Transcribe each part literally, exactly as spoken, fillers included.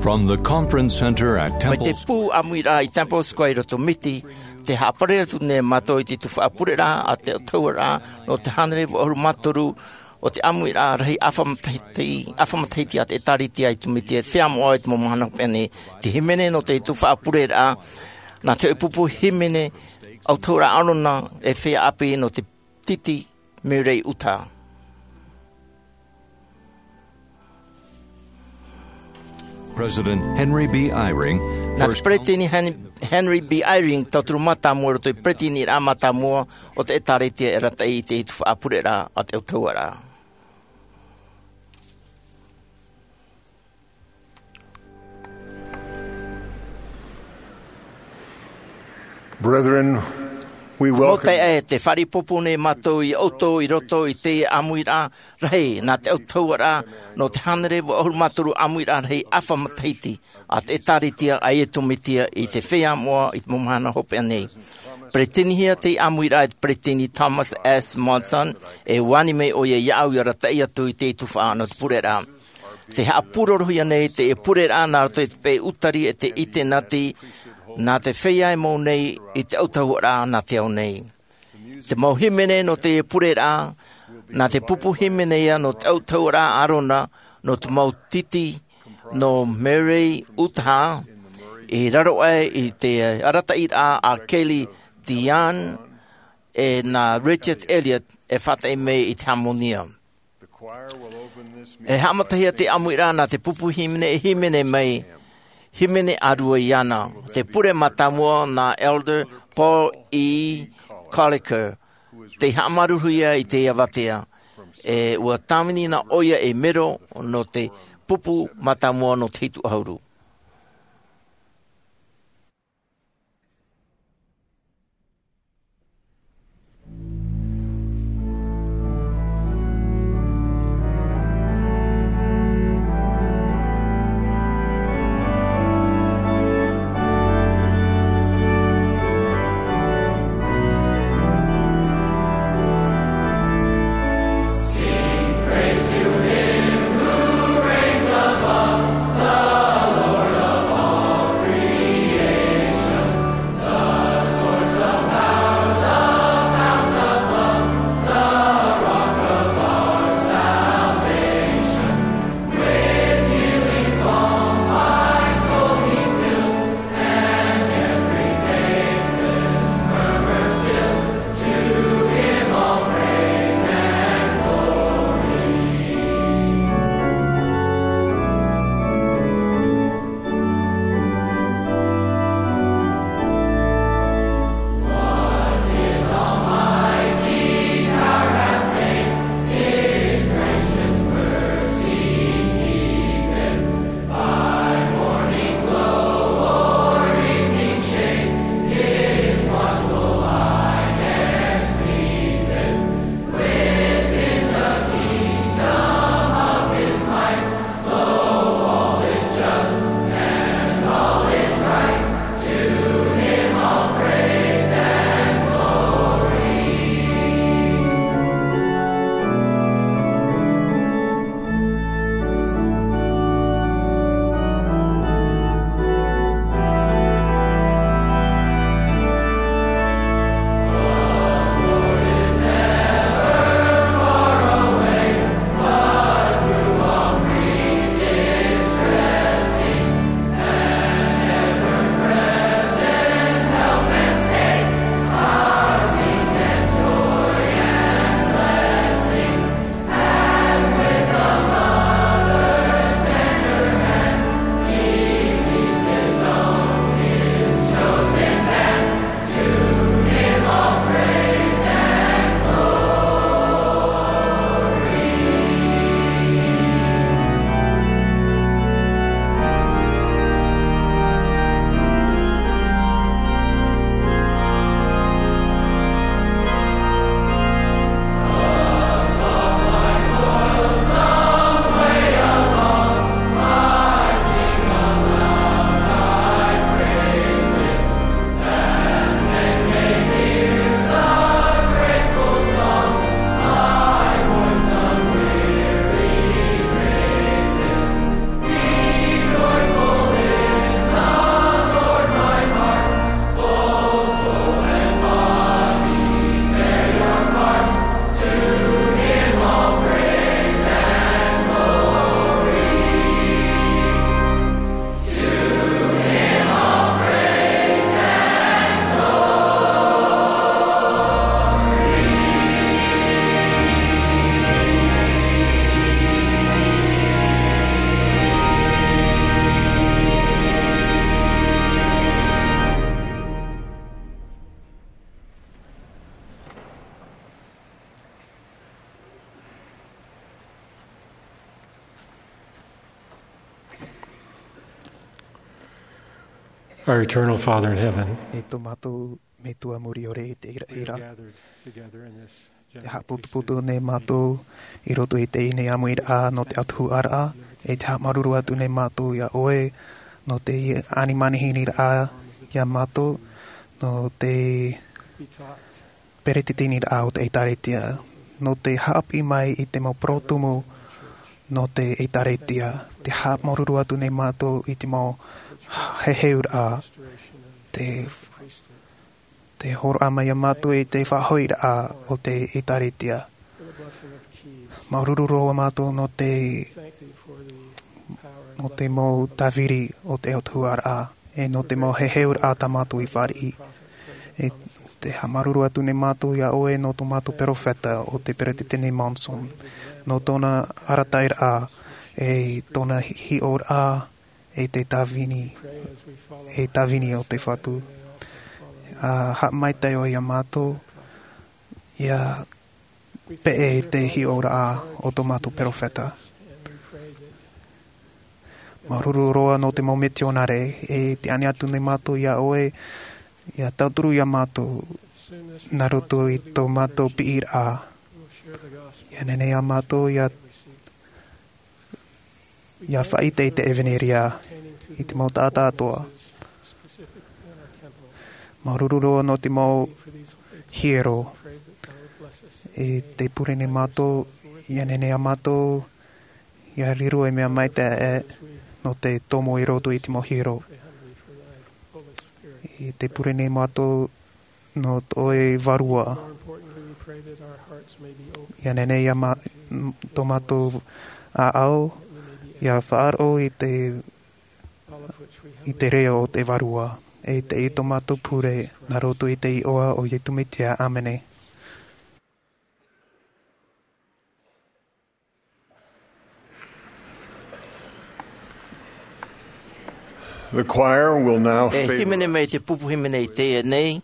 From the conference center at Mai te Temple pū ʻāmuiraʻa i Temple Square i roto Miti, tē haʻaparare atu nei mātou i te tuhaʻa pureraʻa a te autahuʻaraʻa nō te hānere vaʻu ʻahuru mā toru o te ʻāmuiraʻa rahi ʻāfa matahiti, ʻāfa matahiti a te ʻĒtārētia i Tūmītia, e feiā moʻa i te mau mahana hopeʻa nei. Te hīmene nō te tuhaʻa pureraʻa, nā te hōʻē pupu hīmene autahuʻaraʻa ʻĀrona, e feiā ʻāpī nō te titi Murray Utah. President Henry B. Eyring, nā te first Peresideni Hen-, Henry B. Eyring, tauturu mātāmua i roto i te Peresideniraʻa mātāmua o te ʻĒtārētia, e arataʻi i te tuhaʻa pureraʻa a te autahuʻaraʻa. Brethren, we Mau welcome taeaʻe, tē fāriʻi pōpō nei mātou ia ʻoutou i roto i te ʻāmuiraʻa rahi nā te autahuʻaraʻa nō te hānere vaʻu ʻahuru mā toru ʻāmuiraʻa rahi ʻāfa matahiti a te ʻĒtārētia a Iesu Mesia i te feiā moʻa i te mau mahana hopeʻa nei. Peresideni hia te ʻāmuiraʻa e te Peresideni Thomas S. Monson, e ʻua ani mai ʻoia iāʻu ia arataʻi atu i te tuhaʻa nō te pureraʻa. Tē haʻapūrorohia nei te pureraʻa nā roto i te peʻe ʻūtari e te ʻitenati, nā te feiā e mau nei i te autahuʻaraʻa nā te ao nei. Te mau hīmene nō te pureraʻa, nā te pupu hīmene ia nō te autahuʻaraʻa ʻĀrona, nō te mau titi nō Murray Utah, i raro aʻe i te arataʻiraʻa a Kelly Diane, e nā Richard Elliott e faʻataʻi mai i te hāmonia. E haʻamatahia te ʻāmuiraʻa nā te pupu hīmene e hīmene mai, hīmene ʻārua iāna. Te pure mātāmua nā Elder Paul E. Colliker, tei haʻamāuruuruhia i te avatea. E ʻua tāvini na ʻoia ei mero nō te pupu mātāmua nō te hitu ʻahuru. Our eternal Father in heaven, E tō mātou Metua muri ʻore i te ira-, ira. Te haʻaputuputu nei mātou i roto i teie nei ʻāmuiraʻa nō te autahuʻaraʻa, e te haʻamāuruuru atu nei mātou iā ʻoe, nō te ʻanimanihini raʻa iā mātou, nō te peretiteniraʻa o te ʻĒtārētia, nō te haʻapiʻi mai i te mau porotumu nō te ʻĒtārētia, te haʻamāuruuru atu nei mātou i te mau heheuraʻa, te, te hōroʻa mai iā mātou i te faʻahoʻiraʻa o te ʻĒtārētia. Māuruuru roa mātou nō te, nō te mau tāviri o te autahuʻaraʻa, e nō te mau heheuraʻa tā mātou i fāriʻi. E te haʻamāuruuru atu nei mātou iā ʻoe nō tō mātou peropheta ʻo te Peretiteni Monson, nō tōna arataʻiraʻa, e tōna hiʻoraʻa, e te tāvini, e tāvini o te Fatu. ʻA haʻamaitaʻi ʻoe iā mātou, ʻia peʻe te hiʻoraʻa o tō mātou peropheta. Māuruuru roa nō te mau mitionare, e te ani atu nei mātou iā ʻoe, ʻia tauturu iā mātou, nā roto i tō mātou piʻiraʻa. ʻIa nehenehe iā mātou, ʻia ʻia faʻaʻite i te ʻevanelia i te mau taʻata atoʻa. Māuruuru roa nō te mau hiero. E te pure nei mātou, ʻia nehenehe iā mātou, ʻia riro ei mea maitaʻi nō te tomo i roto i te mau hiero. E te pure nei mātou, nō tō ʻoe Vārua. ʻIa nehenehe iā mā-, tō mātou ʻāʻau, ʻia faʻaroʻo i te, i te reo o te Vārua. E teie tō mātou pure, nā roto i te iʻoa o Iesu Mesia. ʻĀmene. The choir will now E favour hīmene mai te pupu hīmene i teie nei,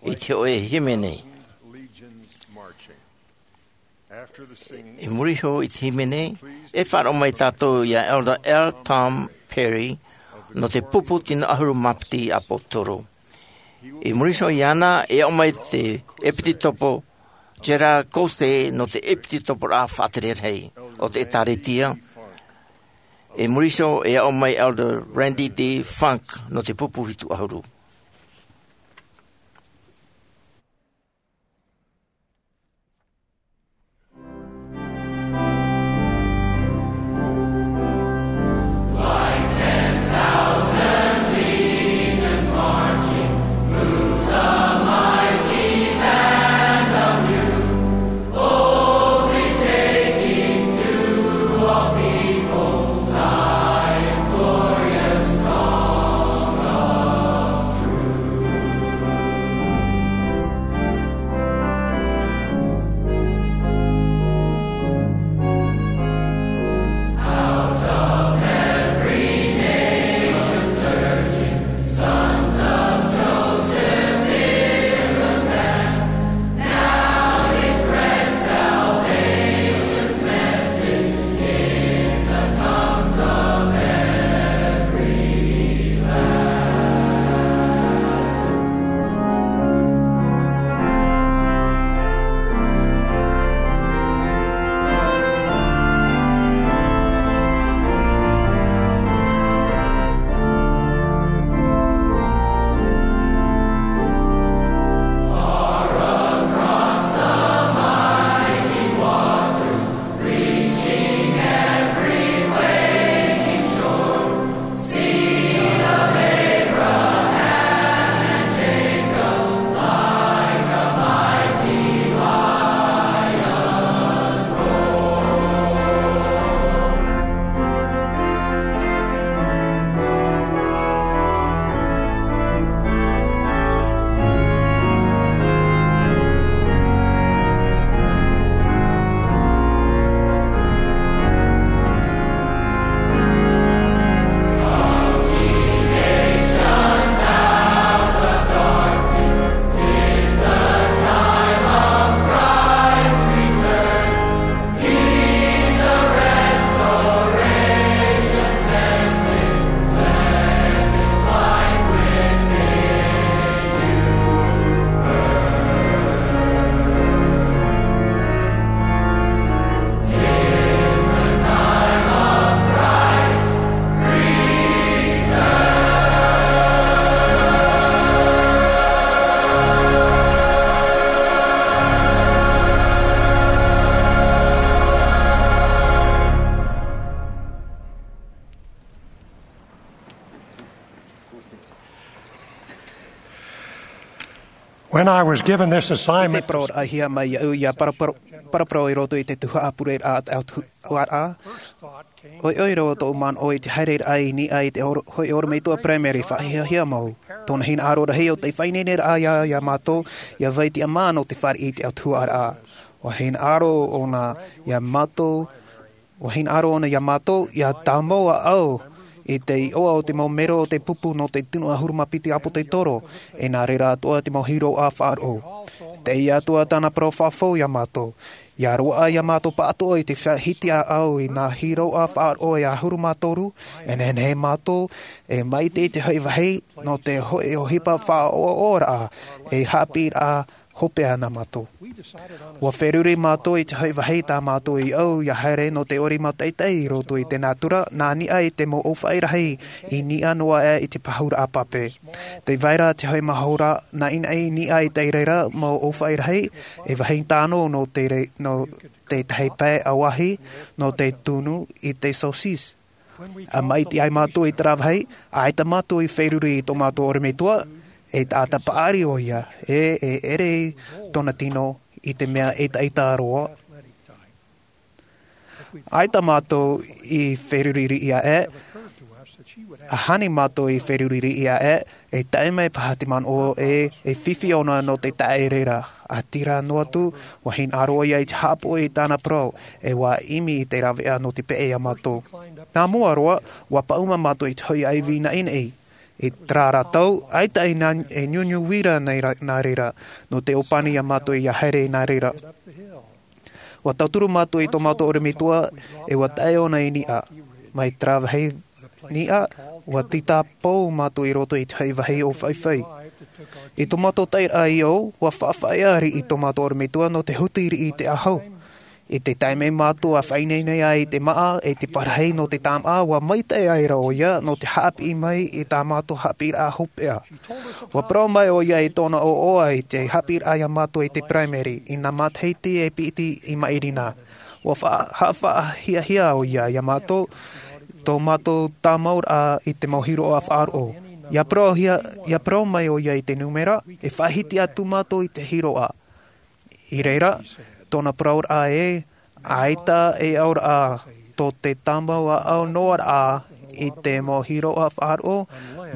i te hōʻē hīmene. Legion's Marching. After the singing, I muri iho i te hīmene, e faʻaroʻo mai tātou iā Elder L. Tom Perry, nō te pupu tino ʻahuru mā piti ʻāpōsetolo. I muri iho iāna, e aʻo mai te ʻEpitopo Gerard Caussé nō te ʻepitoporaʻa faʻatere rahi o te ʻĒtārētia. I muri iho, e aʻo mai Elder Randy D. Funk nō te pupu hitu ʻahuru. When I was given this assignment, te parau raʻa hia mai iāʻu ia paraparau i roto i te tuhaʻa pureraʻa a te autahuʻaraʻa, ʻoiʻoi roa tōʻu manaʻo i te haereraʻa i niʻa i te hoʻi ʻorometua primary faʻahiahia mau. Tōna hinaʻaro rahi ʻo te faʻaineineraʻa iā mātou ia vai tiʻa mā nō te fāriʻi i te autahuʻaraʻa. Ua hinaʻaro ʻōna iā mātou ua hinaʻaro ʻōna iā mātou ia tāmau ʻāʻau i te iʻoa o te mau mero o te pupu nō te tino ʻahuru mā piti ʻāpōsetolo, e nā reira atoʻa te mau hiroʻa faʻaroʻo. Teie atoʻa tāna parau faʻafou iā mātou ia roaʻa iā mātou pāʻatoʻa i te faʻahiti ʻāʻau i nā hiroʻa faʻaroʻo e ʻahuru mā toru. E nehenehe mātou e maite i te hoʻi vāhi nō te hoʻi ʻohipa faʻaoaoaraʻa e haʻapiʻiraʻa hopeʻa nā mātou. Ua feruri mātou i te hoʻi vāhi tā mātou i ʻau ia haere nō te ʻori mātaʻitaʻi i roto i te nātura nā niʻa i te mau ʻōfaʻi rahi i niʻa noa aʻe i te pahuraʻa pape. Tē vai ra te hoʻi mahora naʻinaʻi i niʻa i te reira mau ʻōfaʻi rahi e vāhi tano nō te tētahi pae ʻauahi nō te tunu i te saucisse. ʻA maʻiti ai mātou i te rāvahi ʻaita mātou i feruri i tō mātou ʻorometua e taʻata paʻari ʻo ia e e ʻere tōna tino i te mea ʻetaʻeta roa. ʻAita mātou i feruri riʻi aʻe ʻa hāni mātou i feruri riʻi aʻe e tae mai paha te manaʻo e e fifi ʻōna nō te taʻa ʻere ra. ʻA tira noa atu ua hinaʻaro ia i te haʻapoʻi i tāna parau e ua ʻimi i te raveʻa nō te peʻe iā mātou. Nā mua roa ua paʻuma mātou i te hoʻi ʻaivi naʻinaʻi i te rā rātou ʻaita e niuniu uira nā reira nō te ʻōpani iā mātou ia haere i nā reira. Ua tauturu mātou i tō mātou ʻorometua e ua taʻe ʻōna i niʻa mai te rāvahi niʻa ua tītā pou mātou i roto i te hoʻi vāhi ʻōfaʻi. I tō mātou taeraʻa i ʻau ua faʻafaʻaea riʻi tō mātou ʻorometua nō te huti riʻi i te ʻahu. I te taime mātou a faʻaineine ai i te maʻa e te parahi nō te tāmaʻa ua maitaʻi ai ra ʻo ia nō te haʻapiʻi mai i tā mātou haʻapiʻiraʻa hopeʻa. Ua parau mai ʻo ia i tōna ʻoaʻoa i te haʻapiʻiraʻa iā mātou i te primary i nā matahiti e piti i maʻiri na. Ua haʻafaʻahiahia ʻo ia iā mātou tō mātou tāmauraʻa i te mau hiroʻa faʻaroʻo. Ia parau mai ʻo ia i te numera e faʻahiti atu mātou i te hiroʻa. I reira tōna parauraʻa e ʻaita e ʻauraʻa tō te tāmau ʻāʻau noa raʻa i te mau hiroʻa faʻaroʻo.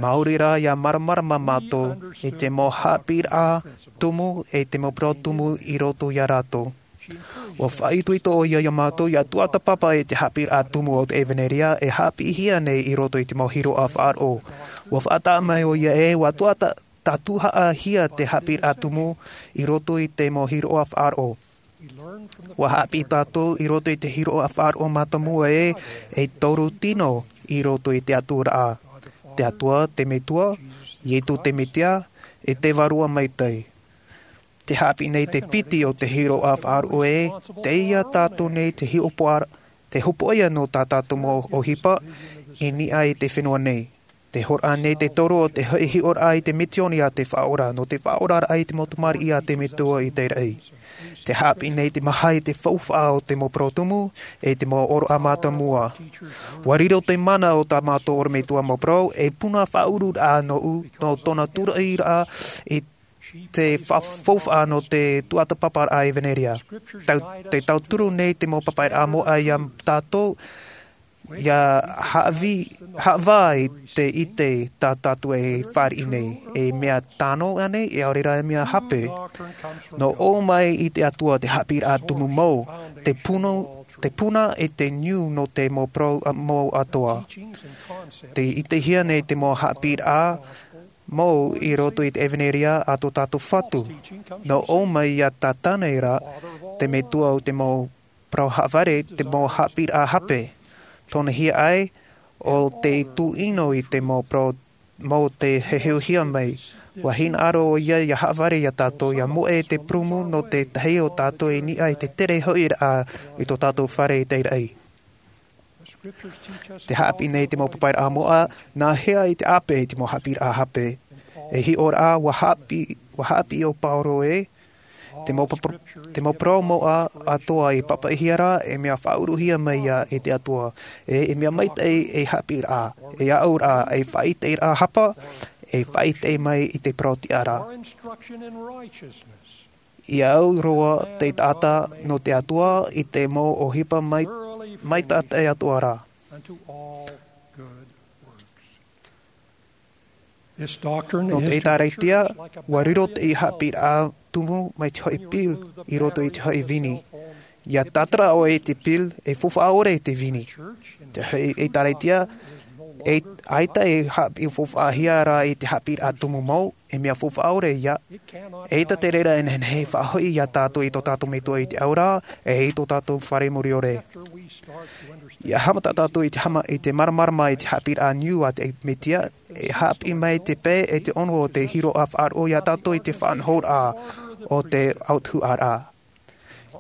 Māori rā ia māramarama mātou i te mau haʻapiʻiraʻa tumu e te mau parau tumu i roto iā rātou. Ua faʻaitoito ʻo ia iā mātou ia tuatāpapa i te haʻapiʻiraʻa tumu o te ʻevanelia e haʻapiʻihia nei i roto i te mau hiroʻa faʻaroʻo. Ua faʻataʻa mai ʻo ia e ua tuatāpapa tātuhaʻahia te haʻapiʻiraʻa tumu i roto i te mau hiroʻa faʻaroʻo. Ua haʻapiʻi tātou i roto i te hiroʻa faʻaroʻo mātāmua e e toru tino i roto i te aturaʻa. Te atua te metua, iesu te mesia, e te vārua maitaʻi. Te haʻapiʻi nei te piti o te hiroʻa faʻaroʻo e teie tātou nei te hiʻopoʻa te hopoʻia nō tā tātou mau ʻohipa i niʻa i te fenua nei. Te horoʻa nei te toru o te hoʻi hiʻoraʻa i te misioni a te faʻaora nō te faʻaoraraʻa i te mau tamariʻi a te metua i te raʻi. Te haʻapiʻi nei te maha i te faufaʻa o te mau parau tumu e te mau ʻōroʻa mātāmua. Ua riro te mana o tā mātou ʻorometua mau parau e puna faʻaururaʻa nō tōna turaʻiraʻa i te faufaʻa nō te tuatāpaparaʻa ʻevanelia. Te tauturu nei te mau papaʻiraʻa moʻa iā tātou ia haʻavā i te ʻite tā tātou e fāriʻi nei e mea tano ʻanei e ʻaore rā e mea hape. Nō ʻō mai i te atua te haʻapiʻiraʻa tumu mau te puna i te niu nō te mau parau mau atoa. Te ʻitehia nei te mau haʻapiʻiraʻa mau i roto i te ʻevanelia a tō tātou fatu. Nō ʻō mai iā tātana era te metua o te mau parau haʻavare te mau haʻapiʻiraʻa hape. Tōna hiaʻai o te tūʻino i te mau parau mau te heheuhia mai. Ua hinaʻaro ʻo ia ia haʻavare iā tātou ia moʻe te prumu nō tētahi o tātou i niʻa i te tere hoʻiraʻa i tō tātou fare i te raʻi. Te haʻapiʻi nei te mau papaʻiraʻa moʻa nā hea i te ʻāpē i te mau haʻapiʻiraʻa hape. E hiʻoraʻa ua haʻapiʻi ʻo pauro e Te mau papa-, te mau parau moʻa atoa i pāpaʻihia ra, e mea faʻauruhia mai ia e te Atua. E, e mea maitaʻi e haʻapiʻiraʻa, e aʻoraʻa, e faʻaʻiteiraʻa hapa, e faʻaʻite mai i te parau-tiʻa ra. I au roa te taʻata nō te Atua i te mau ʻohipa mai, mai tā te Atua ra. Nō te ʻĒtārētia, ua riro te haʻapiʻiraʻa tumu mai te hoʻi pil i roto i te hoʻi vini. ʻIa tātara ʻoe i te pil, e faufaʻa ʻore i te vini. Te hoʻi ʻĒtārētia, e ʻaita e haʻapiʻi faufaʻahia ra i te haʻapiʻiraʻa tumu mau, e mea faufaʻa ʻore ia. ʻAita te reira e nehenehe e faʻahoʻi ia tātou i tō tātou Metua i te ao ra, e i tō tātou Fare Muriore. ʻIa haʻamata tātou i te hama-, i te māramarama i te haʻapiʻiraʻa niu a te Metia, e haʻapiʻi mai te pae e te ono o te hiroʻa faʻaroʻo ia tātou i te faʻanahoraʻa o te autahuʻaraʻa.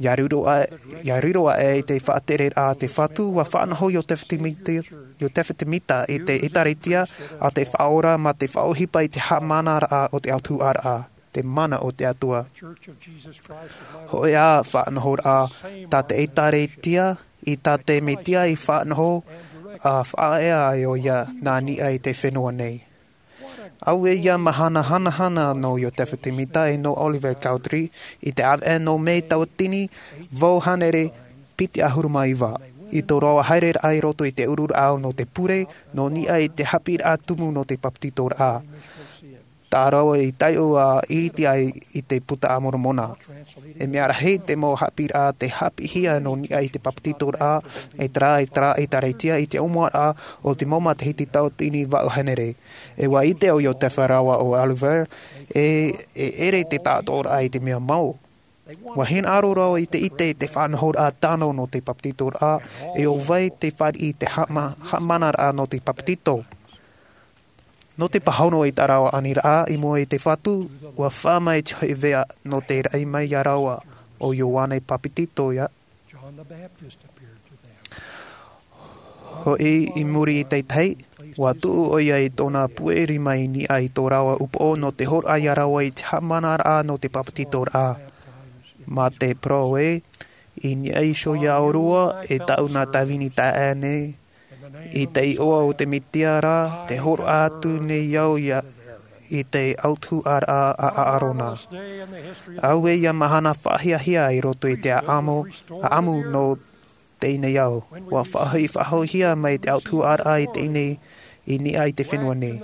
ʻIa riro a-, ʻia riro aʻe i te faʻatereraʻa a te Fatu, ua faʻanaho Iosepha Semita, Iosepha Semita i te ʻĒtārētia a te Faʻaora mā te faʻaʻohipa i te haʻamanaraʻa o te autahuʻaraʻa, te mana o te Atua. Hōʻē ā faʻanahoraʻa tā te ʻĒtārētia, i tā te Metia i faʻanaho, ʻa faʻaea ai ʻoia nā niʻa i te fenua nei. Auē ia mahana hanahana nō Iosepha Semita e nō Oliver Cowdery, i te ʻāvaʻe nō Mē tauatini vaʻu hānere piti ʻahuru mā iva, i tō rāua haereraʻa i roto i te ururaʻa nō te pure, nō niʻa i te haʻapiʻiraʻa tumu nō te papetitoraʻa. Tā rāua i taiʻo ʻa ʻiriti ai i te Puta a Moromona. E mea rahi te mau haʻapiʻiraʻa tei haʻapiʻihia nō niʻa i te papetitoraʻa, e terā, e terā ʻĒtārētia i te ʻōmuaraʻa o te mau matahiti tauatini vaʻu hānere. E ua ʻite ʻo Iosepha rāua ʻo Oliver, e, e ʻere te taʻatoʻaraʻa i te mea mau. Ua hinaʻaro rāua i te ʻite i te faʻanahoraʻa tano nō te papetitoraʻa, e ʻo vai te fāriʻi i te haʻama-, haʻamanaraʻa nō te papetito. Nō te pāhono i tā rāua aniraʻa i mua i te Fatu, ua fā mai te hoʻi veʻa nō te raʻi mai ia rāua ʻo Ioane Papetito ia. Hoʻi i muri i te tahi, ua tuʻu ʻoia i tōna puʻe rima i niʻa i tō rāua upoʻo nō te hōroʻa ia rāua i te haʻamanaraʻa nō te papetitoraʻa. Mā te parau ē, i niʻa iho ia ʻōrua, e tāʻu nā tāvini taeaʻe nei, i te iʻoa o te Metia ra, tē hōroʻa atu nei au ia i te autahuʻaraʻa a ʻĀrona. Auē ia mahana faʻahiahia i roto i te ʻāʻamu, ʻāʻamu nō teie nei ao. Ua faʻahoʻi-, faʻahoʻihia mai te autahuʻaraʻa i teie nei i niʻa i te fenua nei.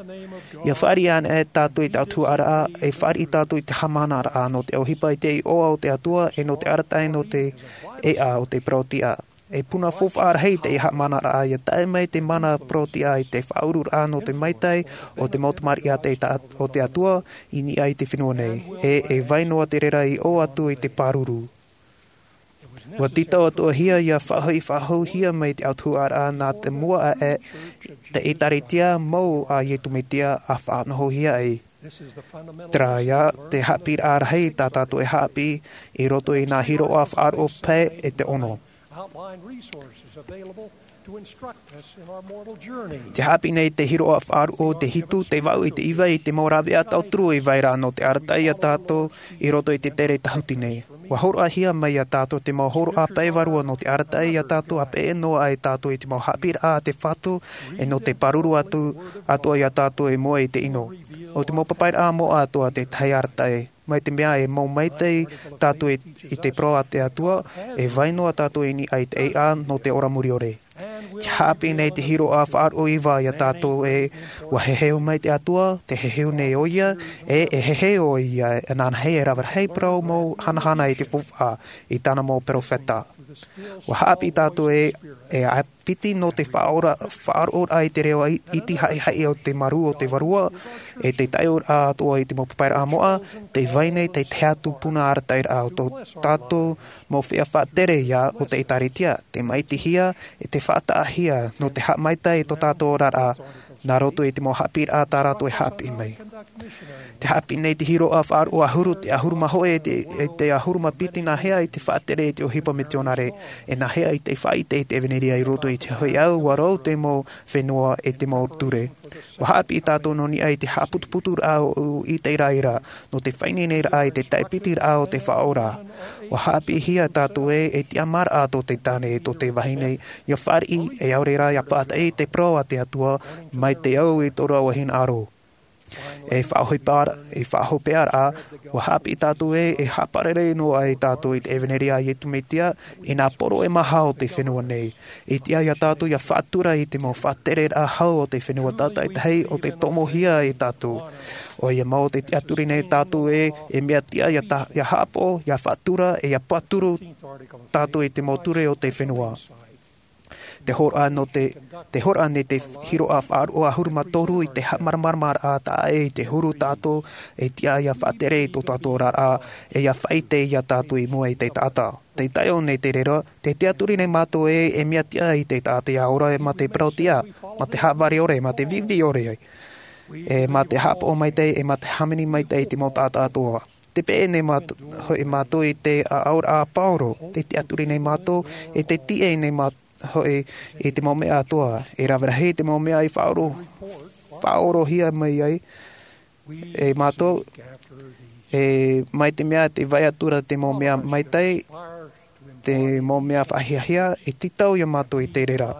ʻIa fāriʻi ana e tātou i te autahuʻaraʻa, e fāriʻi tātou i te haʻamanaraʻa nō te ʻohipa i te iʻoa o te Atua, e nō te arataʻi nō te ʻēʻa o te parau-tiʻa. E puna faufaʻa rahi te haʻamanaraʻa ʻia tae mai te mana parau-tiʻa i te faʻaururaʻa nō te maitaʻi o te mau tamariʻi a te ta-, o te Atua i niʻa i te fenua nei. E, e vai noa te reira i ʻō atu i te pāruru. Ua tītau atoʻahia ʻia faʻahoʻi-, faʻahoʻihia mai te autahuʻaraʻa nā te mua aʻe te ʻĒtārētia mau a Iesu Mesia a faʻanahohia ai. Terā ia te haʻapiʻiraʻa rahi tā tātou e haʻapiʻi i roto i nā hiroʻa faʻaroʻo pae e te ono. Te haʻapiʻi nei te hiroʻa faʻaroʻo te hitu, te vaʻu i te iva i te mau rāveʻa tauturu i vai ra nō te arataʻi ia tātou i roto i te tere tahuti nei. Ua hōroʻahia mai ia tātou te mau hōroʻa pae vārua nō te arataʻi ia tātou, ʻa peʻe noa ai tātou i te mau haʻapiʻiraʻa a te Fatu, e nō te pāruru atu, atoʻa ia tātou i mua i te ʻino. ʻO te mau papaʻiraʻa moʻa atoʻa te tahi arataʻi. Mai te mea e mau maitaʻi tātou i, i te parau a te Atua, e vai noa tātou i niʻa i te ʻēʻa nō te ora muriore. Te haʻapiʻi nei te hiroʻa faʻaroʻo iva ia tātou ē, ua heheu mai te Atua, tē heheu nei ʻoia, e, e heheu ʻoia, e nānahi e rave rahi parau mau hanahana i te faufaʻa, i tāna mau perofeta. Ua haʻapiʻi tātou ē, e ʻāpiti nō te faʻaora-, faʻaroʻoraʻa i te reo i-, iti haʻihaʻi o te marū o te Vārua, e te taiʻoraʻa atoʻa i te mau papaʻiraʻa moʻa, tē vai nei te tahi atu puna arataʻiraʻa o tō tātou mau feiā faʻatere ia o te ʻĒtārētia, tē maitihia, e tē faʻataʻahia, nō te haʻamaitaʻi i tō tātou oraraʻa, nā roto i te mau haʻapiʻiraʻa tā rātou e haʻapiʻi mai. Te haʻapiʻi nei te hiroʻa faʻaroʻo ʻahuru, te ʻahuru mā hōʻē, te, e te ʻahuru mā piti, nā hea i te faʻatere i te ʻohipa mitionare, e nā hea i te faʻaʻite i te ʻevanelia i roto i te hōʻē ʻau, ʻua rau te mau fenua e te mau ture. ʻUa haʻapiʻi tātou nō niʻa i te haʻaputuputuraʻa o ʻĪteraʻera, nō te faʻaineineraʻa i te taʻepitiraʻa o te Faʻaora. ʻUa haʻapiʻihia tātou ē, e tiʻamāraʻa tō te tāne, tō te vahine, ʻia fāriʻi, e ʻaore rā ʻia pātaʻi i te parau a te Atua, mai te au i tō rāua hinaʻaro. E faʻahopeʻa-, e faʻahopeʻaraʻa, ʻua haʻapiʻi tātou ē, e haʻaparare noa ai tātou i te ʻevanelia a Iesu Mesia, i nā poro e maha o te fenua nei. E tiʻa ia tātou ʻia faʻatura i te mau faʻatereraʻa hau o te fenua tātaʻitahi ʻo tē tomohia e tātou. ʻOia mau tē tiʻaturi nei tātou ē, e mea tiʻa ʻia ta-, ʻia haʻapaʻo, ʻia faʻatura, e ʻia pāturu tātou i te mau ture o te fenua. Te hōroʻa nō te, te hōroʻa nei te hiroʻa faʻaroʻo ʻahuru mā toru i te haʻamāramaramaraʻa taʻa ʻē i te huru tātou, e tiʻa ʻia faʻatere i tō tātou oraraʻa, e ʻia faʻaʻite ia tātou i mua i te taʻata. Tē taeʻo nei te reira, tē tiʻaturi nei mātou ē, e mea tiʻa i te taʻata ʻia ora mā te parau tiʻa, mā te haʻavare ʻore, mā te viʻiviʻi ʻore, e mā te haʻapaʻo maitaʻi, e mā te hāmani maitaʻi i te mau taʻata atoʻa. Tē peʻe nei māt-, hoʻi mātou i te ʻaʻauraʻa a Pauro, tē tiʻaturi nei mātou, e tē tiʻa nei māt-, hoʻi i te mau mea atoʻa, e rave rahi te mau mea i faʻaʻoro-, faʻaʻorohia mai ai, e mātou, e mai te mea tē vai atu ra te mau mea maitaʻi, te mau mea faʻahiahia, e tītau ia mātou i te reira.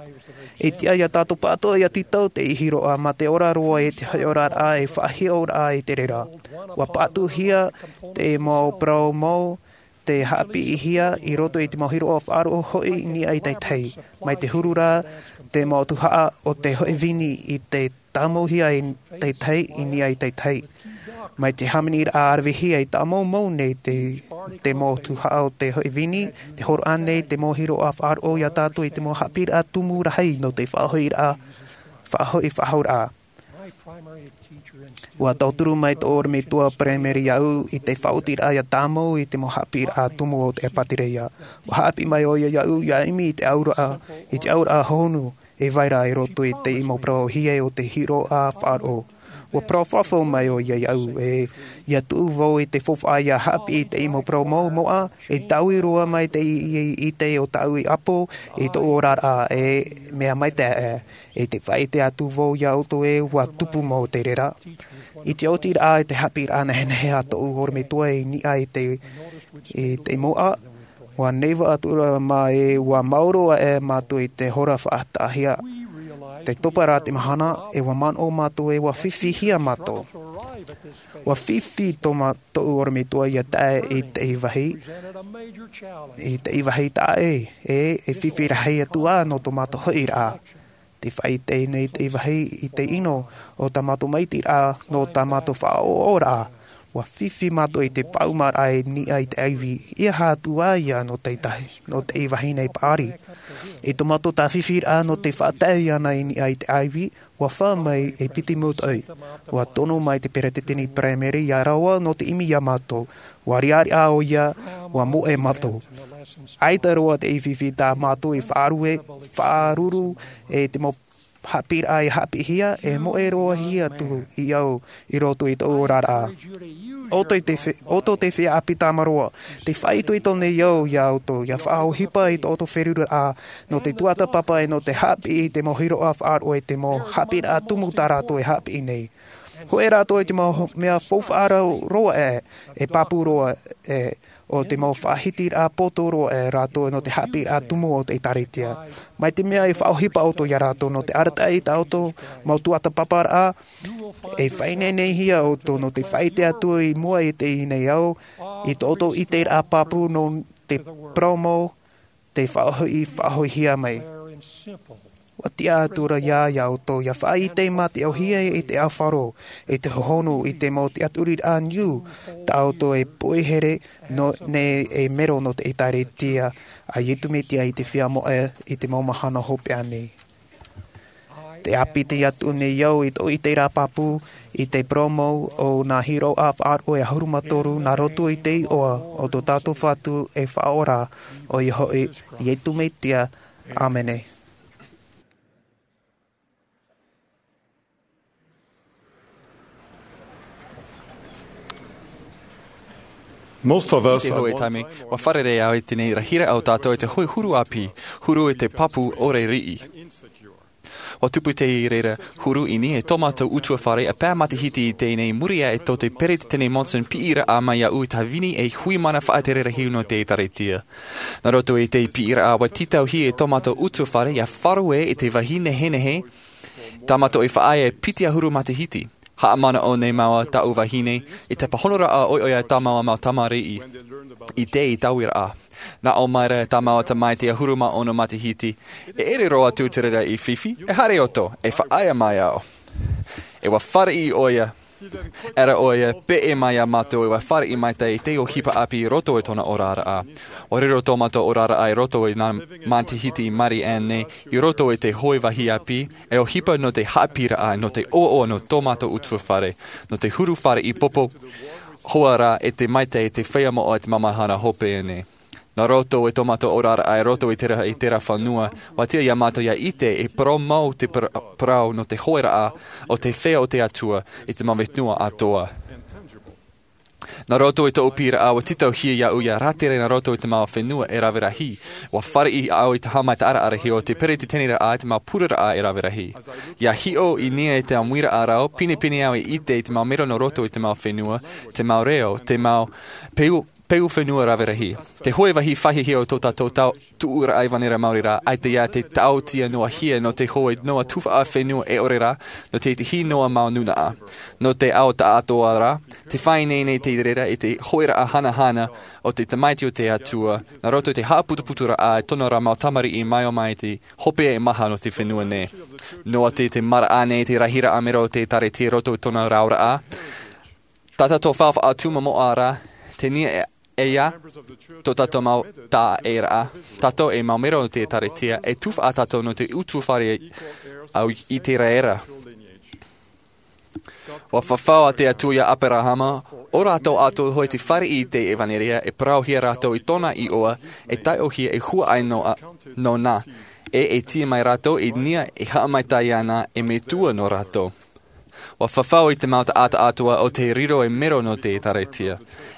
E tiʻa ia tātou pāʻatoʻa ʻia tītau te hiroʻa mā te ora roa i te hōʻē oraraʻa e faʻahiʻoraʻa i te reira. ʻUa pāʻatuhia te mau parau mau, tē haʻapiʻihia i roto i te mau hiroʻa faʻaroʻo hoʻi i niʻa i te tahi. Mai te huru ra, te mau tuhaʻa o te hōʻē vini i tē tāmauhia i te tahi, i niʻa i te tahi. Mai te hāmaniraʻa ravehia i tāmaumau nei te, te mau tuhaʻa o te hōʻē vini, tē hōroʻa nei te mau hiroʻa faʻaroʻo ia tātou i te mau haʻapiʻiraʻa tumu rahi nō te faʻahoʻiraʻa, faʻahoʻi faʻahouraʻa. ʻUa tauturu mai tōʻu ʻorometua paraimere iāʻu i te faʻaotiraʻa ʻia tāmau i te mau haʻapiʻiraʻa tumu o te ʻĒpātereia. ʻUa haʻapiʻi mai ʻoia iāʻu ʻia ʻimi i te auraʻa, i te auraʻa honu e vai ra i roto i te mau parau ʻōhie o te hiroʻa faʻaroʻo. ʻUa parau fafau mai ʻoia iāʻu ē, ʻia tuʻu vau i te faufaʻa ʻia haʻapiʻi i te mau parau mau moʻa, e taui roa mai te i, i, i te o tāʻu i ʻapo, i tōʻu oraraʻa, e mea maitaʻi, e te faʻaʻite atu vau ia ʻoutou ē ʻua tupu mau te reira. I te oti ra i te haʻapiʻiraʻa nehenehe a tōʻu ʻorometua i niʻa i te, i te moʻa, ʻua neva atu ra mā ē ʻua maoro aʻe mātou i te hora faʻataʻahia. Tē topa ra te mahana, e ʻua manaʻo mātou ē ʻua fifihia mātou. ʻUa fifi tō mā-, tōʻu ʻorometua ʻia tae i te vāhi, i te vāhi taʻa ʻē, e, e fifi rahi atu ā nō tō mātou hoʻiraʻa. Tē faʻaʻite nei te vāhi i te ʻino o tā mātou maitiraʻa nō tā mātou faʻaʻoʻoraʻa. ʻUa fifi mātou i te pāʻumaraʻa i niʻa i te ʻaivi, ʻeiaha atu ā ia nō te tahi, nō te vāhi nei paʻari. I tō mātou tāfifiraʻa nō te faʻatae iāna i niʻa i te ʻaivi, ʻua fā mai e piti mūtoʻi. ʻUa tono mai te peretiteni paraimere ʻia rave nō te ʻimi ia mātou. ʻUa riʻariʻa ʻoia, ʻua moʻe mātou. ʻAita roa te fifi tā mātou i faʻarue, faʻaruru, e te mau haʻapiʻiraʻa i haʻapiʻihia, e moʻe roa hia atu iāʻu i roto i tōʻu oraraʻa. ʻOutou te fe-, ʻoutou te feiā ʻāpī tāmāroa, tē faʻaitoito nei au ia ʻoutou, ʻia faʻaʻohipa i tō ʻoutou feruriraʻa, nō te tuatāpapa e nō te haʻapiʻi i te mau hiroʻa faʻaroʻo e te mau haʻapiʻiraʻa tumu tā rātou e haʻapiʻi nei. Hōʻē rātou i te mau mea faufaʻa roa ē, e pāpū roa ē, ʻo te mau faʻahitiraʻa poto roa ē rātou nō te haʻapiʻiraʻa tumu o te ʻĒkālesia. Mai te mea e faʻaʻohipa ʻoutou ia rātou nō te arataʻi i tā ʻoutou mau tuatāpaparaʻa, e faʻaineine hia ʻoutou nō te faʻaʻite atu i mua i teie nei ao, i tō ʻoutou ʻiteraʻa pāpū nō te parau mau, tē faʻahoʻi, faʻahoʻihia mai. ʻUa tiʻa atu ra ia, ia ʻoutou, ʻia faʻaʻite mā te ʻōhie i te ʻāfaro, i te hohonu, i te mau tiʻaturiraʻa niu, tā ʻoutou e poihere, nō, nei e mero nō te ʻĒkālesia, a Iesu Mesia i te feiā moʻa, i te mau mahana hopeʻa nei. Tē ʻāpiti atu nei au i tōʻu ʻiteraʻa pāpū, i te parau mau o nā hiroʻa faʻaroʻo e ʻahuru mā toru nā roto i te iʻoa o tō tātou Fatu e Faʻaora, ʻoia hoʻi, Iesu Mesia. ʻĀmene. Most of us I te hoʻē taime, ua fārerei au i teie rahiraʻa o tātou e te hoʻē huru ʻāpī, huru i te pāpū ʻore riʻi. Ua tupu te reira huru i niʻa i tō mātou ʻutuāfare, ʻa Pat Matahiti i teie nei, muri aʻe i tō te Peresideni Monson piʻiraʻa mai iāʻu i te tāvini e hui mana faʻatere rahi nō te ʻĒtārētia. Nā roto i te piʻiraʻa, ua tītauhia e tō mātou ʻutuāfare ʻia faʻaroʻo i te vāhi nehenehe tā mātou e faʻaea e piti ʻahuru matahiti. Haʻamanaʻo nei māua, tāʻu vahine, i te pāhonoraʻa ʻoiʻoi a tā māua mau tamariʻi i teie tauiraʻa. Nā ʻō mai ra tā māua tamaiti ʻahuru mā ono matahiti, e ʻere roa atu te reira i fifi, e haere ʻoutou, e faʻaea mai au. E ua fāriʻi ʻoia, ʻera ʻoia, peʻe mai iā mātou, e ua fāriʻi maitaʻi i te ʻohipa ʻāpī i roto i tōna oraraʻa. Ua riro tō mātou oraraʻa i roto i nā matahiti i maʻiri aʻe nei, i roto i te hoʻē vāhi ʻāpī, e ʻohipa nō te haʻapiʻiraʻa, nō te ʻoaʻoa nō tō mātou ʻutuāfare, nō te huru fāriʻi popo hoa ra, e te maitaʻi i te feiā moʻa i te māmāhana hopeʻa nei. Nā roto i tō mātou oraraʻa i roto i terā, i terā fenua, ua tiʻa iā mātou ʻia ʻite e parau mau te par-, parau nō te hōʻēraʻa o te feiā o te Atua i te mau fenua atoʻa. Nā roto i tōʻu piʻiraʻa, ua tītauhia iāʻu ʻia rātere nā roto i te mau fenua e rave rahi. Ua fāriʻi au i te haʻamaitaʻiraʻa rahi o te peretiteniraʻa i te mau pureraʻa e rave rahi. ʻIa hiʻo i niʻa i te ʻāmuiraʻa rau, pinepine au i ʻite i te mau mero nō roto i te mau fenua, te mau reo, te mau peu, peu fenua rave rahi. Te hoʻē vāhi faʻahiahia o tō tātou tau, tuʻuraʻa i ʻĀvaneira Maori ra, ʻaita ia te taotiʻa noa hia nō te hoʻē noa tuhaʻa fenua e ʻore ra, nō te tahi noa mau nūnaʻa. Nō te ao taʻatoʻa ra, tē faʻaineine nei te reira i te hōʻēraʻa hanahana o te tamaiti o te Atua, nā roto i te haʻaputuputuraʻa i tōna ra mau tamariʻi mai o mai te hopeʻa e maha nō te fenua nei. Noa atu i te maraʻa nei te rahiraʻa mero o te ʻĒtārētia i roto i tōna rauraʻa, tā tātou faufaʻa tumu moʻa ra, tē niʻa e ia, tō tātou mau taʻaʻēraʻa, tātou e mau mero o te ʻĒtārētia, e tuhaʻa tātou nō te ʻutuāfare ʻau i te reira. Ua fafau ā te Atua iā ʻĀperahama, ʻo rātou atoʻa hoʻi tē fāriʻi i te ʻevanelia, e parauhia rātou i tōna iʻoa, e taiʻohia e huaʻai nō, nōna, e, e tīaʻi mai rātou i niʻa e haʻamaitaʻi ana e metua nō rātou. Ua fafau i te mau taʻata atoʻa ʻo tē riro ei mero nō te ʻĒtārētia.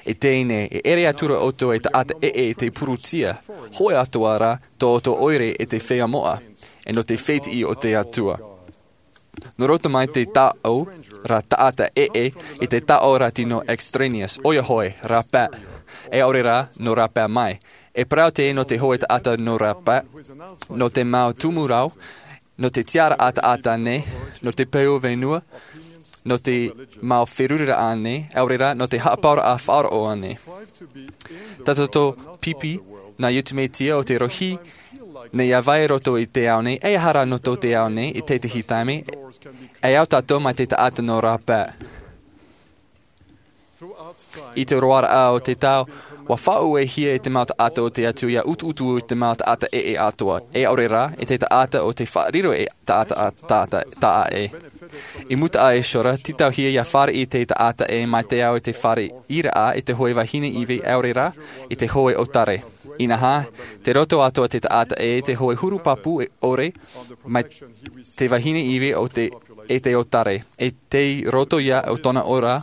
I teie nei, e ʻere atura ʻoutou ei taʻata ʻē i te purutia, hōʻē atoʻa rā, tō ʻoutou ʻoire i te feiā moʻa, e nō te fētiʻi o te Atua. Nō roto mai te taʻo ra taʻata ʻē, i te taʻo ra tino extraneous, ʻoia hoʻi, rāpae. E ʻaore rā, nō rāpae mai. E parau teie nō te hoʻē taʻata nō rāpae, nō te mau tumu rau, nō te tiʻaraʻa taʻata nei, nō te peu fenua, nō te mau feruriraʻa nei, ʻaore rā, nō te haʻapaʻoraʻa faʻaroʻo nei. Tā tātou pipi, nā Iesu Mesia o te rohi, nei ʻia vai roto i te ao nei, e aha rā nō tō te ao nei, i te tahi taime, e au tātou mai te taʻata nō rāpae. I te roaraʻa o te tau, ua faʻauehia e te mau taʻata o te Atua ʻia utuutu i te mau taʻata ʻē atoʻa, e ʻaore rā, i te taʻata o te faʻariro e taʻata, taʻata, taʻa ʻē. I mua aʻe i Ezra, tītauhia ʻia fāriʻi te taʻata ʻē mai te ao i te fāriʻiraʻa i te hoʻē vahine ivi ʻaore rā, i te hoʻē ʻōtare. Inaha, tei roto atoʻa te taʻata ʻē i te hoʻē huru pāpū ʻore, mai te vahine ivi o te, e te ʻōtare. E tei roto ia o tōna ora,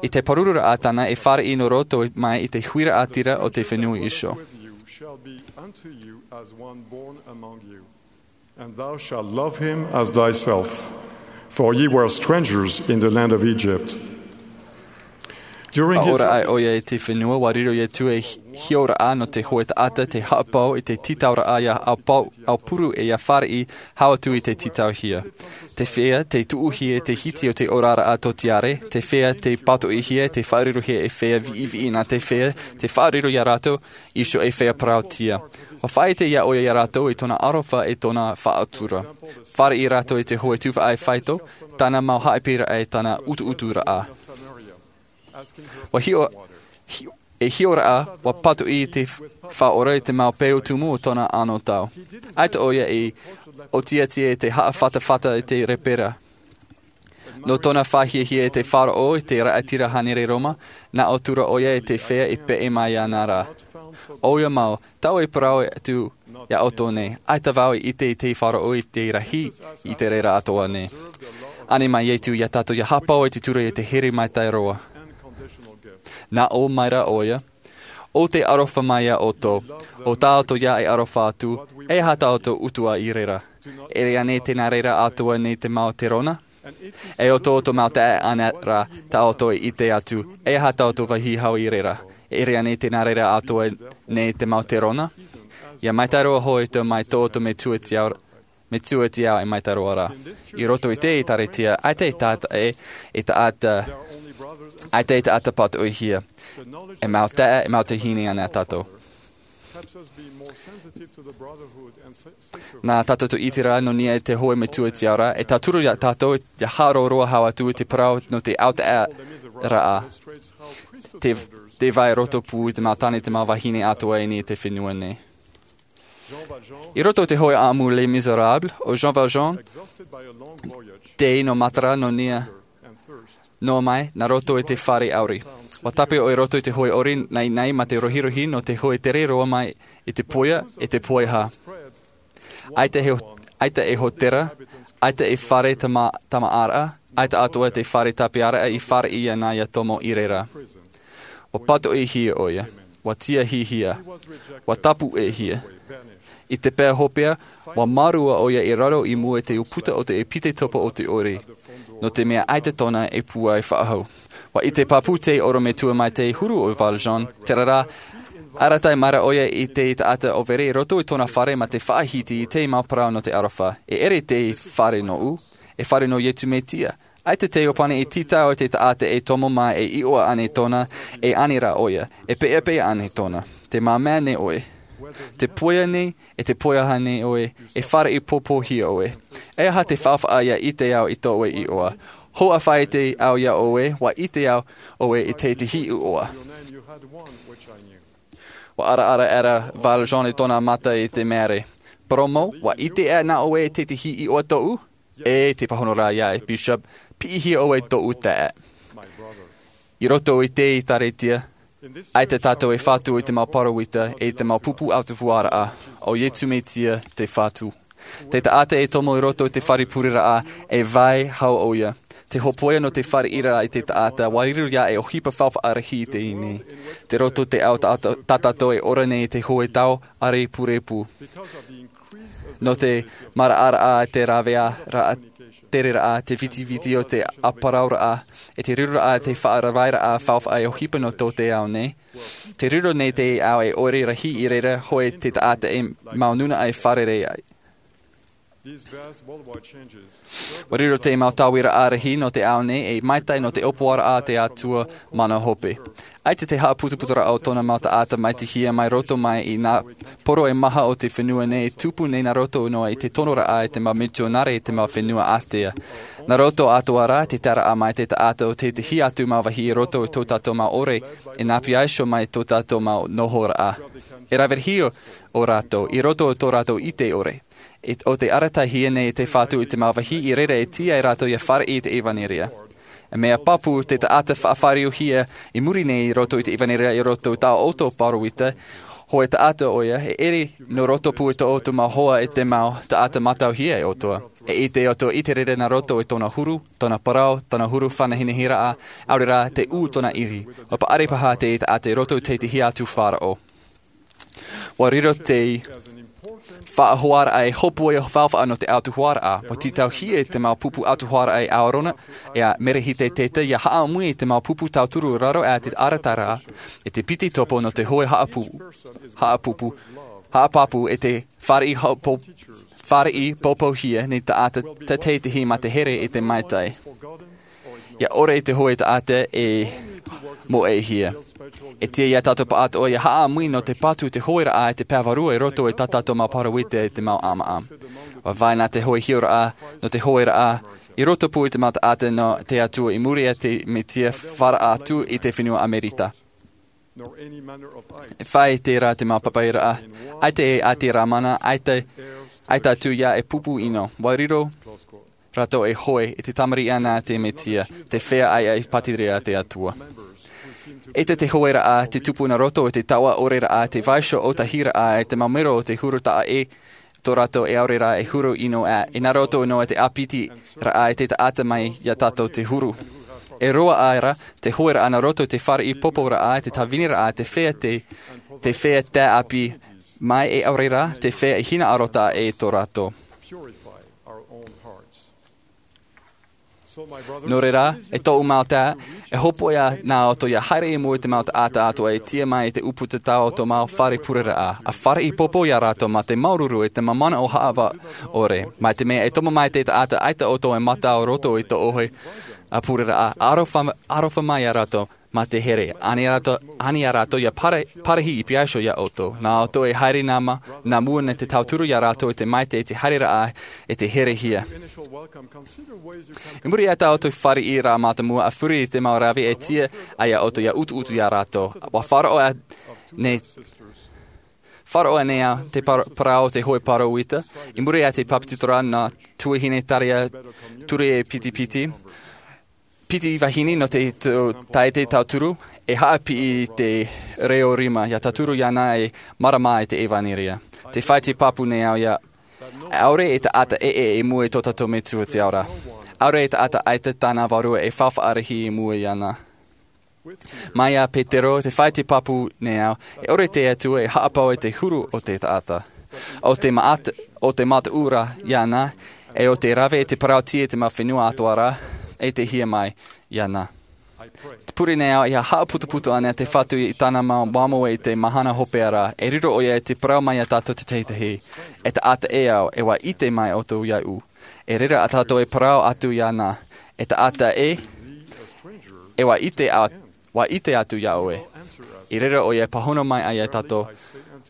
i te pārururaʻa tāna e fāriʻi nō roto mai i te huiraʻatira o te fenua Iso. And thou shalt love him as thyself, for ye were strangers in the land of Egypt. During his Ua ora ai ʻoia i te fenua, ua riro Iesu ei hioraʻa nō te hoʻē taʻata tei haʻapau i te tītauraʻa ʻia aupuru, aupuru e ʻia fāriʻi, hau atu i te tītauhia. Te feiā, tei tuʻuhia i te hiti o te oraraʻa tōtiare, te feiā, tei pātoʻihia, tei faʻarirohia ei feiā viʻiviʻi nā te feiā, tei faʻariro ia rātou, Iso ei feiā parauʻtiʻa. Ua faʻaʻite ia ʻoia ia rātou i tōna aroha e tōna faʻatura. Fāriʻi rātou i te hoʻē tuhaʻa e faito, tāna mau haʻapiʻiraʻa e tāna utuuturaʻa. Ua hiʻo, hi-, e hioraʻa, ua pātoʻi te faʻaora i te mau peu tumu o tōna anotau. ʻAita ʻoia i ʻōtiatia i te haʻafatafata i te rēpera. Nō tōna faʻahiahia i te faʻaroʻo i te raʻatira hānere Roma, nā ʻō atu ra ʻoia i te feiā i peʻe mai ana ra. ʻOia mau, tāʻu e parau atu ia ʻoutou nei, ʻaita vau i ʻite i te faʻaroʻo i te rahi i te reira atoʻa nei. Ani mai Iesu ia tātou ʻia haʻapau i te ture i te here maitaʻi roa. Nā ʻō mai ra ʻoia, ʻo te aroha mai iā ʻoutou. ʻO tā ʻoutou ia e aroha atu, e aha tā ʻoutou utuʻa i reira? E ʻere anei tē nā reira atoʻa nei te mau terona? E ʻo tō ʻoutou mau taeaʻe anaʻe rā tā ʻoutou e ʻite atu, e aha tā ʻoutou vāhi hau i reira? E ʻere anei tē nā reira atoʻa nei te mau terona? ʻIa maitaʻi roa hoʻi ʻoutou mai tō ʻoutou Metua te Ao, Metua te Ao e maitaʻi roa rā. I roto i te ʻĒkālesia, ʻaita e taʻata, e, e taʻata, ʻaita e taʻata pātoʻihia. E mau taeaʻe, e mau tuahine anaʻe tātou. Nā tātou te ʻite ra nō niʻa i te hōʻē Metua te Ao ra, e tauturu iā tātou ʻia haʻaroa roa hau atu i te parau nō te autaeaʻeraʻa. Te, te vai roto pū i te mau tāne, te mau vahine atoʻa i niʻa i te fenua nei. I roto i te hōʻē ʻāʻamu Les Misérables, ʻo Jean Valjean, tei nō Matara nō niʻa, noa mai, nā roto i te fare ʻauri. ʻUa tāpeʻa ʻoe i roto i te hōʻē ʻori, naenae mā te rohirohi nō te hōʻē tere roa mai i te poia, e te poiha. ʻAita e ho-, ʻaita e hōtēra, ʻaita e fare tama-, tamaʻaraʻa, ʻaita atoʻa te fare tāpeʻaraʻa i fāriʻi ana iā Tomo i reira. ʻUa pātoʻihia ʻoia, ʻua tiahihia, ʻua tāpuʻehia. I te pae hopeʻa, ʻua mārua ʻoia i raro i mua i te ʻūputa o te ʻepitetopo o te ʻori, nō te mea ʻaita tōna e pūai faʻahou. ʻUa ʻite pāpū te ʻorometua mai te huru o Valjean, terā rā, arataʻi mai ra ʻoia i te taʻata ʻōvere i roto i tōna fare mā te faʻahiti i te mau parau nō te aroha. E ʻere te fare nōʻu, e fare nō Iesu Mesia. ʻAita te ʻōpani e tītau i te taʻata e tomo mai e iʻoa ānei tōna, e ani rā ʻoia, e peʻapeʻa ānei tōna. Te māmā nei ʻoe. Te poia nei, e te poiha nei ʻoe, e fāriʻi pōpōhia ʻoe. E aha te faufaʻa ʻia ʻite au i tō ʻoe iʻoa? Hoʻi faʻaʻite au iā ʻoe, ʻua ʻite au ʻoe i te, te hiʻoa. ʻUa ʻaraʻara aʻera Valjean i tōna mata i te mare. Parau mau, ʻua ʻite aʻe nā ʻoe i te, te hiʻoa tōʻu? E te pāhono rā ia e Bishop, piʻihia ʻoe tōʻu taeaʻe. I roto i te ʻĒkālesia, ʻaita tātou e fatu i te mau pāroita, e te mau pupu autahuʻaraʻa, ʻo Iesu Mesia te Fatu. Te taʻata e tomo i roto i te fare pureraʻa, e vai hau ʻoia. Te hōpoiʻa nō te fāriʻiraʻa i te taʻata, ʻua riro ia ei ʻohipa faufaʻa rahi i teie nei. Tei roto te ao tā-, tā tātou e ora nei i te hōʻē tau ʻārepurepu. Nō te maraʻaraʻa, te rāvearaʻa, tereraʻa, te vitiviti o te ʻāparauraʻa, e te riroraʻa, te faʻaravaʻiraʻa faufaʻa e ʻohipa nō tō te ao nei. Tei riro nei te ao e ʻore rahi i reira hoʻi te taʻata e mau nūnaʻa e fārerei ai. ʻUa riro te mau tauiraʻa rahi nō te ao nei ei maitaʻi nō te ʻōpuaraʻa a te Atua mana hope. ʻAita te haʻaputuputuraʻa o tōna mau taʻata maitihia mai roto mai i nā poro e maha o te fenua nei e tupu nei nā roto noa i te tonoraʻa e te mau mitionare i te mau fenua ātea. Nā roto atoʻa rā te taeraʻa mai te taʻata o tētahi atu mau vāhi i roto i tō tātou mau ʻore, e nā pea iho mai tō tātou mau nohoraʻa. E rave rahi ō rātou, i roto i tō rātou ʻite ʻore. E, ʻo te arataʻihia nei te Fatu i te mau vāhi i reira e tiʻa ai rātou ʻia fāriʻi i te ʻevanelia. E mea pāpū te taʻata faʻafāriuhia i muri nei i roto i te ʻevanelia i roto i tā ʻoutou pāroita, hoʻi taʻata ʻoia, e ʻere nō roto pū i tō ʻoutou mau hoa e te mau taʻata mātauhia e ʻoutou. E ʻite ʻoutou i te reira nā roto i tōna huru, tōna parau, tōna huru faʻanahinahiraʻa, ʻaore rā te ū tōna ʻiri. ʻUa paʻari paha te taʻata i roto i tētahi atu faʻaroʻo. ʻUa riro te faʻahoaraʻa ei hōpoiʻa faufaʻa nō te autahuʻaraʻa, ʻua tītauhia te mau pupu autahuʻaraʻa e Aarona, e a Merehiteta, ʻia haʻamui i te mau pupu tauturu i raro aʻe i te ʻārataraʻa, e te piti topo nō te hōʻē haʻapū-, haʻapūpū, haʻapāpū, e te fāriʻi haʻapō-, fāriʻi pōpōhia nei taʻata te tētahi mā te here i te maitaʻi. ʻIa ʻore i te hōʻē taʻata e moʻehia. E tiʻa iā tātou pāʻatoʻa ʻia haʻamui nō te patu te hōʻēraʻa e te pae vārua i roto i tā tātou mau pāroita e te mau ʻāmaʻa. ʻUa vai nā te hōʻē hiʻoraʻa nō te hōʻēraʻa i roto pū i te mau taʻata nō te Atua i muri iā te Mesia fāriʻi atu i te fenua Amerika. E fai terā te mau papairaʻa, ʻaita e ʻati Ramana, ʻaita, ʻaita atu ia e pupu ʻino. ʻUa riro rātou e hoe i te tamariʻi ana a te Mesia, te feiā ʻaeʻae pātireia a te Atua. ʻAita te hōʻēraʻa te tupu nā roto i te taoʻa ʻoreraʻa, te vaiiho ʻōtahiraʻa, e te mau mero o te huru taʻa ʻē, tō rātou e ʻaore rā e huru ʻino aʻe, e nā roto noa i te ʻāpitiraʻa e te taʻata mai iā tātou te huru. E roa aʻera te hoeraʻa nā roto i te fāriʻi poporaʻa, te tāviniraʻa, te feiā te, te feiā taʻaʻāpī mai, e ʻaore rā te feiā i hinaʻaro taʻa ʻē i tō rātou. Nō reira, e tōʻu mau taeaʻe, e hopoiʻa nā ʻoutou ia haere i mua i te mau taʻata atoʻa e tīaʻi mai i te ʻūputa tā ʻoutou mau fare pureraʻa. ʻA fāriʻi popo ia rātou mā te māuruuru e te māmānaʻo haʻavā ʻore. Mai te mea e tomo mai te taʻata, ʻaita ʻoutou e mata ā roto i tō ʻoe pureraʻa. ʻArofa, ʻarofa mai ia rātou mā te here. Ani ia rātou, ani ia rātou ia pare-, parahi i piha iho ia ʻoutou. Nā ʻoutou e haere nā ma-, nā mua nei te tauturu ia rātou i te maitaʻi i te haereraʻa e te herehia. I muri i tā ʻoutou fāriʻiraʻa mātāmua, ʻa furi i te mau rave e tīaʻi ai ia ʻoutou ia utuutu ia rātou. ʻUa faʻaroʻo nei, faʻaroʻo nei au te par-, parau o te hoe pāroita. I muri i te papetitoraʻa nā Tuahine Taria Tureipitipiti, piti vahine nō te, te, taʻata tauturu, e haʻapiʻi i te reo rima, ia tauturu iāna e marama i te ʻevanelia. Tē fai te pāpū nei au ia, ʻaore e taʻata ʻē ʻē i mua i tō tātou Metua i te ao ra. ʻAore e taʻata ʻaita tāna vārua e faʻafaʻarahi i mua iāna. Mai iā Petero, tē fai te pāpū nei au, e ʻore te Atua e haʻapaʻo i te huru o te taʻata. ʻO te maʻat-, ʻo te mataʻu ra iāna, e ʻo te rave i te parau-tīaʻi i te mau fenua atoʻa ra, e te hia mai iāna. Tē pure nei au, ʻia haʻaputaputaʻi ana te Fatu i tāna mau māuiui i te mahana hopeʻa ra, e riro ʻoia i te parau mai iā tātou te tahi tahi. E taʻata ʻē au, e ʻua ʻite mai ʻoutou iāʻu. I reira ā tātou e parau atu iāna, e taʻata ʻē, e ʻua ʻite a-, ʻua ʻite atu iā ʻoe. I reira ʻoia e pāhono mai ai iā tātou,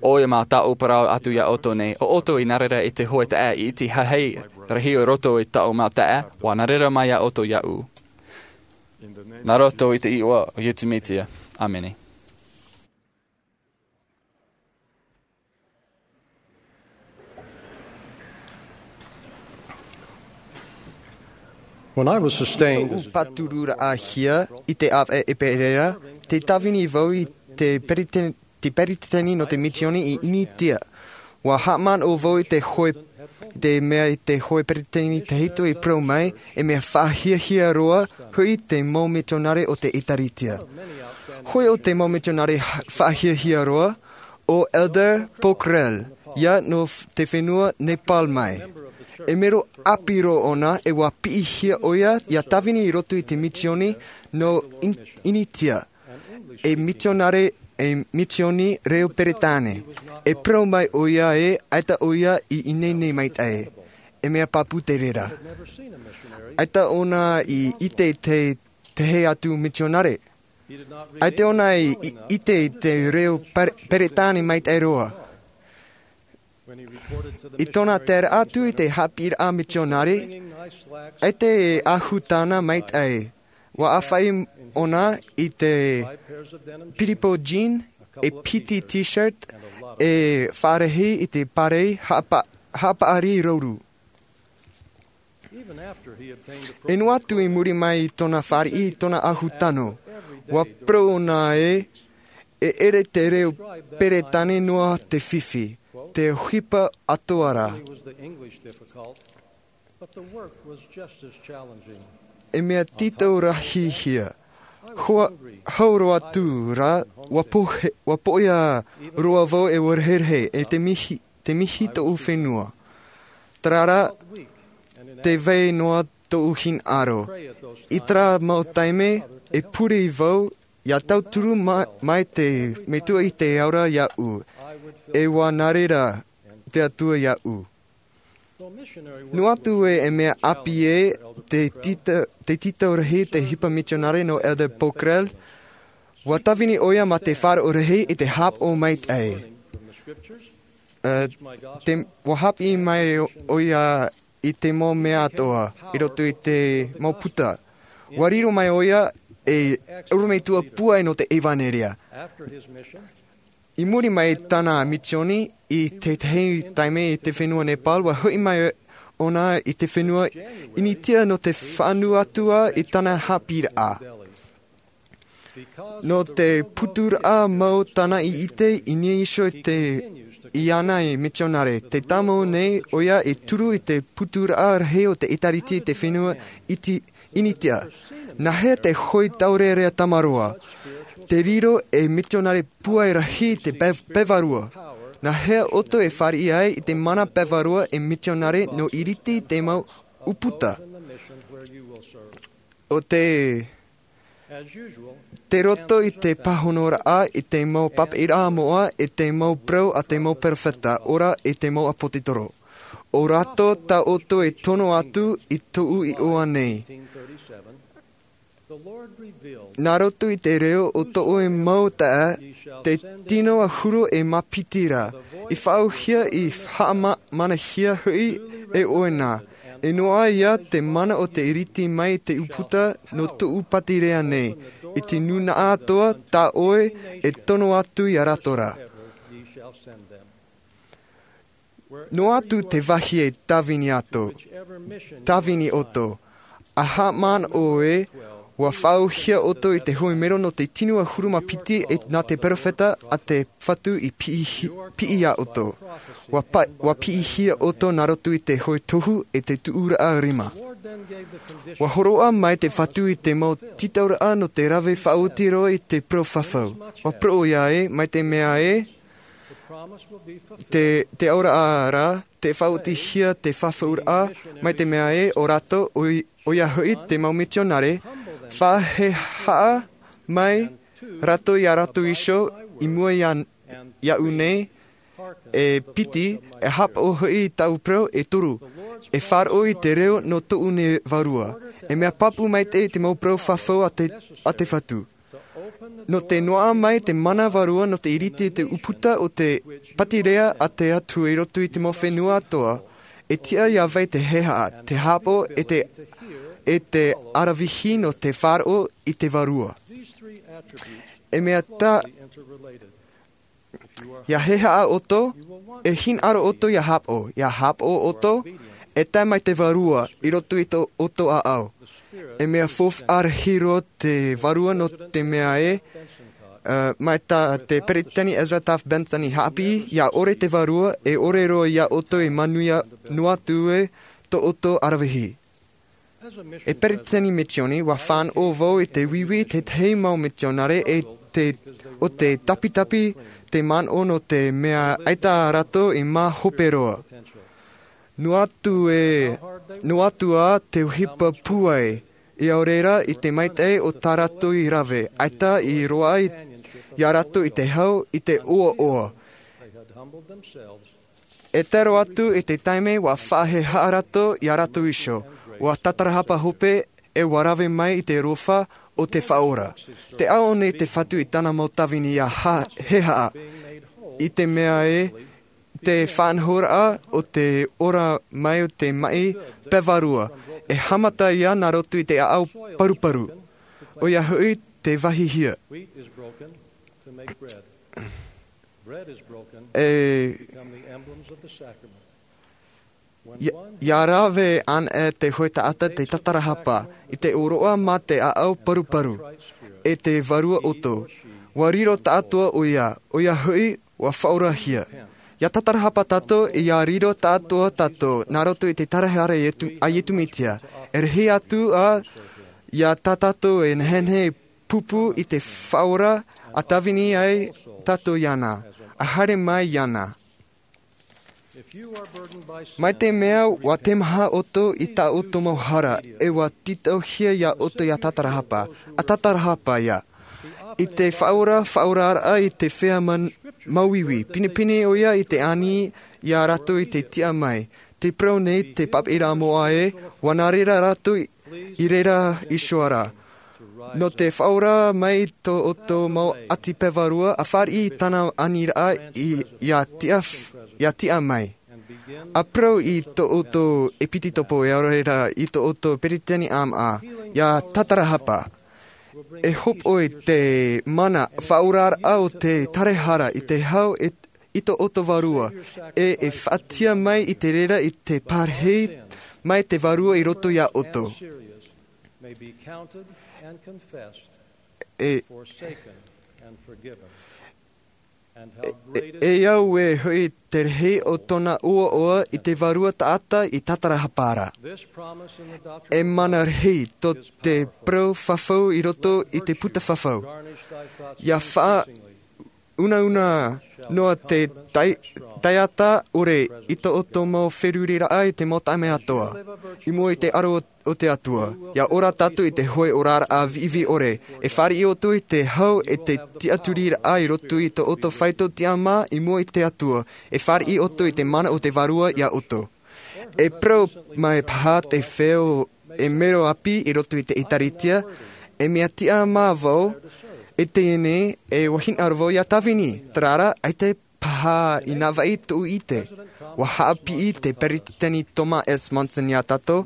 ʻoia mau taʻu parau atu iā ʻoutou nei, ʻo ʻoutou i nā reira i te hoe taʻa i iti hahai rahi o roto i tāʻu mau taeaʻe, ʻua nā reira mai iā ʻoutou iāʻu. Nā roto i te iʻoa o Iesu Mesia. ʻĀmene. When I was sustained as a general, pātururaʻahia i te ʻāvaʻe ʻeperēra, tē tāvini vau i te periten-, te peretiteni nō te misioni i Initia. ʻUa haʻamanaʻo vau i te hoe, i te mea i te hoe peretiteni tahito i parau mai, e mea faʻahiahia roa hoʻi te mau mitionare o te ʻĒtārētia. Hoi o te mau mitionare ha-, faʻahiahia roa, ʻo Elder Pokhrel, ia nō f-, te fenua Nepal mai. E mero ʻāpī roa ʻōna, e ʻua piʻihia ʻoia ia tāvini i roto i te misioni nō In-, Initia. E mitionare, e misioni reo Peretāne. E parau mai ʻoia ē, ʻaita ʻoia i ineine maitaʻi. E mea pāpū te reira. ʻAita ʻōna i ʻite i te, te hē atu mitionare. ʻAita ʻōna i, i ʻite i te reo Pere-, Peretāne maitaʻi roa. I tōna taeraʻa atu i te haʻapiʻiraʻa mitionare, ʻaita e ʻahu tāna maitaʻi. ʻUa ʻāfaʻi ʻōna i te piripo jean, e piti t-shirt, e faʻarahi i te pārei haʻapa-, haʻapaʻari rouru. E noa atu i muri mai i tōna fāriʻi, i tōna ʻahu tano, ʻua parau ʻōna ē, e ʻere te reo Peretāne noa te fifi, te ʻohipa atoʻa ra. E mea tītau-rahi-hia. Hoa-, hau roa atu rā, ʻua pohe-, ʻua poʻia roa vau e ʻua reherehe, e te mihi, te mihi tōʻu fenua. Terā rā, tē vai noa tōʻu hinaʻaro. I terā mau taime, e pure vau, ʻia tauturu ma-, mai te Metua i te ao ra iāʻu. E ʻua nā reira te Atua iāʻu. Noa atu ē, e mea ʻāpī ē, te tīta-, te tītau-rahi te ʻohipa mitionare nō Elder Pokhrel, ʻua tāvini ʻoia mā te faʻaroʻo rahi i te haʻapaʻo maitaʻi. Ā, te, ʻua haʻapiʻi mai ʻoia i te mau mea atoʻa, i roto i te mau puta. ʻUa riro mai ʻoia ei ʻorometua pūai nō te ʻevanelia. I muri mai i tāna misioni i te tahi taime i te fenua Nepal, ʻua hoʻi mai ʻōna i te fenua Initia nō te fānau atu ā i tāna haʻapiʻiraʻa. Nō te puturaʻa mau tāna i ʻite i niʻa iho i te, iāna e mitionare, tē tāmau nei ʻoia e turu i te puturaʻa rahi o te ʻĒtārētia i te fenua iti-, ʻinitia. Nā hea te hōʻē taurearea tamaroa, te riro e mitionare pūai rahi te pe-, pevarua? Nā hea ʻoutou e fāriʻi ai i te mana pevarua e mitionare nō ʻiriti i te mau ʻūputa? ʻO te, te roto i te pāhonoraʻa i te mau papaʻiraʻa moʻa, i te mau parau a te mau perofeta, ʻo rā i te mau ʻāpōsetolo. ʻO rātou tā ʻoutou e tono atu i tōʻu iʻoa nei. Nā roto i te reo o tō ʻoe mau taeaʻe, te tino ʻahuru e mā piti ra, i faʻaauhia, i haʻamanahia hoʻi e ʻoe nā. E noaʻa ia te mana o te ʻiriti mai i te ʻūputa nō tōʻu pātireia nei, i te nūnaʻa atoʻa tā ʻoe e tono atu ia rātou ra. Noa atu te vāhi e tāvini atu, tāvini ʻoutou. ʻA haʻamanaʻo ē, ʻua faʻaauhia ʻoutou i te hōʻē mero nō te tino ʻahuru mā piti e nā te perofeta a te Fatu i piʻi, piʻi iā ʻoutou. ʻUa pa-, ʻua piʻihia ʻoutou nā roto i te hōʻē tohu e te tuʻuraʻa rima. ʻUa hōroʻa mai te Fatu i te mau tītauraʻa nō te rave faʻaoti roa i te parau fafau. ʻUa parau ʻoia ē, mai te mea ē, te, te auraʻa ra, te faʻaotihia te fafauraʻa, mai te mea ē, ʻo rātou, ʻoi-, ʻoia hoʻi te mau mitionare, faʻahehaʻa mai rātou iā rātou iho i mua iā, iāʻu nei, e piti, e haʻapaʻo hoʻi i tāʻu parau, e toru, e faʻaroʻo i te reo nō tōʻu nei vārua. E mea pāpū maitaʻi te mau parau fafau a te, a te Fatu. Nō te noaʻa mai te mana vārua nō te ʻiriti i te ʻūputa o te pātireia a te Atua i roto i te mau fenua atoʻa, e tiʻa iā vai te hehaʻa, te haʻapaʻo, e te, e te aravihi nō te faʻaroʻo i te vārua. E mea tā, ʻia hehaʻa ʻoutou, e hinaʻaro ʻoutou ʻia haʻapaʻo, ʻia haʻapaʻo ʻoutou, e tae mai te vārua i roto i tō ʻoutou ʻāʻau. E mea faufaʻa rahi roa te vārua nō te mea ē, ā, mai tā te Peretiteni Ezra Taft Benson i haʻapiʻi, ʻia ʻore te vārua, e ʻore roa iā ʻoutou e manuia noa atu ē tō ʻoutou aravihi. E peretiteni misioni, ʻua fānaʻo vau i te uiui i te tahi mau mitionare e te, ʻo te tapitapi te manaʻo nō te mea ʻaita rātou i mā hope roa. Noa atu ē, noa atu ā te ʻohipa pūai, ʻia ʻore rā i te maitaʻi o tā rātou i rave, ʻaita i roaʻa i, iā rātou i te hau, i te ʻoaʻoa. E tae roa atu i te taime ʻua faʻahehaʻa rātou iā rātou iho, ʻua tatarahapa hope, e ʻua rave mai i te aroha o te Faʻaora. Tē ʻaʻo nei te Fatu i tāna mau tāvini ʻia ha-, hehaʻa. I te mea ē, te faʻanahoraʻa o te ora mai o te maʻi pevarua, e haʻamata ia nā roto i te ʻāʻau paruparu. ʻOia hoʻi te vāhihia. E, ʻia, ʻia rave anaʻe te hōʻē taʻata te tatarahapa, i te ʻōroʻa mā te ʻāʻau paruparu, e te Vārua ʻoutou. ʻUa riro tāʻatoʻa ʻoia, ʻoia hoʻi, ʻua faʻaorahia. ʻIa tatarahapa tātou, ʻia riro tāʻatoʻa tātou, nā roto i te tātarahapa a Ietu-, a Ietu Mesia. E rahi atu ā, ʻia tā tātou e nehenehe e pūpū i te Faʻaora, ʻa tāvini ai tātou iāna, ʻa haere mai iāna. Mai te mea ʻua teimaha ʻoutou i tā ʻoutou mau hara, e ʻua tītauhia iā ʻoutou ʻia tatarahapa, ʻa tatarahapa ia. I te Faʻaora, faʻaoraraʻa i te feiā man-, māuiui, pinepine ʻoia i te ani iā rātou i te tiʻa mai. Tē parau nei te papaʻiraʻa moʻa ē, ʻua nā reira rātou i, i reira iho ra. Nō te faʻaora mai i tō ʻoutou mau ʻati pevarua, ʻa fāriʻi i tāna aniraʻa i, ʻia tiʻa f-, ʻia tiʻa mai. ʻA parau i tō ʻoutou ʻepitopo, ʻia ʻore rā i tō ʻoutou peretiteni ʻāmaʻa, ʻia tatarahapa. E hōpoiʻa te mana faʻaoraraʻa o te tātarahapa i te hau e, i tō ʻoutou vārua, e, e faʻatiʻa mai i te reira i te pārahi mai te Vārua i roto iā ʻoutou. E, E, e au e hoʻi te rahi o tōna ʻoaʻoa i te vārua taʻata i tātarahapa ra. E mana rahi tō te parau fafau i roto i te puta fafau. Ia faʻaunauna noa te tai-, taiata ʻore i tō ʻoutou mau feruriraʻa i te mau taime atoa. I mua i te aro o te Atua. Ia ora tātou i te hoʻi oraraʻa viʻiviʻi ʻore. E fāriʻi ʻoutou i te hau e te tiʻaturiraʻa i roto i tō ʻoutou faito tiʻamā i mua i te Atua. E fāriʻi ʻoutou i te mana o te vārua ia ʻoutou. E parau mai paha te feo e mero ʻāpī i roto i te ʻĒkālesia, e mea tiʻamā vau, e teie nei, e hinaʻaro vau ia tāvini, terā rā, ʻaita paha i nā vai tōʻu ʻite. ʻUa haʻapiʻi te Peresideni Thomas S. Monson ia tātou,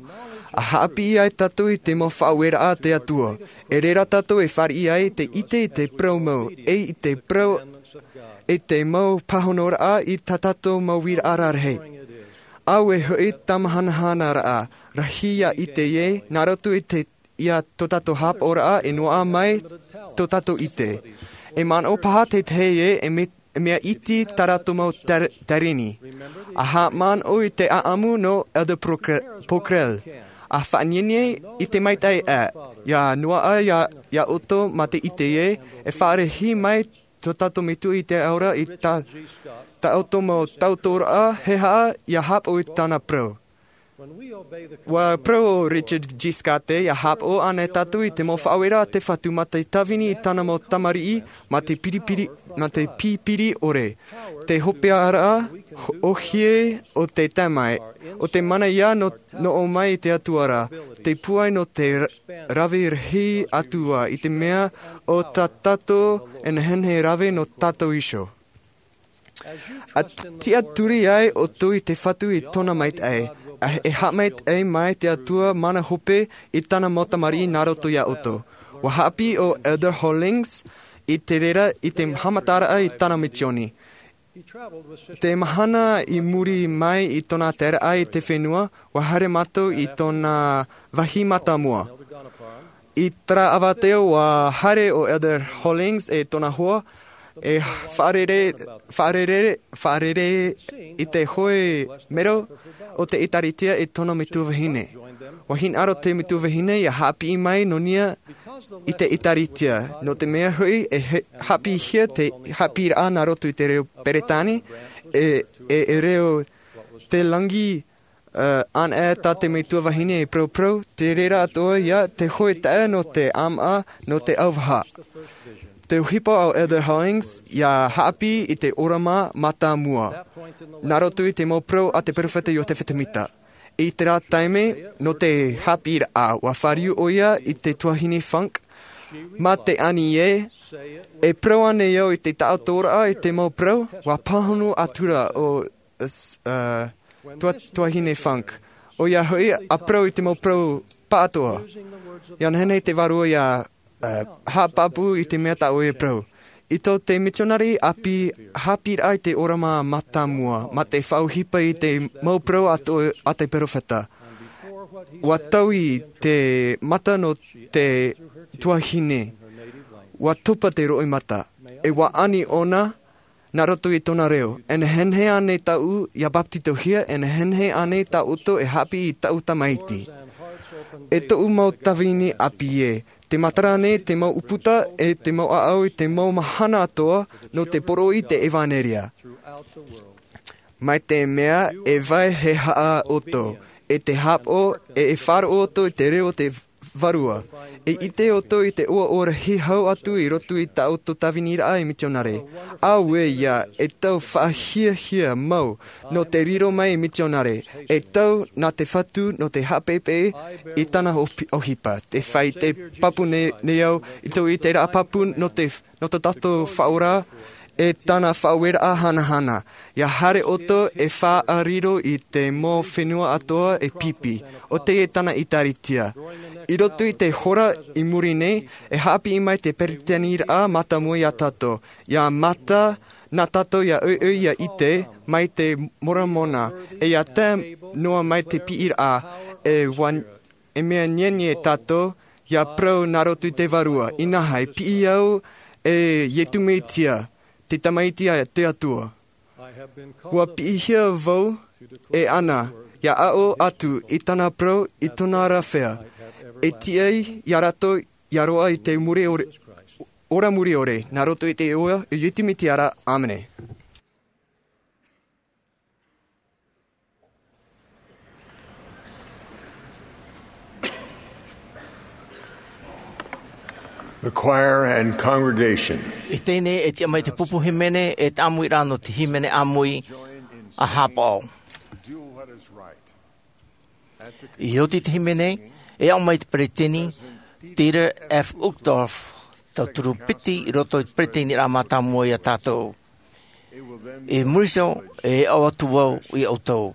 ʻa haʻapiʻi ai tātou i te mau faʻaueraʻa a te Atua. E reira tātou e fāriʻi ai te ʻite i te parau mau, e i te parau, i te mau pāhonoraʻa i tā tātou mau uiraʻa rarahi. ʻAuē hoʻi tāmahanahanaraʻa, rahi ia ʻite ē, nā roto i te, ia tō tātou haʻapaʻoraʻa e noaʻa mai tō tātou ʻite. E manaʻo paha te tahi ē, e me-, e mea iti tā rātou mau tar-, tarini. ʻA haʻamanaʻo i te ʻaʻamu nō Elder Pokre-, Pockrell. ʻA faʻanienien i te maitaʻi ā, ia noaʻa ia, ia ʻoutou mā te ʻite ē, e faʻarahi mai tō tātou metua i te ao ra i tā, tā ʻoutou mau tautooraʻa, he aha ia haʻapaʻo i tāna parau. ʻUa parau ʻo Richard G. Scott ē, ia haʻapaʻo ānei tātou i te mau faʻaueraʻa a te Fatu mā te tāvini i tāna mau tamariʻi, mā te piripiri, mā te pipiri ʻore. Te hopeʻaraʻa, ʻōhie o te taime, ʻo te mana ia nō, nō ʻō mai i te Atua ra, te pūai nō te ra-, rave rahi atu ā, i te mea ʻo tā tātou e nehenehe e rave nō tātou iho. ʻA tiʻaturi ai ʻoutou i te Fatu i tōna maitaʻi, ʻa, e haʻamaitaʻi mai te Atua mana hope i tāna mau tamariʻi nā roto ia ʻoutou. ʻUa haʻapiʻi ʻo Elder Hollings i te reira i te haʻamataraʻa i tāna misioni. Te mahana i muri mai i tōna taeraʻa i te fenua, ʻua haere mātou i tōna vāhi mātāmua. I terā ʻāvaʻe ʻua haere ʻo Elder Hollings e tōna hoa, e faʻarere, faʻarere, faʻarere i te hoʻi mero o te ʻĒkālesia i tōna metua vahine. ʻUa hinaʻaro te metua vahine ia haʻapiʻi mai nō niʻa i te ʻĒkālesia. Nō te mea hoʻi, e he-, haʻapiʻihia te haʻapiʻiraʻa nā roto i te reo Peretāne, e, e, e reo te langi, ā, ʻanaʻe tā te metua vahine e paraparau, te reira atoʻa ia te hoʻi taʻa nō te ʻāmaʻa, nō te ʻauvaha. Te ʻohipa o Elder Hollings, ia haʻapiʻi i te ʻōrama mātāmua. Nā roto i te mau parau a te peropheta Iosepha Semita. I terā taime, nō te haʻapiʻiraʻa, ʻua fāriu ʻoia i te tuahine Funk, mā te ani ē, e parau ānei au i te taʻatoʻaraʻa i te mau parau, ʻua pāhono atura ʻo, s-, ā, tua-, tuahine Funk. ʻOia hoʻi, ʻa parau i te mau parau pāʻatoʻa. Ia nehenehe te vārua ia, ā, haʻapāpū i te mea tā ʻoe e parau. I tō te mitionare ʻāpī, haʻapiʻiraʻa i te ʻōrama mātāmua, mā te faʻaʻohipa i te mau parau a tō, a te peropheta. ʻUa taui te mata nō te tuahine. ʻUa topa te roimata. E ʻua ani ʻōna, nā roto i tōna reo. E nehenehe ānei tāʻu ia bāpetizohia, e nehenehe ānei tā ʻoutou e haʻapiʻi i tāʻu tamaiti. E tōʻu mau tāvini ʻāpī ē, te matara nei te mau ʻūputa e te mau ʻāʻau i te mau mahana atoʻa nō te poroʻi i te ʻevanelia. Mai te mea e vai he haʻa ʻoutou, e te haʻapaʻo, e, e faʻaroʻo ʻoutou i te reo o te Vārua. E ʻite ʻoutou i te ʻoaʻoa rahi hau atu i roto i tā ʻoutou tāviniraʻa ei mitionare. Auē ïa, e tau faʻahiahia mau nō te riro mai ei mitionare. E tau nā te Fatu nō te haʻapeʻepeʻe i tāna ʻohipa. Tē fāʻi te pāpū nei, nei au i tō ʻiteraʻa pāpū nō te nō tō tātou Faʻaora, e tāna faʻaueraʻa hanahana. ʻIa haere ʻoutou e faʻariro i te mau fenua atoʻa e pipi, ʻo tei e tāna ʻĒtārētia. I roto i te hora i muri nei, e haʻapiʻi mai te peretiteniraʻa mātāmua iā tātou. ʻIa mata nā tātou ʻia ʻoiʻoi ʻia ʻite mai te Moromona, e ʻia tae noa mai te piʻiraʻa, e wan-, e mea nienie tātou, ʻia parau nā roto i te Vārua, inaha, e piʻi au e Iesu Mesia, te Tamaiti a te Atua. Ua piʻihia vau e Ana, ia aʻo atu i tana parau i tōna rāfea, e tiʻa ia rātou ia roaʻa i te muri ore, ora muri ore, nā roto i te iʻoa o Iesu Mesia ra, ʻāmene. The choir and congregation. I teie nei e tiʻa mai te pupu hīmene e te ʻāmui ra nō te hīmene ʻāmui a haʻapaʻo. I oti te hīmene, e aʻo mai te peresideni, Dieter F. Uchtdorf, tauturu piti i roto i te peresideni ra mātāmua ia tātou. I muri iho, e aʻo atu vau ia ʻoutou.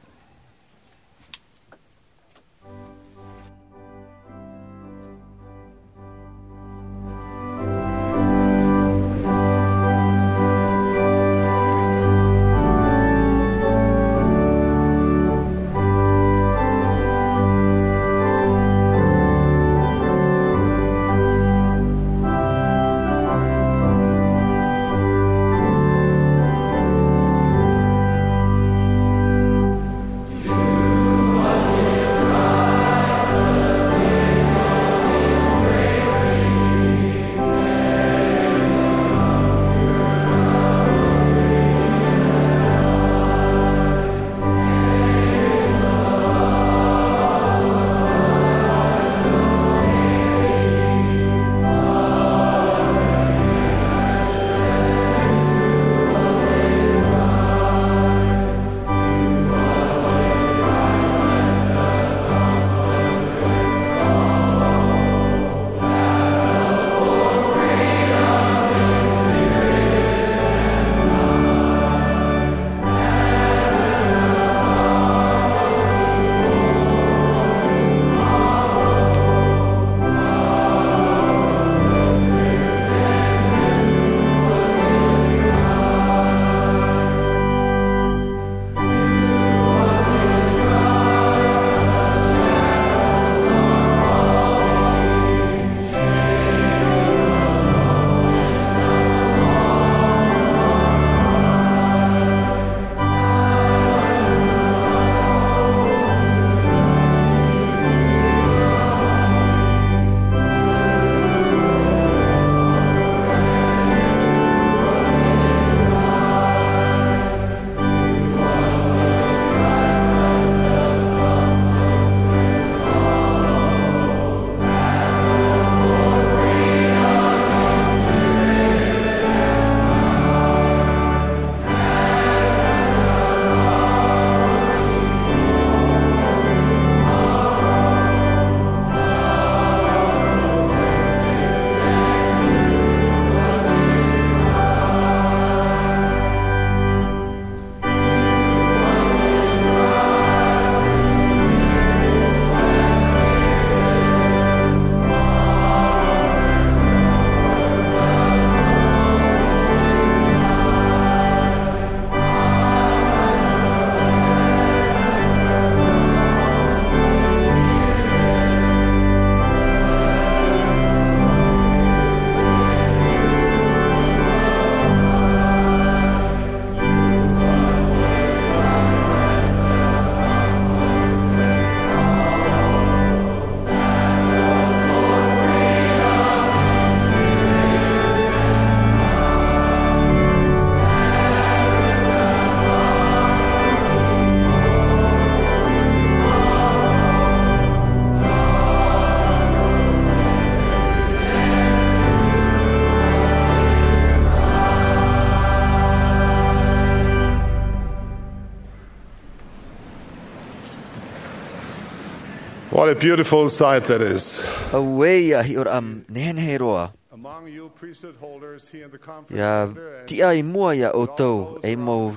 What a beautiful sight that is. Auē ia hiʻoraʻa nehenehe roa. Among you priesthood holders, he and the comforter ia tiʻa i mua ia ʻoutou, e mau,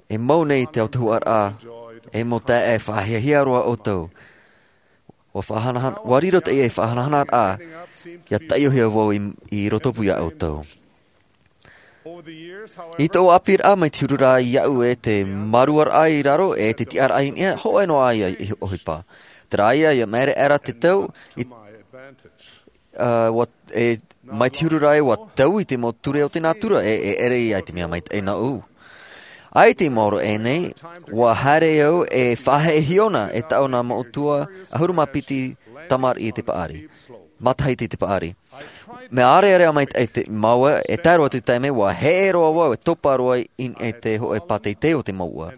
e mau nei te autahuʻaraʻa, e mau taeaʻe faʻahiahia roa ʻoutou. Ua faʻahanahana, ua riro teie faʻahanahanaʻa, ia taʻiohia vau i, i rotopū ia ʻoutou. I tō ʻāpīraʻa mai te huru ra iaʻu e te māruaraʻa i raro e te tiʻaraʻa i niʻa, hōʻē noa ia i ʻohipa. Terā ia, ia maere aʻera te tau, i, Ua e mai te huru rā e ua taui te mau ture o te nātura e ʻere ia i te mea maitaʻi nōʻu. ʻAita i maoro ʻēnei, ua haere au e faʻaheʻe hiona e taʻu nā moʻotua ʻahuru mā piti tamariʻi i te paʻari, matahiti i te paʻari. Mea ʻarearea maitaʻi te māua e tae roa atu taime ua heʻe roa vau e topa roa i niʻa i te hoʻe pāteitei o te māua.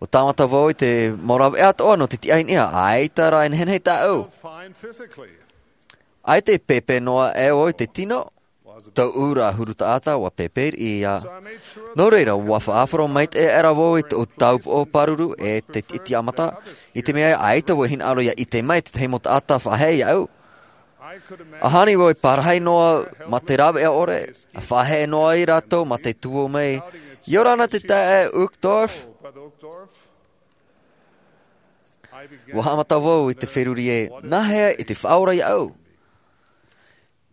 Ua tāmata vau i te mau rāveʻa atoʻa nō te tiʻa i niʻa ʻaita rā e nehenehe tāʻau. ʻAita e pēpē noa ʻe vau i te tino. Tōʻu rā huru taʻata ua pēpē riʻi ia. Nō reira ua faʻaʻāfaro maitaʻi aʻera vau i tōʻu tāupoʻo pāruru e te tiʻamata, i te mea ʻaita vau e hinaʻaro ia ʻite mai tētahi mau taʻata faʻaheʻe iaʻu. ʻAhani vau e parahi noa mā te rāveʻa ʻore, a faʻaheʻe noa ai rātou mā te tuō mai, ia ora ana te taeaʻe Uchtdorf. Ua haʻamata vau i te feruri e nāhea i te faʻaora iaʻu.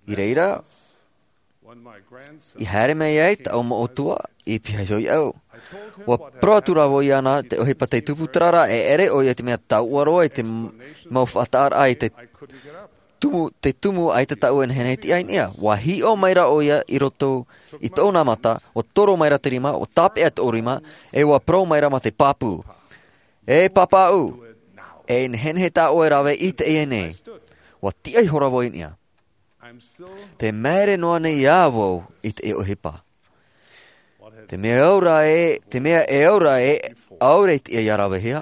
I reira i haere mai ai taʻu moʻotua i pihaʻi iho iaʻu. Ua parau atu rā vau iāna te ʻohipa tei tupu terā rā e ʻere ʻoia i te mea tauʻa roa i te mau faʻataʻaraʻa i te tumu ʻaita tāʻu e nehenehe e tiʻa i niʻa. Ua hiʻo mai rā ʻoia i roto i tōʻu nā mata, ua toro mai rā te rima, ua tāpeʻa tōʻu rima, e ua parau mai rā mā te pāpū, e pāpaʻu, e nehenehe tā ʻoe e rave i teie nei. Ua tiʻa ihora vau i niʻa. Te maere noa nei ā vau i te ʻohipa. Te mea ʻaura e te mea e ʻaura e ʻaura i te ia ravehia.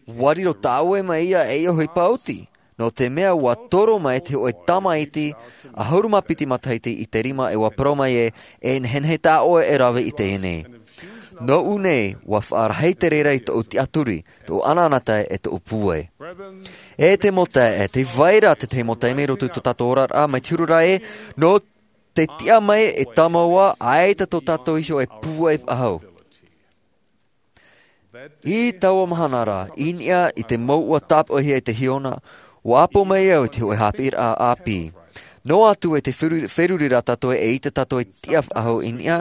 Ua riro tāʻoe mai ia e ʻohipa oti, nō te mea ua toro mai te hoʻe tamaiti ʻahuru mā piti matahiti i te rima e ua parau mai e e nehenehe tā ʻoe e rave i teie nei. Nōʻu nei ua faʻarahi te reira i tōʻu tiʻaturi, tōʻu ʻanaʻanatae e tōʻu pūai. E te mau taeaʻe, te vai ra tētahi mau taime i roto i tō tātou oraraʻa mai te huru rā e nō te tiʻa mai e tāmau ā ʻaita tō tātou iho e pūai faʻahou. I taua mahana rā i niʻa i te mau ua tāpaʻohia i te hiona, ua ʻapo mai au i te hoʻe hāpiʻiraʻa ʻāpī. Noa atu e te feruri rā tātou e ʻite tātou e tiʻa faʻahou i niʻa,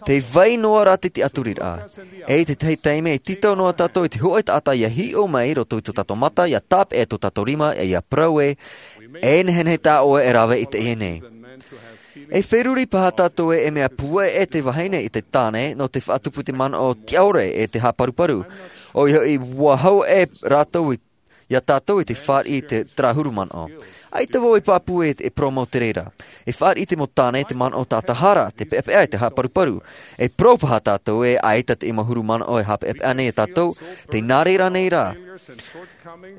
te vai noa rā te tiʻaturiraʻa. E i tētahi taime e tītau noa tātou i te hoʻe taʻata ia hiʻo mai i roto i tō tātou mata ia tāpeʻa tō tātou rima ia parau e e nehenehe tā ʻoe e rave i teie nei. E feruri paha tātou e mea pūai e te vahine i te tāne nō te faʻatupu i te manaʻo tiʻaore e te haʻaparuparu. ʻOia hoʻi ua hau e rātou i iā tātou i te fāriʻi i te tāhuru manaʻo. ʻAita vau e pāpū e e parau mau te reira. E fāriʻi te mau tāne i te manaʻo tātahara te peʻapeʻa i te haʻaparuparu. E parau paha tātou e ʻaita te mau huru manaʻo e haʻapeʻapeʻa nei iā tātou. Tei nā reira nei rā.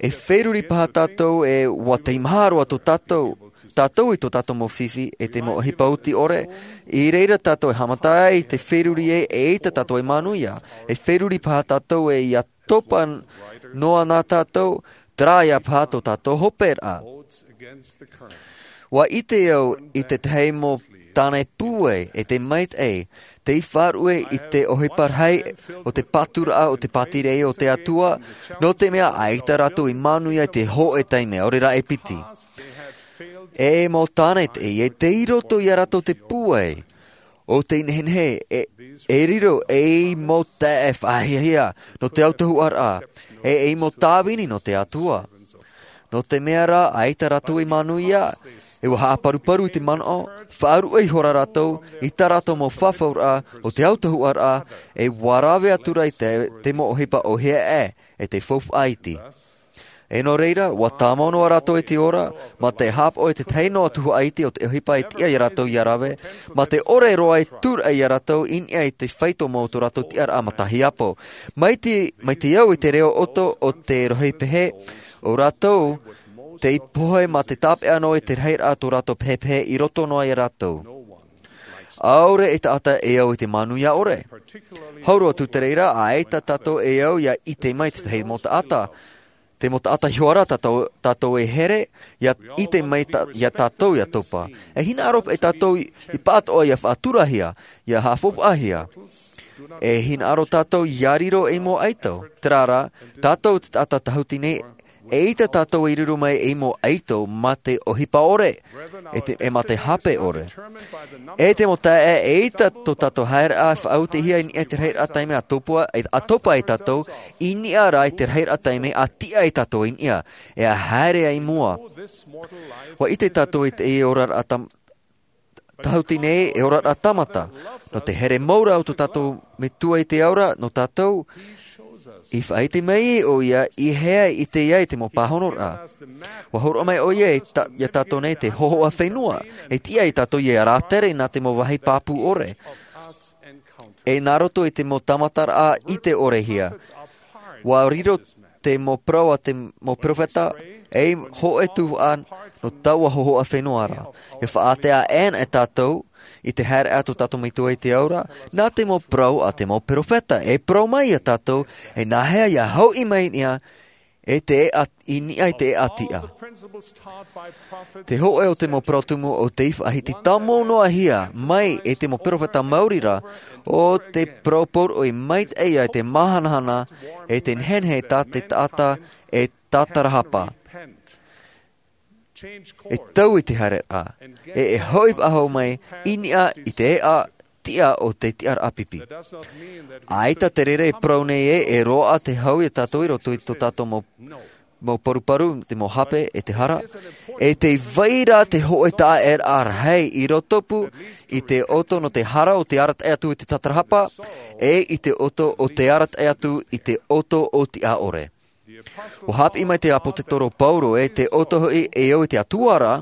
E feruri paha tātou e ua tei maha roa tō tātou tātou i tō tātou mau fifi e te mau ʻohipa oti ʻore. I reira tātou e haʻamata ai i te feruri e e ʻaita tātou e manuia. E feruri paha tātou e ia topa noa nā tātou, terā ia paha tō tātou hoperaʻa. Ua ʻite au i tētahi mau tāne pūai e te maitaʻi tei faʻaruʻe i te ʻohipa rahi o te pāturaʻa o te pātireia o te atua, nō te mea ʻaita rātou i manuia i te hoʻe taime ʻaore rā e piti. E mau tāne teie tei roto iā rātou te pūai o te nehenehe e riro ei mau taeaʻe faʻahiahia nō te autahuʻaraʻa e ei mau tāvini nō te atua. Nō te mea rā ʻaita rātou i manuia e ua haʻaparuparu i te manaʻo, faʻaruʻe ihora rātou i tā rātou mau fafauraʻa o te autahuʻaraʻa e ua rave atu rā i te mau ʻohipa ʻohie aʻe e te faufaʻa iti. E nō reira ua tāmau noa rātou i te ora mā te haʻapaʻo i tētahi noa tuhaʻa iti o te ʻohipa e tiʻa iā rātou ia rave, mā te ʻore roa e tūraʻi iā rātou i niʻa i te faito mau o tō rātou tiʻaraʻa matahiapo. Mai te mai te au i te reo ʻoto o te rohi pehe, o rātou tei pohe mā te tāpeʻa noa i te rahiraʻa tō rātou pehepehe i roto noa iā rātou. ʻAore e taʻata e au i te manuia ʻore. Hau roa atu te reira ʻaita tātou e au ia ʻite mai tētahi mau taʻata. Te mau taʻata hiʻo ara tātou e here ia ʻite mai iā tātou ia topa. E hinaʻaro paʻi tātou i pātoʻa ia faʻaturahia ia haʻafaufaʻahia. E hinaʻaro tātou ia riro ei mau ʻaito. Terā rā, tātou te taʻata tahuti nei. E ʻaita tātou i riro mai ei mau ʻaito mā te ʻohipa ʻore, e te, e mā te hape ʻore. E te mau taeaʻe, e ʻaita tō tātou haereʻa e faʻautehia i niʻa i te rahiraʻa taime a topua, e, a topa e tātou, i niʻa rā i te rahiraʻa taime a tiʻa e tātou i niʻa, e a haere ai i mua. ʻUa ʻite tātou i te oraraʻa tam-, tahuti nei, e oraraʻa tāmata. Nō te here mau ra o tō tātou Metua i te ao ra, nō tātou, i faʻaʻite mai ʻoia i hea e ʻite ai te mau pāhonoraʻa. ʻUa hōroʻa mai ʻoia e ta-, ia tātou nei te hōhoʻa fenua, e tiʻa ia tātou ia rātere nā te mau vāhi pāpū ʻore. E nā roto i te mau tāmataraʻa ʻite ʻorehia. ʻUa riro te mau parau a te mau perofeta, ei hōʻē tuhaʻa nō taua hōhoʻa fenua ra. E faʻaʻite aʻe ana e tātou, i te haereʻa tō tātou Metua i te ao ra, nā te mau parau a te mau perofeta, e parau mai ia tātou, e nāhea ia hauʻi mai i niʻa, e te eʻa, i niʻa i te eʻa tiʻa. Te hōʻē o te mau parau tumu o tei faʻahiti tāmau noa hia, mai e te mau perofeta maori ra, ʻo te parau poroʻi maitaʻi i te māhanahana, e te nehenehe tā te taʻata, e tātarahapa. E tau i te haereʻa, e, e hauʻi faʻahou mai, i niʻa i te eʻa tiʻa o te tiʻaraʻa pipi. ʻAita te reira e parau nei ē, e roaʻa te hau ia tātou i roto i tō tātou mau, mau paruparu, te mau hape, e te hara. E tē vai ra te hōʻē taʻaʻēraʻa rahi i rotopū i te ʻoto nō te hara o te arataʻi atu i te tātarahapa, e i te ʻoto o te arataʻi atu i te ʻoto o tiʻa ʻore. ʻUa haʻapiʻi mai te ʻāpōsetolo Paulo ē, te ʻoto hoʻi e au i te Atua ra,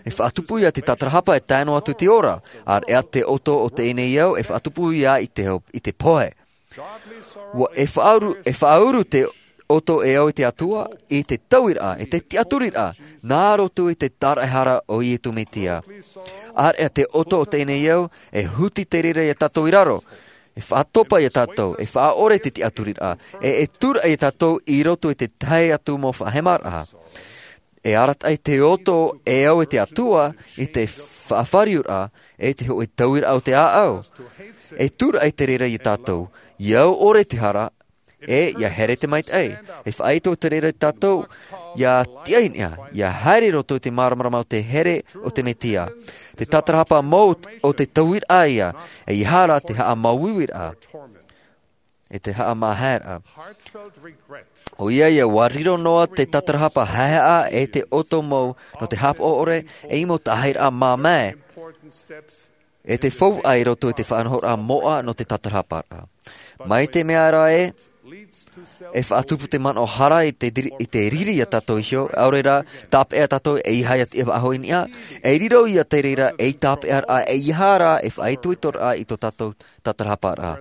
e faʻatupu ia te tātarahapa e tae noa atu i te ora. ʻĀreʻa te ʻoto o teie nei ao, e faʻatupu ia i te, i te pohe. ʻUa, e faʻauru, e faʻauru te ʻoto e au i te Atua, i te tauiraʻa, i te tiʻaturiraʻa, nā roto i te tāraʻehara o Iesu Mesia. ʻĀreʻa te ʻoto o teie nei ao, e huti te reira ia tātou i raro. E faʻatopa ia tātou, e faʻaʻore te tiʻaturiraʻa, e, e tūraʻi ia tātou i roto i te tahi atu mau faʻahemaraʻa. E arataʻi te ʻoto e au i te Atua i te faʻafāriuraʻa, e te hōʻē tauiraʻa o te ʻāʻau. E tūraʻi te reira ia tātou, ia au ʻore te hara, e ia here te maitaʻi. E faʻaitoito te reira ia tātou, ia tiʻa i niʻa, ia haere i roto i te māramarama o te here o te Mesia. Te tātarahapa mau o te tauiraʻa ia, e ʻeiaha rā te haʻamāuiuiraʻa. E te haʻamāhaeraʻa. ʻOia ia, ʻua riro noa te tātarahapa haehaʻa e te ʻoto mau nō te haʻapaʻo ʻore, e mau taʻahiraʻa māmā. E te faufaʻa i roto i te faʻanahoraʻa moʻa nō te tātarahaparaʻa. Mai te mea ra ē, e faʻatupu te manaʻo hara i te diri-, i te riri ia tātou iho, ʻaore rā, tāpeʻa tātou e ʻeiaha ia tiʻa faʻahou i niʻa, e riro ia te reira ei tāpeʻaraʻa, e ʻeiaha rā e faʻaitoitoraʻa i tō tātou tātarahaparaʻa.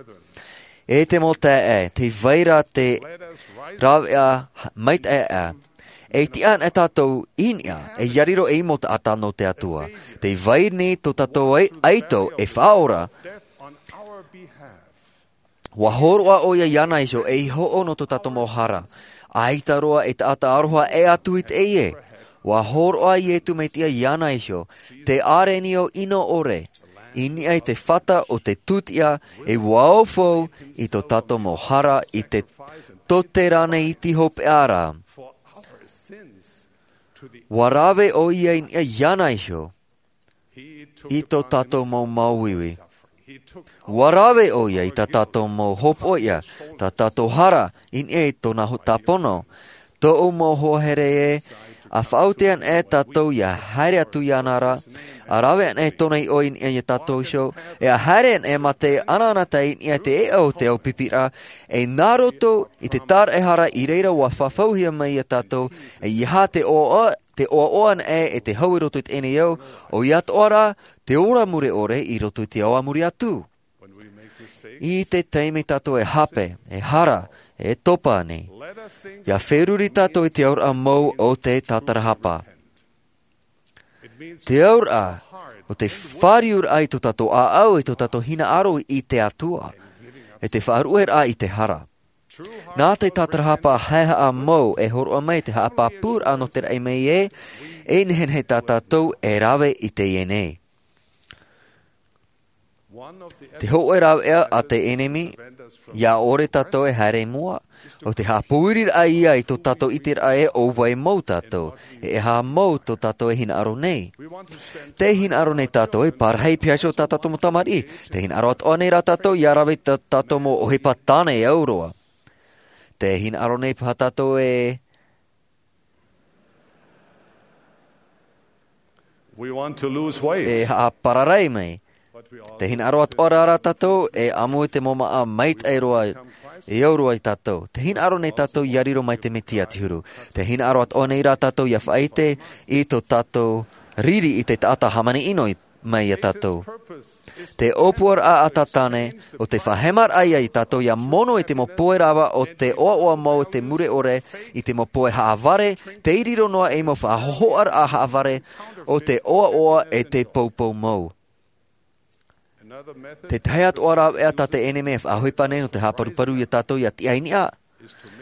E te mau taeaʻe, tē vai ra te rāveʻa maitaʻi. E tiʻa ana tātou i niʻa, e ʻia riro ei mau taʻata nō te Atua. Tē vai nei tō tātou ʻai-, ʻaito e faʻaora. ʻUa hōroʻa ʻoia iāna iho ei hoʻo nō tō tātou mau hara. ʻAita roa e taʻata aroha e ʻē atu i teie. ʻUa hōroʻa Iesu Mesia iāna iho, te ʻārenio ʻino ʻore, i niʻa i te fata o te tūtiʻa, e ʻua ʻaufau i tō tātou mau hara i te tōtera nei iti hopeʻa ra. ʻUa rave ʻoia i niʻa iāna iho, i tō tātou mau māuiui. ʻUa rave ʻoia i tā tātou mau hopoiʻa, tā tātou hara, i niʻa i tōna ho-, tāpono. Tōʻu mau hoa here ē, ʻa faʻaute ana e tātou ʻia haere atu iāna ra, ʻa rave ana e tōna iʻoa i niʻa ia tātou iho, e ʻa haere ana e mā te anaanatae i niʻa i te eʻa o te ao pipi ra, e nā roto i te tāraʻehara i reira ʻua fafauhia mai ia tātou, e ʻeiaha te ʻoaʻoa, te ʻoaʻoa ana e, e te hau i roto i teie nei ao, ʻoia atoʻa rā, te ora mure ʻore i roto i te ao a muri atu. I te taime tātou e hape, e hara, e topa nei, ʻia feruri tātou i te auraʻa mau o te tātarahapa. Te auraʻa o te fāriuraʻa i tō tātou ʻāʻau, i tō tātou hinaʻaro i te Atua, e te faʻaruʻeraʻa i te hara. Nā te tātarahapa haehaʻa mau e hōroʻa mai te haʻapāpūraʻa nō te raʻi mai ē, e nehenehe tā tātou e rave i teie nei. Te hoʻe rāveʻa a te ʻenemi ia ʻore tātou e haere i mua, ʻo te haʻapōʻiriraʻa ia i tō tātou ʻiteraʻa e ʻo vai mau tātou, e ʻeha mau tō tātou e hinaʻaro nei. Te hinaʻaro nei tātou e parahi pihaʻi tā tātou mau tamariʻi. Te hinaʻaro atoʻa nei rā tātou ia rave tā tātou mau ʻohipa tāne e au roa. Te hinaʻaro nei paha tātou e e haʻapararai mai. Te hinaʻaro atoʻa rā tātou e ʻamu i te mau māʻa maitaʻi roa e au roa i tātou. Te hinaʻaro nei tātou ia riro mai te mesia te huru. Te hinaʻaro atoʻa nei rā tātou ia faʻaite i tō tātou riri i te taʻata hāmani ʻino mai ia tātou. Te ʻōpuaraʻa a tātane ʻo te faʻahemaraʻa ia i tātou ia mono i te mau poe rava o te ʻoaʻoa mau o te mure ʻore, i te mau poe haʻavare tei riro noa ei mau faʻahohoʻaraʻa haʻavare o te ʻoaʻoa e te poupou mau. Te tahi atoʻa rāveʻa tā te ʻenemi e faʻaʻohipa nei nō te haʻaparuparu ia tātou ia tiʻa i niʻa,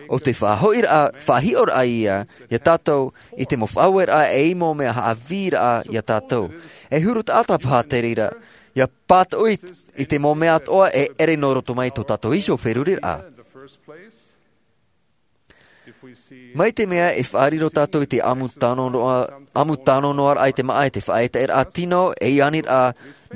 ʻo te faʻahoʻiraʻa faʻahiʻoraʻa ia ia tātou i te mau faʻaueraʻa e i mau mea haʻavīraʻa ia tātou. E huru taʻata paha te reira ia pātoʻi i te mau mea atoʻa e ʻere nō roto mai tō tātou iho feruriraʻa. Mai te mea e faʻariro tātou i te ʻamu tano noa ʻamu tano noa raʻa i te māʻa i te faʻaetaeraʻa tino e i aniraʻa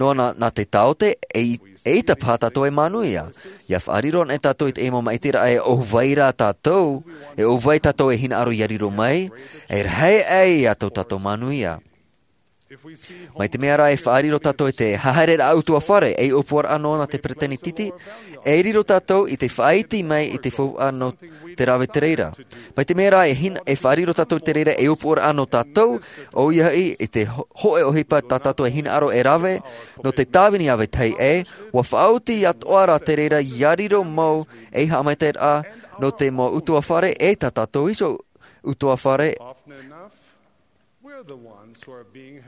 noa nā te taote e ʻita paha tātou e manuia. Ia faʻariro anaʻe tātou i te ʻemo maʻitiraʻa e ʻo vai rā tātou e ʻo vai tātou e hinaʻaro ia riro mai, e rahi aʻe ia tō tātou manuia. Mai te mea rā e faʻariro tātou i te haereraʻa utuafare ei ʻōpuaraʻa noa nā te peresideni titi, e riro tātou i te faʻaiti mai i te faufaʻa nō te rave te reira. Mai te mea rā e faʻariro tātou i te reira ei ʻōpuaraʻa nō tātou, ʻo ia hoʻi i te hoʻe ʻohipa tā tātou e hinaʻaro e rave nō te tāvini a vetahi ʻē, ua faʻaoti atoʻa rā te reira ia riro mau ei haʻamaitaʻiraʻa nō te mau utuafare e tā tātou iho utuafare.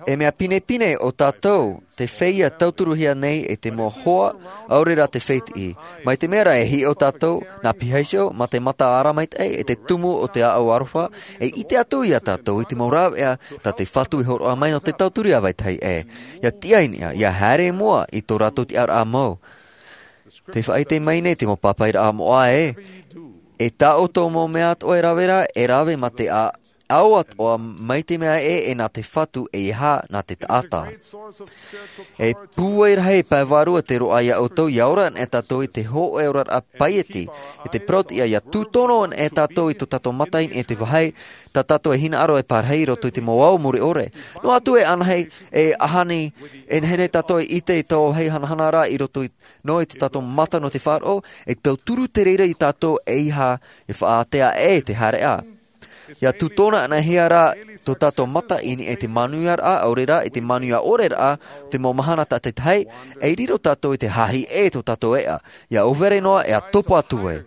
E mea pinepine ʻo tātou te feiā tauturuhia nei e te mau hoa ʻaore rā te fētiʻi. Mai te mea rā e hiʻo tātou nā pihaʻi iho mā te mata ara maitaʻi e te tumu o te ʻāʻau aroha, e ʻite atu ia tātou i te mau rāveʻa tā te fatu e horoʻa mai nō te tauturu a vetahi ʻē. Ia tiʻa i niʻa ia haere i mua i tō rātou tiʻaraʻa mau. Te faʻaite mai nei te mau pāpaʻiraʻa moʻa ē, e tā ʻoutou mau mea atoʻa e rave rā e rave mā te ʻao atoʻa mai te mea ē e nā te fatu e aha nā te taʻata. E pūai rahi pae vārua te roaʻa ia ʻoutou ia ora anaʻe tātou i te hoʻe oraraʻa paieti e te parau tiʻa ia tūtono anaʻe tātou i tō tātou mata i niʻa i te vāhi tā tātou e hinaʻaro e parahi i roto i te mau ao mure ʻore. Noa atu e anaʻe e aha nei e nehenehe tātou e ʻite i tō vāhi hanahana rā i roto i nō i tō tātou mata nō te faʻaroʻo e tauturu te reira ia tātou e aha e faʻaātea ʻē te haereʻa. Ia tūtono anaʻe hia rā tō tātou mata i niʻa i te manuiaraʻa ʻaore rā i te manuia ʻore rā o te mau mahana tātaitahi, e riro tātou i te hāhi ʻē tō tātou eʻa ia ʻōvere noa e a topa atu ai.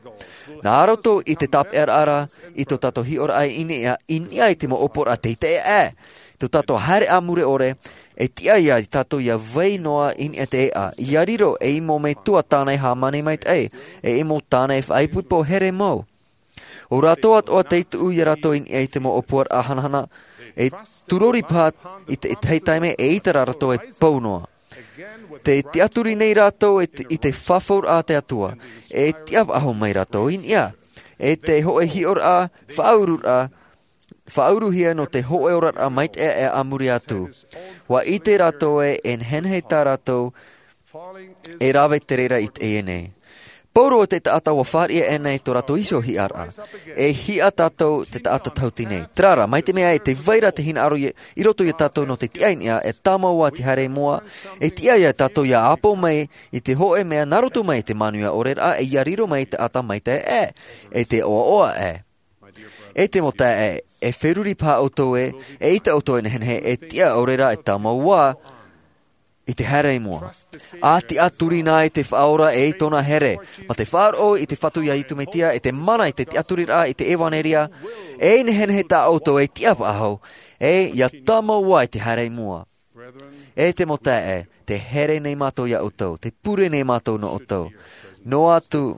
Nā roto i te tāpeʻaraʻa rā i tō tātou hiʻoraʻa i niʻa i te mau ʻōpuaraʻa teitei ʻē tō tātou haereʻa mure ʻore, e tiʻa ia tātou ia vai noa i niʻa i te eʻa ia riro ei mau metua tāna e hāmani maitaʻi, e ei mau tāna e faʻaipoipo here mau. ʻO rātou atoʻa tei tuʻu ia rātou i niʻa i te mau ʻōpuaraʻa hanahana e turori paha i te tahi taime e ʻite rā rātou e pou noa. Te tiʻaturi nei rātou i te fafauraʻa a te atua e tiʻa faʻahou mai rātou i niʻa e te hoʻe hiʻoraʻa faʻaururaʻa faʻauruhia nō te hoʻe oraraʻa maitaʻi e a muri atu. Ua ʻite rātou e e nehenehe tā rātou e rave te reira i teie nei. Pauroa te taʻata ua fāriʻi ʻēnei tō rātou iho hiʻaraʻa. E hiʻa tātou te taʻata tahuti nei terā rā mai te mea e te vai ra te hinaʻaro i roto ia tātou nō te tiʻa i niʻa e tāmau ā te haere i mua. E tiʻa ia tātou ia ʻāpō mai i te hoʻe mea nā roto mai i te manuia ʻore rā e ia riro mai i te taʻata maitaʻi ʻē e te ʻoaʻoa ʻē. E te mau taeaʻe e feruri paha ʻoutou ē e ʻita ʻoutou e nehenehe e tiʻa ʻaore rā e tāmau ā i te haere i mua. A tiʻaturi nā i te faʻaora e i tōna here mā te faʻaroʻo i te fatu ia iesu mesia e te mana i te tiʻaturiraʻa i te evanelia. E nehenehe tā ʻoutou e tiʻa faʻahou e ia tāmau ā i te haere i mua. E te mau taeaʻe, te here nei mātou ia ʻoutou te pure nei mātou nō ʻoutou. Noa atu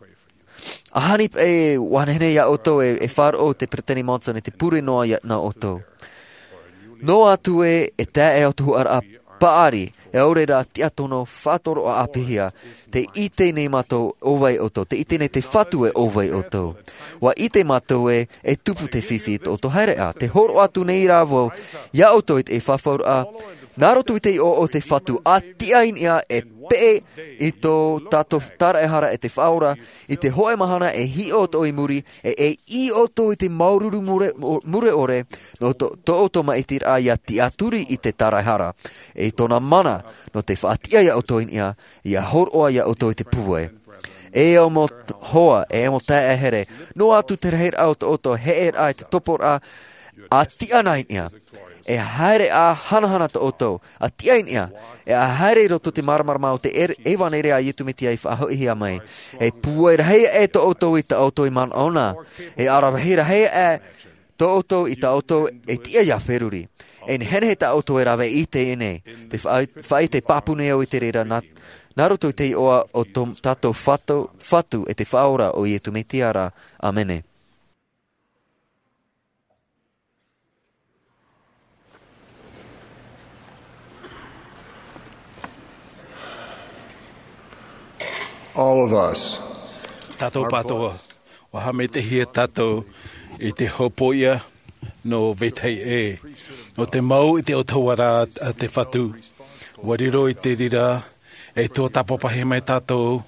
ahani paʻi ua nehenehe ia ʻoutou e faʻaroʻo te peresideni monson i te pure noa nō ʻoutou. Noa atu ē e taeaʻe o te huaraʻa paʻari, e ʻaore rā tiʻa tono faʻatoroʻa ʻāpīhia. Te ʻite nei mātou ʻo vai ʻoutou, te ʻite nei te Fatu e ʻo vai ʻoutou. Ua ʻite mātou ē, e tupu te fifi i tō ʻoutou haereʻa. Te hōroʻa atu nei rā vau iā ʻoutou i te fafauraʻa nā roto i te iʻoa o te Fatu, ʻa tiʻa i niʻa e peʻe i tō tātou tāraehara e te Faʻaora, i te hōʻē mahana e hiʻo atoʻa i muri, e, e ʻī ʻoutou i te māuruuru mure, mure ʻore, nō tō, tō ʻoutou maʻitiraʻa ʻia tiʻaturi i te tāraehara, e i tōna mana, nō te faʻatiʻa iā ʻoutou i niʻa, ʻia hōroʻa iā ʻoutou i te pūai. E au mau t-, hoa, e au mau taeaʻe here, noa atu te rahiraʻa o tō ʻoutou heʻeraʻa i te toporaʻa, ʻa tiʻa na i niʻa. E haere ʻa hanahana tō ʻoutou, ʻa tiʻa i niʻa, e ʻa haere i roto i te māramarama o te er-, ʻevaneria a Iesu Mesia i faʻahoʻihia mai. E pūai rahi aʻe tō ʻoutou i tā ʻoutou e manaʻo na. E ʻaravihi rahi aʻe tō ʻoutou i tā ʻoutou e tiʻa ʻia feruri. E nehenehe tā ʻoutou e rave i teie nei. Te faʻa-, faʻaʻite pāpū nei au i te reira nā, nā roto i te iʻoa o tō tātou Fatu, Fatu e te Faʻaora ʻo Iesu Mesia ra. ʻĀmene. All of us. Tātou are pātoa, blessed. Ua haʻamaitaʻihia tātou i te hopoiʻa nō vetahi ʻē. Nō te mau i te ʻōtauaraʻa a te Fatu. Ua riro i te reira, e tuatāpapahia mai tātou,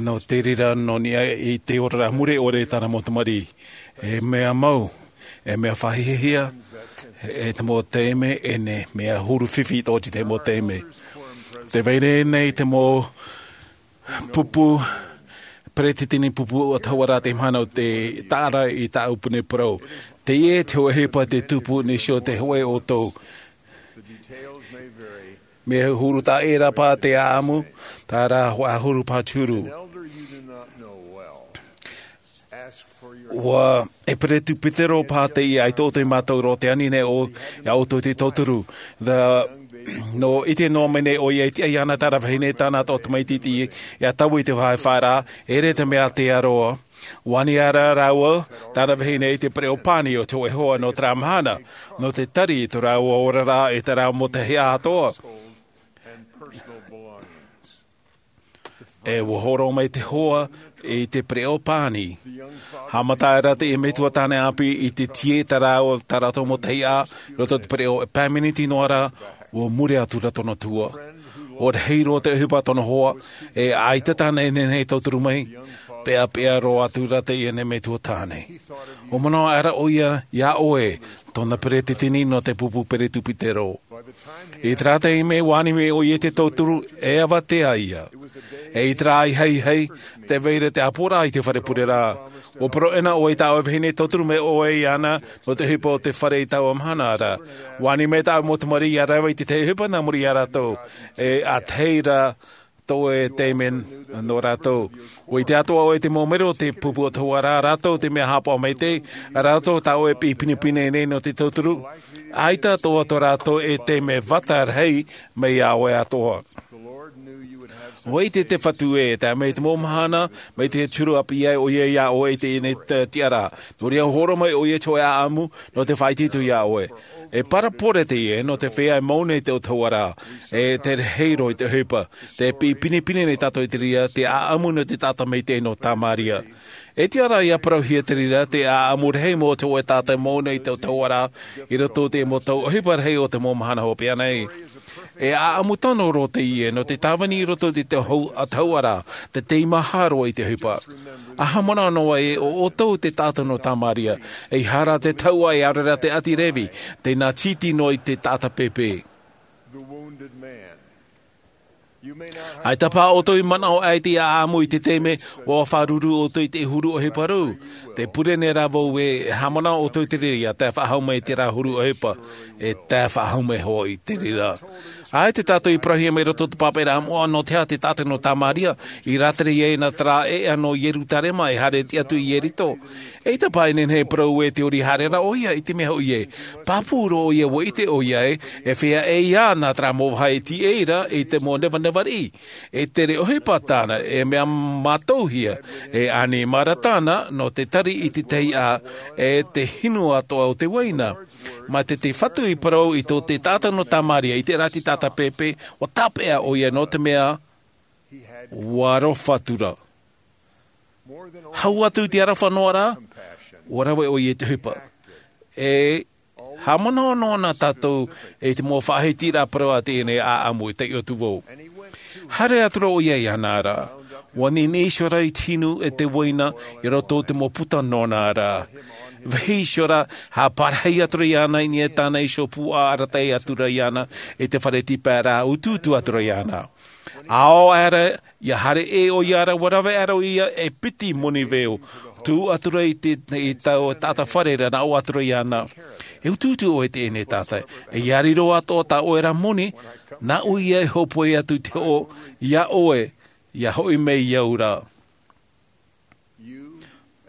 nō te reira nō niʻa i te oraraʻa mure ʻore i tāna mau tamariʻi. E mea mau, e mea faʻahiahia, e te mau taime, e ne mea huru fifi tō te mau taime. Tē vai ra nei te mau pupu, peretiteni pupu ʻōtauaraʻa te mahana o te taʻa ra i tāʻu pū nei parau. Teie te hōʻē ʻohipa te tupu nei iho te hōʻē ʻoutou. Mea huru taʻa ʻē ra paha te ʻāʻamu, terā ʻaita e huru paha te huru. Ua, e peretiteni paha teie, ʻaita ʻoutou i mātau roa, tē ani nei ʻo, iā ʻoutou te tauturu. The, nō ʻite noa mai nei ʻoia e tiʻa iāna terā vahine, tāna atoʻa tamaiti, ʻia tae i te vāhi fāraʻa, e ʻere te mea tea roa. Ua ani ra rāua, terā vahine i te pereʻoʻo pani o te hōʻē hoa nō terā mahana, nō te tari i tō rāua oraraʻa e terā mau taeaʻe atoʻa. E ua hōroʻa mai te hoa i te pereʻoʻo pani. Haʻamata aʻera teie metua tāne ʻāpī i te tiʻa i tā rāua, tā rātou mau taeaʻe, i roto i te pereʻoʻo e pae miniti noa ra, ua mure atu ra tōna tua. ʻOia hoʻi roa te ʻohipa tōna hoa, e ʻaita tāna e nehenehe e tauturu mai, peʻapeʻa roa atu ra teie nei metua tāne. ʻUa manaʻo aʻera ʻoia, iā ʻoe, tōna peretiteni nō te pupu peretiteni. I terā taime ua ani mai ʻoia i te tauturu, e avatea ïa. E i terā ʻāihaʻihaʻi, tē vai ra te ʻāpoʻoraʻa i te fare pureraʻa. ʻUa parau ʻē na ʻoe i tā ʻoe vahine e tauturu mai ʻoe iāna, nō te ʻohipa o te fare i taua mahana ra. Ua ani mai tāʻu mau tamariʻi ʻia rave i te tahi ʻohipa nā muri iā rātou. E ʻātahi ra tō ʻoe taime nō rātou. ʻUa ʻite atoʻa ʻoe te mau mero o te pupu ʻōtauaraʻa, rātou te mea haʻapaʻo maitaʻi, rātou tā ʻoe e piʻi pinepine nei nō te tauturu. ʻAita atoʻa tō rātou e taime vata rahi mai iā ʻoe atoʻa. ʻUa ʻite te Fatu ē, tae mai te mau mahana, mai te huru ʻāpī ai ʻoia iā ʻoe i teie nei t-, tiʻaraʻa. Nō reira ʻua hōroʻa mai ʻoia i te hōʻē ʻaʻamu, nō te faʻaitoito iā ʻoe. E parabole teie, nō te feiā e mau nei te ʻōtauaraʻa, e te rahi roa i te ʻohipa. Tē piʻi pinepine nei tātou i te reira, te ʻaʻamu nō te taʻata maitaʻi nō Tamaria. E tiʻa ra ʻia parauhia te reira, te ʻaʻamu rahi mau o te hōʻē taʻata e mau nei te ʻōtauaraʻa, i roto i te mau tau ʻohipa rahi o te mau mahana hopeʻa nei. E ʻaʻamu tano roa teie, nō te tāvini i roto i te hau-, ʻōtauaraʻa, te tei maha roa i te ʻohipa. ʻA haʻamanaʻo noa ē, ʻo ʻoutou te taʻata nō Tamaria, ʻeiaha ra te tauʻa e ʻaore rā te ʻāti Revi, tē nā tītī noa i te taʻata pēpē. ʻAita paha ʻoutou i manaʻo aʻe i te ʻaʻamu i te taime, ʻua faʻaruru ʻoutou i te huru ʻohipa rū. Tē pure nei rā vau ē, e haʻamanaʻo ʻoutou i te reira, ʻia tae faʻahou mai i terā huru ʻohipa, e tae faʻahou mai hoʻi i te reira. ʻAita tātou i parauhia mai i roto i te pāpaʻiraʻa moʻa, nō te aha te taʻata nō Tamaria, i rātere ai nā terā ʻēʻa nō Ierutarema e haere atu i Ieriko. ʻAita paha e nehenehe e parau ē tē ʻori haere ra ʻoia, i te mea hoʻi ē, pāpū roa ʻoia ʻua ʻite ʻoia ē, e feiā ʻē ïa nā terā mau vāhi e tīaʻi ra i te mau nevaneva riʻi. E tere ʻohipa tāna, e mea mātauhia, e ʻanimara tāna, nō te tari i te tahi ʻā, e te hinu atoʻa o te uaina. Mā te te fatu i parau i tō te taʻata nō tamaria i te rā te taʻata pēpē, ua tāpeʻa ʻo ia nō te mea ua aroha atu ra. Hau atu i te aroha noa rā, ua rave ʻo ia i te ʻohipa. E haʻamanaʻo noa na tātou i te mau faʻahitiraʻa parau a teie nei ʻaʻamu i taiʻo atu vau. Haere atu ra ʻo ia iāna ra, ua niniʻi iho ra i te hinu e te uaina i roto i te mau puta noa na ra. Vahi iho ra, haʻaparahi atu ra iāna i niʻa i tāna iho puaʻa arataʻi atu ra iāna i te fare tīpae rā, utuutu atu ra iāna. Ao aʻera ia haere ʻē ʻo ia ra, ua rave aʻera ʻo ia e piti moni veo, tuʻu atu ra i te i taua taʻata fare ra, nā ʻō atu ra iāna, e utuutu ʻoe i teie nei taʻata, e ia riro atoʻa tā ʻoe ra moni, nā ʻō ia e hōpoi atu i te hoʻo iā ʻoe, ia hoʻi mai iāʻu ra.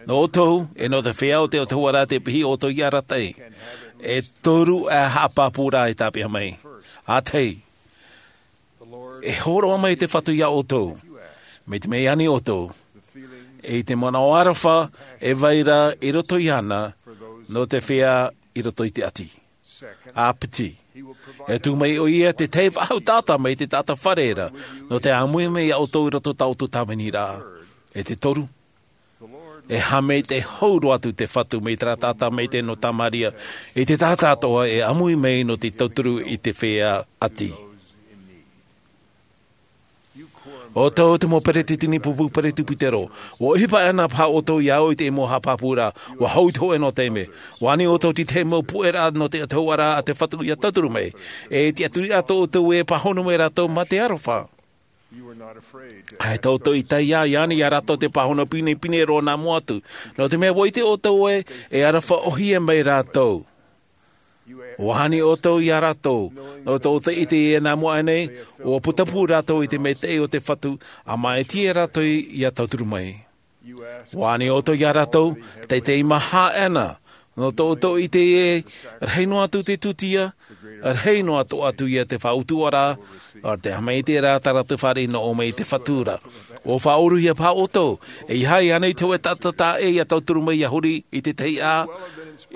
Nō ʻoutou e nō te feiā o te autahuʻaraʻa te piʻi ʻoutou i arataʻi, e toru ā haʻapāpūraʻa e tāpeʻa mai. ʻĀtahi, e hōroʻa mai te fatu iā ʻoutou, mai te mea i ani ʻoutou i te manaʻo aroha e vai ra i roto iāna nō te feiā i roto i te ʻati. ʻĀpiti, e tuʻu mai ʻo ia te tahi faʻahou taʻata mai te taʻata fare ra, nō te ʻāmui mai iā ʻoutou i roto i tā ʻoutou tāviniraʻa. E te toru, e haʻamaitaʻi hou roa atu te fatu mai terā taʻata mai te nō tamaria i te taʻata atoʻa e ʻāmui mai nō te tauturu i te feiā ʻati. ʻO tātou te mau peresideni pupu peresideni pūtero, ua ʻohipa ana paha ʻoutou iā ʻoe i te mau haʻapāpūraʻa, ua hou te hoʻe nō te mea ua ani ʻoutou i te mau puʻeraʻa nō te autahuʻaraʻa a te fatu ia tauturu mai. E tiʻaturi atoʻa ʻoutou e pāhono mai rātou mā te aroha. ʻAita ʻoutou i taiā i ani iā rātou te pāhono pinepine roa nā mua atu, nō te mea ua ʻite ʻoutou ē e aroha ʻohie mai rātou. Ua ani ʻoutou iā rātou, nō tō te ʻite ia nā mua nei ua putapū rātou i te maitaʻi o te fatu, a māʻiti rātou ia tauturu mai. Ua ani ʻoutou iā rātou, teitei maha ana, nō tō ʻoutou ʻite ē rahi noa atu te tūtia, rahi noa atoʻa atu ia te faʻautuʻaraʻa, ʻo te haʻamaitaʻiraʻa tā rātou fāriʻi nō ʻō mai i te fatu ra. Ua faʻaʻoruhia paha ʻoutou, e ʻeiaha ānei te hoʻe taʻata taʻa ʻē ia tauturu mai ia huri i te tahi ʻā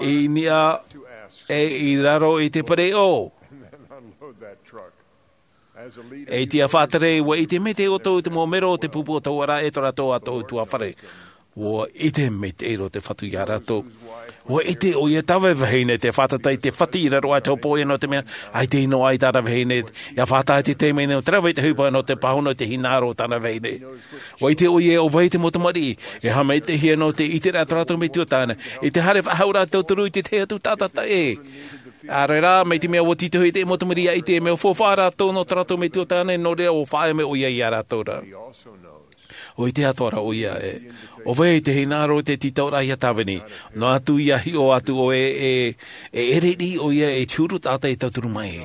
i niʻa ʻe i raro i te pereʻoʻo. E tiʻa faʻatere, ua ʻite maitaʻi ʻoutou i te mau mero o te pupu autahuʻaraʻa e tō rātou atoʻa utuafare. Ua ʻite maitaʻi roa te fatu iā rātou. Ua ʻite ʻo ia tāvai vahine te fātata i te fatu i raro aʻe te hopoiʻa, nō te mea ʻaita i noaʻa i tāna vahine ia fātata i te taime nei o te rave i te ʻohipa nō te pāhono i te hinaʻaro o tāna vahine. Ua ʻite ʻo ia ʻo vai te mau tamariʻi e haʻamaitaʻihia nō te ʻiteraʻa tō rātou metua tāne i te haere faʻahauraʻa tauturu i te tahi atu taʻata taʻa ʻē. ʻAore rā, mai te mea ua tītauhia te mau tamariʻi ia ʻite e mea faufaʻa rātou nō tō rātou metua tāne, nō reira ua faʻaea mai ʻo ia iā rātou ra. Ua ʻite atoʻa ra ʻo ia ē ʻo vai te hinaʻaro o te tītauraʻa ia tāvini, noa atu ia hiʻo atu ʻoe ē e ʻere riʻi ʻo ia i te huru taʻata e tauturu mai.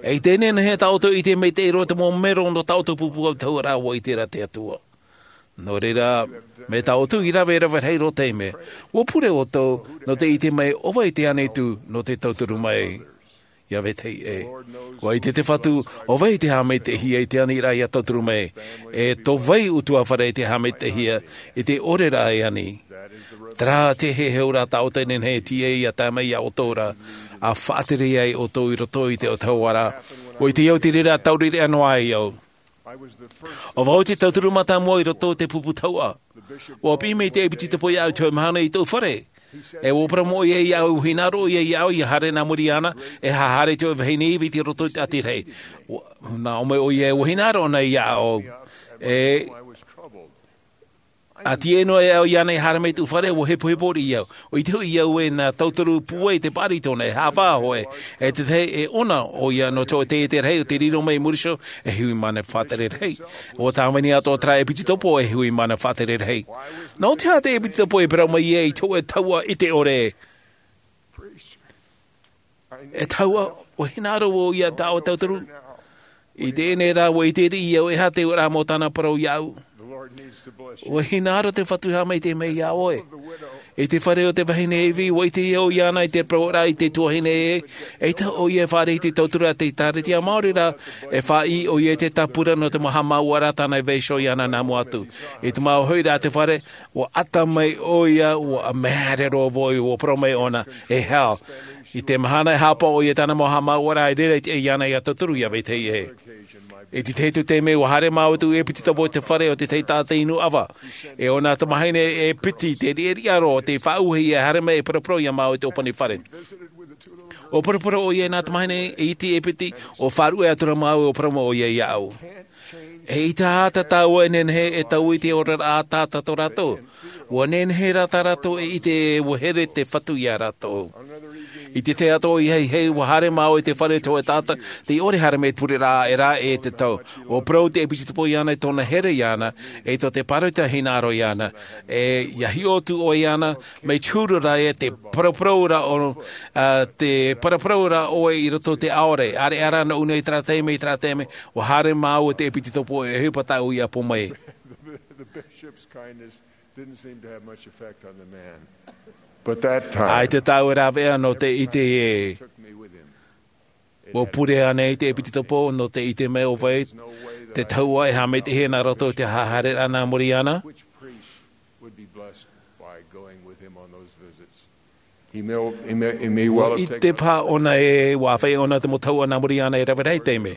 E i teie nei tā ʻoutou i ʻite maitaʻi roa te mau mero nō tā ʻoutou pupu autahuʻaraʻa, ua ʻite ra te Atua. Nō reira, mai tā ʻoutou i rave, rave rahi roa te mea, ua pure ʻoutou nō te ʻite mai ʻo vai te ʻānei atu nō te tauturu mai. Ia vetahi ʻē, ua ʻite te fatu ʻo vai te haʻamaitaʻihia i te aniraʻa ia tauturu mai, e tō vai utuafare i te haʻamaitaʻihia i te ʻoreraʻa e ani. Terā te heheuraʻa tā ʻoutou e nehenehe e tīaʻi ia tae mai iā ʻoutou ra, a faʻatere ai ʻoutou i roto i te autahuʻaraʻa. Ua ʻite au te reira tauriraʻa noa ai au. ʻO vau te tauturu mātāmua i roto i te pupu tahuʻa. Ua piʻi mai te ʻepitopo iāʻu i te hoʻi mahana i tōʻu fare. E ua parau mai ʻo ia iāʻu, ua hinaʻaro ʻo ia iāʻu ia haere nā muri iāna, e haere te hoʻi vahine ivi i roto i te ʻati rahi. Nā ʻō mai ʻo ia ē ua hinaʻaro ʻōna iāʻu. E a tīaʻi noa e au iāna i haere mai i tōʻu fare, ua hepohepo riʻi au. ʻO ʻite hoʻi au ē nā tauturu pūai te paʻari tōna, e haʻavā hoʻi, e te tahi e ʻona ʻo ia nō te hoʻi taiete rahi o te riro mai i muri iho, e hui mana faʻatere rahi. Ua tāvini atoʻa terā ʻepitopo e hui mana faʻatere rahi. Nō te aha te ʻepitopo e parau mai ai i te hoʻi tahuʻa ʻite ʻore? E tahuʻa, ua hinaʻaro vau ia tāʻu e tauturu. I teie nei rā, ua ʻite riʻi au e aha te auraʻa mau tāna parau iāʻu. Ua hinaʻaro te fatu e haʻamaitaʻi mai iā ʻoe. I te fare o te vahine ivi, ua ʻite au iāna i te parau ra i te tuahine ē, eʻita ʻo ia e fāriʻi i te tauturu a te ʻĒkālesia, maori rā, e faʻaʻī ʻo ia i te tāpura nō te mau haʻamāuʻaraʻa tāna e vaiiho iāna nā mua atu. I te mau hoʻiraʻa a te fare, ua ʻata mai ʻo ia, ua maere roa vau, ua parau mai ʻōna, e hell. I te mahana e hāpaʻo ʻoia i tāna mau haʻamāuʻaraʻa i reira i te ʻai iāna ia tauturu ia vetahi ʻē. I te tahi atu taime ua haere māua i te ʻepitopo i te fare o te taʻata inu ʻava, e ʻōna tamahine e piti te riʻariʻa roa o te faʻauahi e haere mai e paraparau iā māua i te ʻōpani fare. ʻO paraparau ʻoia i nā tamahine e iti e piti, ʻo faʻaruʻe atu ra māua ʻo parau mai ʻoia iāʻu. E ʻaita ā tātou e nehenehe e taui i te oraraʻa a te taʻata tō rātou. Ua nehenehe rā tā rātou e ʻite ē ua here te Fatu iā rātou. I te tahi atu ʻoia hei hei ua haere māua i te fare o te taʻata, tei ʻore haere mai te pureraʻa ʻē rā e te tau. ʻO parau te ʻepitopo iāna i tōna here iāna, e tō te pāroita hinaʻaro iāna. E ia hiʻo atu ʻoe iāna, mai te huru rā e te paraparau ra ʻo, a, te paraparau ra ʻoe i roto i te ʻaore, ʻāreʻa rā nō ʻuna i terā taime, i terā taime, ua haere māua i te ʻepitopo e ʻohipa tāʻu ia pō mai. The bishop's kindness didn't seem to have much effect on the man. But that time, ʻaita tāʻu e rāveʻa nō te ʻite ē. Took me with him. Ua pure ānei te ʻepitopo nō te ʻite mai ʻo vai te tahua e haʻamaitaʻihia nā roto i te haereraʻa nā muri iāna? Which priest would be blessed by going with him on those visits? He may, he may, he may well have taken. Ua ʻite paha ʻōna ē, ua ʻāfaʻi ʻōna te mau tahua nā muri iāna e rave rahi taime.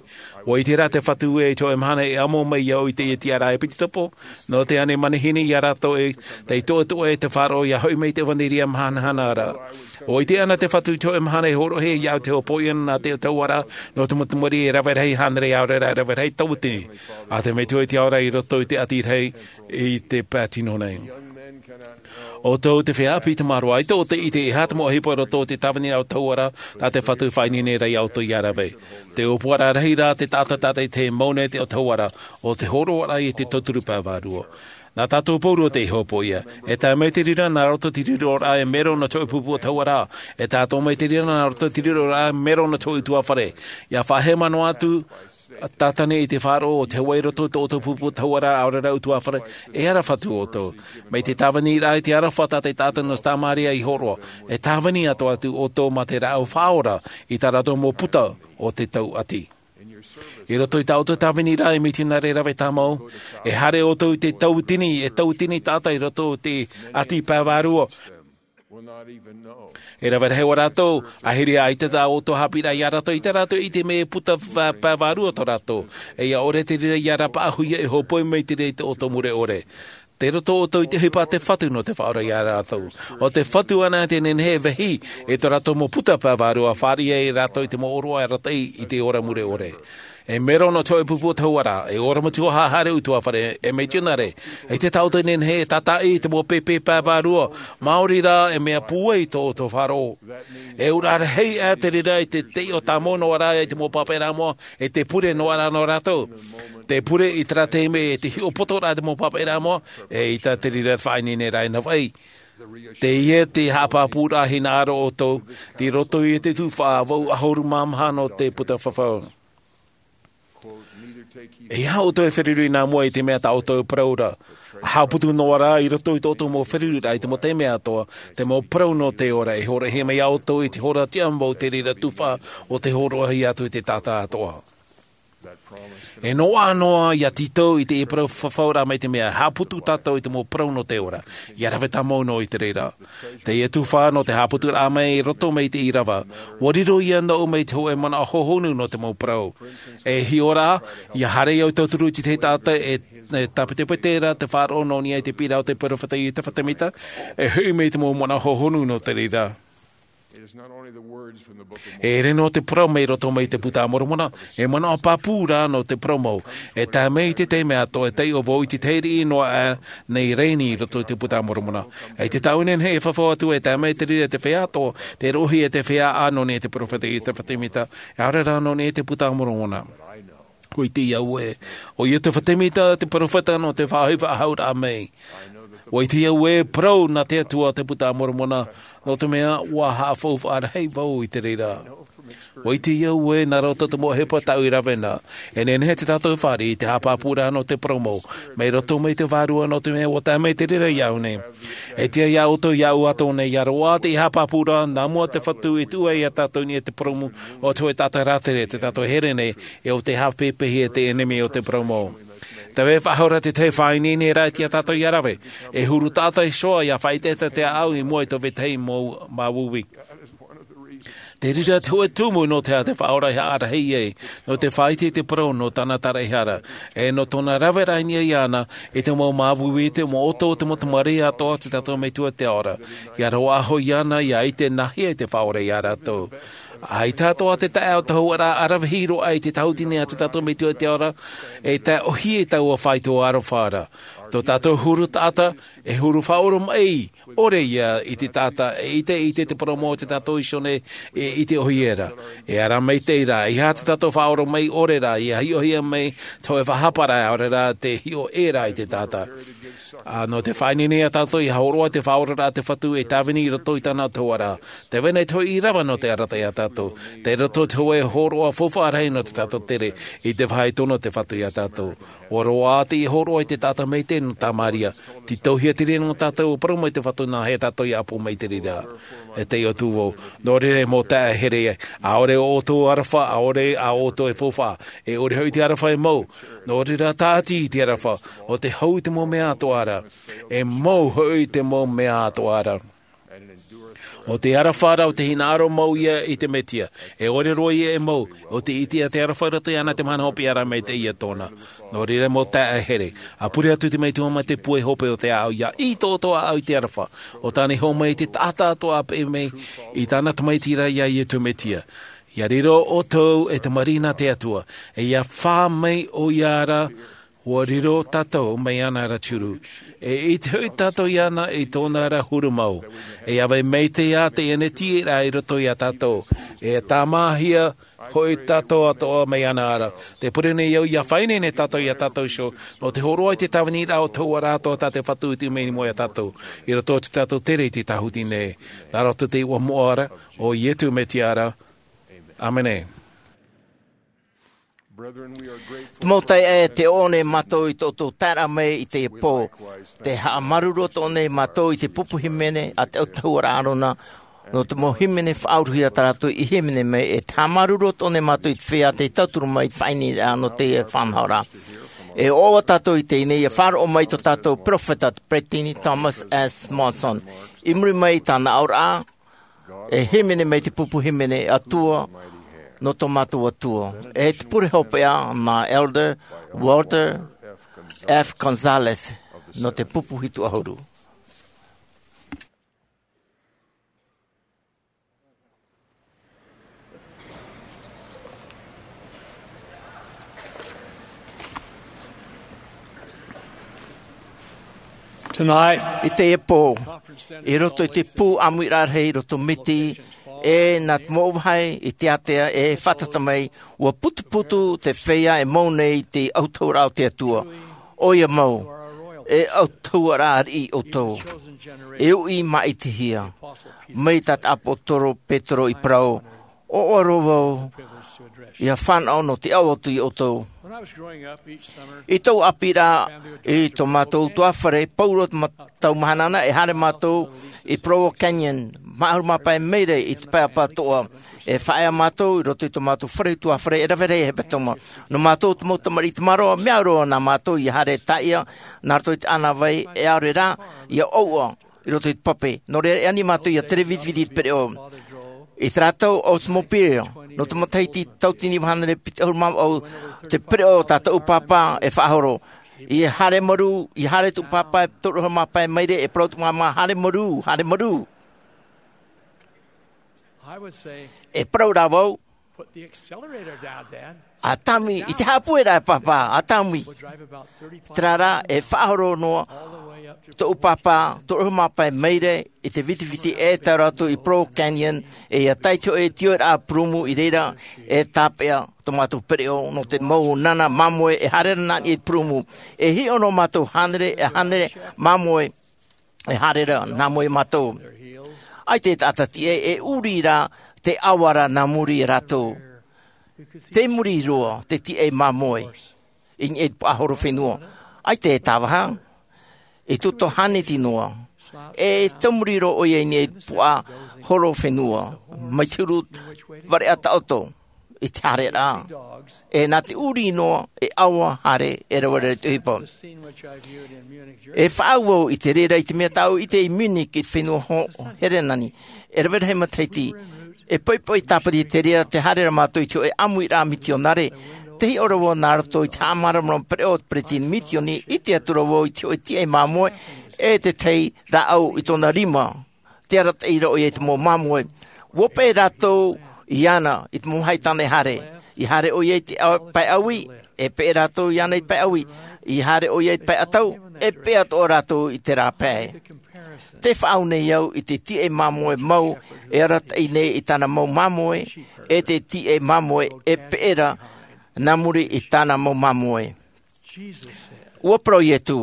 Ua ʻite rā te Fatu ē, i te hōʻē mahana e ʻamo mai iāʻu i teie tiʻaraʻa ʻepitopo, nō te ani manihini iā rātou ē, tei toʻetoʻa e te faʻaroʻo ia hoʻi mai i te ʻevaneria mahanahana ra. Ua ʻite ʻana te Fatu i te hōʻē mahana e hōroʻahia iāʻu te hopoiʻa nā te taua ra, nō te mau tamariʻi e rave rahi hānere ʻaore rā e rave rahi tauatini. A te metua i te ao ra i roto i te ʻati rahi i te pae tino nei. ʻO tō te feiā ʻāpī Tamaroa, ʻaita ʻoutou e ʻite e aha te mau ʻohipa i roto i te tāviniraʻa o te taua ra, tā te Fatu e faʻaineine ra iā ʻoutou ia rave. Te ʻōpuaraʻa rahi rā te taʻata tātaʻitahi e mau nei te taua ra, ʻo te hōroʻaraʻa i te tauturu pae vārua. Nā tātou pauroa tei hopoiʻa. E tae mai te reira nā roto i te riroraʻa e mero nō te hōʻē pupu o te taua ra. E tātou mai te reira nā roto i te riroraʻa e mero nō te hōʻē ʻutuāfare. Ia faʻahema noa atu, Tātane i te faʻaroʻo o te Hawaii i roto i tō ʻoutou pupu o te taua ra, ʻaore rā ʻutuāfare, e ara Fatu ʻoutou. Mai te tāviniraʻa i te aroha tā te taʻata nō Samāria i hōroʻa, e tāvini atoʻa atu ʻoutou mā te rāʻau faʻaora i tā rātou mau puta o te tauʻati. I roto i tā ʻoutou tāviniraʻa e mitionare rave tāmau, e haere ʻoutou i te tauatini, e tauatini taʻata i roto i te ʻati pae vārua. E rave rahi ʻo rātou, ʻahiri ā ʻaita tā ʻoutou haʻapiʻiraʻa iā rātou, ʻaita rātou e ʻite mai e puta pae vārua tō rātou. E ʻia ʻore te reira ia rapaʻauhia e hōpoi mai te reira i tō ʻoutou mure ʻore. Tei roto ʻoutou i te ʻohipa a te Fatu nō te faʻaora iā rātou. ʻO te Fatu anaʻe tē nehenehe e vāhi i tō rātou mau puta pae vārua, fāriʻi ai rātou i te mau ʻōroʻa arataʻi i te ora mure ʻore. E mero nō te hōʻē pupu o te taua ra, e ora matua haʻahaere ʻutuāfare, e mitionare, ʻaita tā ʻoutou e nehenehe e tātaʻi i te mau pēpē pae vārua, maori rā e mea pūai tō ʻoutou faʻaroʻo. E ʻauraʻa rahi ā te reira i te taiʻo tāmau noa ra i te mau pāpaʻiraʻa moʻa, e te pure noa ra nō rātou. Te pure i terā taime e te hiʻopotoraʻa i te mau pāpaʻiraʻa moʻa, eʻita te reira e faʻaineineraʻa i Hawaii. Teie te haʻapāpūraʻa hinaʻaro ʻoutou, tei roto i te tuhaʻa vaʻu ʻahuru mā maha nō te puta fafau. E aha ʻoutou e feruri nā mua i te mea tā ʻoutou e parau ra? Haʻaputu noa rā i roto i tō ʻoutou mau feruriraʻa i te mau taime atoʻa, te mau parau nō te ora e hōroʻahia mai iā ʻoutou i te hora tiʻa mau te reira tuhaʻa o te hōroʻahia atu i te taʻata atoʻa. E noaʻa noa ia tītau i te parau fafau ra mai te mea, haʻaputu tātou i te mau parau nō te ora, ia rave tāmau noa i te reira. Teie tuhaʻa nō te haʻaputuraʻa mai i roto mai i te ʻīrava, ua riro ia nōʻu mai te hōʻē manaʻo hōhonu nō te mau parau. E hiʻo rā, ia haere au i tauturu i te tahi taʻata e, e tāpetepete ra te faʻaroʻo nō niʻa i te piʻiraʻa o te peropheta Iotefa Semita, e hoʻi mai te mau manaʻo hōhonu nō te reira. It is not only the words from the Book of Mormon. E ʻere noa te parau mai roto mai te Puta a Moromona, e manaʻo pāpū rā nō te parau mau. E tae mai i te taime atoʻa e taiʻo vau i te tahi riʻi noa aʻe nei rānei i roto i te Puta a Moromona. E te taʻu nei e fafau atu e tae mai te reira te feiā atoʻa, tei roʻohia e te feiā ʻā nō niʻa i te peropheta Iotefa Semita, ʻaore rā nō niʻa i te Puta a Moromona. ʻUa ʻite au ē, ʻo Iotefa Semita te peropheta nō te faʻaʻohipa faʻahou raʻa mai. ʻUa ʻite au ē, parau nā te Atua te Puta a Moromona, nō te mea ʻua haʻafaufaʻa rahi vau i te reira. ʻUa ʻite au ē, nā roto te mau ʻohipa tāʻu i rave na, e nehenehe tātou e fāriʻi i te haʻapāpūraʻa nō te parau mau, mai roto mai te Vārua nō te mea ʻua tae mai te reira iāʻu nei. E tiʻa iā ʻoutou, iāʻu atoʻa nei, ʻia roaʻa te haʻapāpūraʻa, nā mua te Fatu i tuʻu ai iā tātou i niʻa i te purūmu o te hōʻē taʻata rātere, tei tātou here nei, e ʻo tei haʻapeʻapeʻahia e te ʻenemi o te parau mau. Tē vai faʻahou ra te tahi faʻaineineraʻa i tiʻa tātou ʻia rave, e huru taʻata iho ā ʻia faʻaʻetaʻeta te ʻāʻau i mua i tō vetahi mau māuiui. Te reira te hōʻē tumu nō te aha te Faʻaora i haʻarahi ai, nō te faʻaʻite i te parau nō tāna taraehara, e nō tōna rave rahi iāna, i te mau māuiui, te mau ʻoto, te mau tamariʻi atoʻa, tō tātou Metua te Ora. ʻIa roaʻa hoʻi iāna, ʻia ʻite nāhea te Faʻaora iā rātou. ʻAita atoʻa te taeaʻe o te hauʻaraʻa ʻaravihi roa i te tāhuti nei a tō tātou Metua te Ora, e tae ʻōhie i taua faito aroha ra. Tō tātou huru taʻata, e huru faʻaoromaʻi, ʻore ia i te taʻata, e ʻite, ʻite te parau mau o tō tātou iho nei, e ʻite ʻōhie ra. E ara maitaʻi rā, ʻeiaha tō tātou faʻaoromaʻi ʻore rā, ʻia hiʻohia mai, te hōʻē faʻahapa ra, ʻaore rā, te hiʻo ʻē rā i te taʻata. Ā, nō te faʻaineine iā tātou, ʻia hōroʻa te Faʻaoraraʻa a te Fatu e tāvini i roto i tāna ʻō te hauʻaraʻa. Tē vai nei te hōʻē ʻīrava nō te arataʻi iā tātou. Tei roto te hōʻē hōroʻa faufaʻa rahi nō tō tātou tere, i te vāhi tonu o te Fatu iā tātou. ʻUa roaʻa teie hōroʻa i te taʻata maitaʻi nō Tamaria. Tītauhia te reira nō tātou, ʻua parau mai te Fatu nāhea tātou ʻia ʻapo mai i te reira. E tei ʻo Tūvou. Nō reira e mau taeaʻe here, ʻaore ʻo ʻoutou aroha, ʻaore ā ʻoutou e faufaʻa. E ʻore hoʻi te aroha e mau. Nō reira tāʻati i te aroha, ʻo tē hau i te mau mea atoʻa ra. E mau hoʻi te mau mea atoʻa ra. ʻO te aroha ra, ʻo te hinaʻaro mau ia i te Mesia. E ʻore roa ia e mau, ʻo tē ʻite ʻia te aroha i roto iāna te mahana hopeʻa ra maitaʻi ia tōna. Nō reira e mau taeaʻe here, ʻa pure atu te Metua mai te pūai hope o te ʻāʻau, ʻia ʻī tō ʻoutou ʻāʻau i te aroha. ʻO tāna i hōmai i te taʻata atoʻa peʻe mai i tāna tamaiti ra iā Iesu Mesia. ʻIa riro ʻoutou e tamariʻi nā te Atua, e ʻia fā mai ʻoia ra, ʻua riro tātou mai iāna ra te huru. E ʻite hoʻi tātou iāna i tōna ra huru mau. E ʻia vai maitaʻi ā teie nei tīaʻiraʻa i roto iā tātou. E tāmāhia hoʻi tātou atoʻa mai iāna ra. Tē pure nei au ʻia faʻaineine tātou iā tātou iho, nō te hōroʻa i te tāviniraʻa o te hauʻaraʻa atoʻa tā te Fatu i tuʻu mai i mua iā tātou. I roto i tō tātou tere i te tāhuti nei. Nā roto i te iʻoa moʻa ra, o Iesu Mesia ra. ʻĀmene. Te mau taeaʻe, tē ʻoaʻoa nei mātou i tō ʻoutou taeraʻa mai i teie pō. Tē haʻamāuruuru atoʻa nei mātou i te pupu hīmene a te ʻautahuʻaraʻa ʻĀrona, nō te mau hīmene faʻauruhia tā rātou i hīmene mai, e tē haʻamāuruuru atoʻa nei mātou i te feiā tei tauturu mai i te faʻaineineraʻa nō teie faʻanahoraʻa. E ʻoaʻoa tātou i teie nei, ʻia faʻaroʻo mai tō tātou perofeta, te Peresideni Thomas S. Monson. I muri mai i tāna aʻoraʻa, e hīmene mai te pupu hīmene Atua, nō tō mātou Atua. E te pure hopeʻa nā Elder Walter F. Gonzalez, nō te pupu hitu ʻahuru. Tonight, i teie pō, i roto i te pū ʻāmuiraʻa rahi i roto Miti, e nā te mau vāhi i te ātea e fātata mai, ʻua putuputu te feiā e mau nei i te ʻautahuʻaraʻa o te Atua. ʻOia mau, e ʻautahuʻaraʻa ariʻi ʻoutou. E uʻi māʻitihia. Mai tā te ʻāpōsetolo Petero i parau, ʻoaʻoa roa vau, ʻia fānaʻo nō te ʻaʻau atu iā ʻoutou. I tōʻu ʻāpīraʻa, i tō mātou ʻutuāfare, pauroa te ma-, tau mahana na, e haere mātou i Provo Canyon, maha ʻahuru mā pae maire i te pae ʻapatoʻa. E faʻaea mātou i roto i tō mātou fare ʻutuāfare, e rave rahi e hepetoma. Nō mātou te mau tamariʻi tamaroa, mea au roa nā mātou ʻia haere e tāʻia, nā roto i te ʻānāvai, e ʻaore rā, ʻia ʻouʻa i roto i te pape. Nō reira, e ani mātou ʻia tere vitiviti i te pereʻoʻo. I terā tau Oldsmobile, nō te matahiti tauatini iva hānere piti ʻahuru mā vaʻu, te pereʻoʻo o tā tōʻu pāpā e faʻahoro. ʻIa haere marū, ʻia haere tōʻu pāpā e toru ʻahuru mā pae maire, e parau tōʻu māmā, haere marū, haere marū. E parau rā vau, ʻa tāmui, ʻite haʻapūai rā e pāpā, ʻa tāmui. Terā rā, e faʻahoro noa tōʻu pāpā, toru ʻahuru mā pae maire, i te vitiviti e tae roa atu i Provo Canyon, e ʻia tae i te hōʻē tioraʻa purūmu i reira, e tāpeʻa tō mātou pereʻoʻo, nō te mau nana māmoe, e haere ra nā niʻa i te purūmu. E hiʻo noa mātou hānere, e hānere māmoe, e haere ra nā mua iā mātou. ʻAita e taʻata tīaʻi, e ʻurī rā te ʻava ra nā muri iā rātou. Tei muri roa te tīaʻi māmoe i niʻa i te puaʻahorofenua. ʻAita e tāvaha, i tō tātou hāneti noa. E tei muri roa ʻoia i niʻa i te puaʻahorofenua. Mai te huru vareʻa taʻoto i te haereraʻa. E nā te ʻurī noa, e ʻava haere, e rave rahi te ʻohipa. E faʻaau vau i te reira i te mea tāʻu i ʻite i Munich i te fenua Ho-, Herenani. E rave rahi matahiti. E poipoi tāpiri te reira, tē haere ra mātou i te hōʻē ʻāmuiraʻa mitionare. Tē hiʻo ra vau nā roto i te haʻamāramarama pereʻoʻo o te peresideni misioni, ʻite atu ra vau i te hōʻē tīaʻi māmoe e te tahi rāʻau i tōna rima. Tē arataʻi ra ʻoia i te mau māmoe. ʻUa peʻe rātou iāna i te mau vāhi tāne haere. I haere ʻoia i te au-, pae ʻāui, e peʻe rātou iāna i te pae ʻāui. I haere ʻoia i te pae ʻatau, e peʻe atoʻa rātou i terā pae. Tē faʻaau nei au i te tīaʻi māmoe mau e arataʻi nei i tāna mau māmoe, e te tīaʻi māmoe e peʻe ra nā muri i tāna mau māmoe. ʻUa parau Iesu,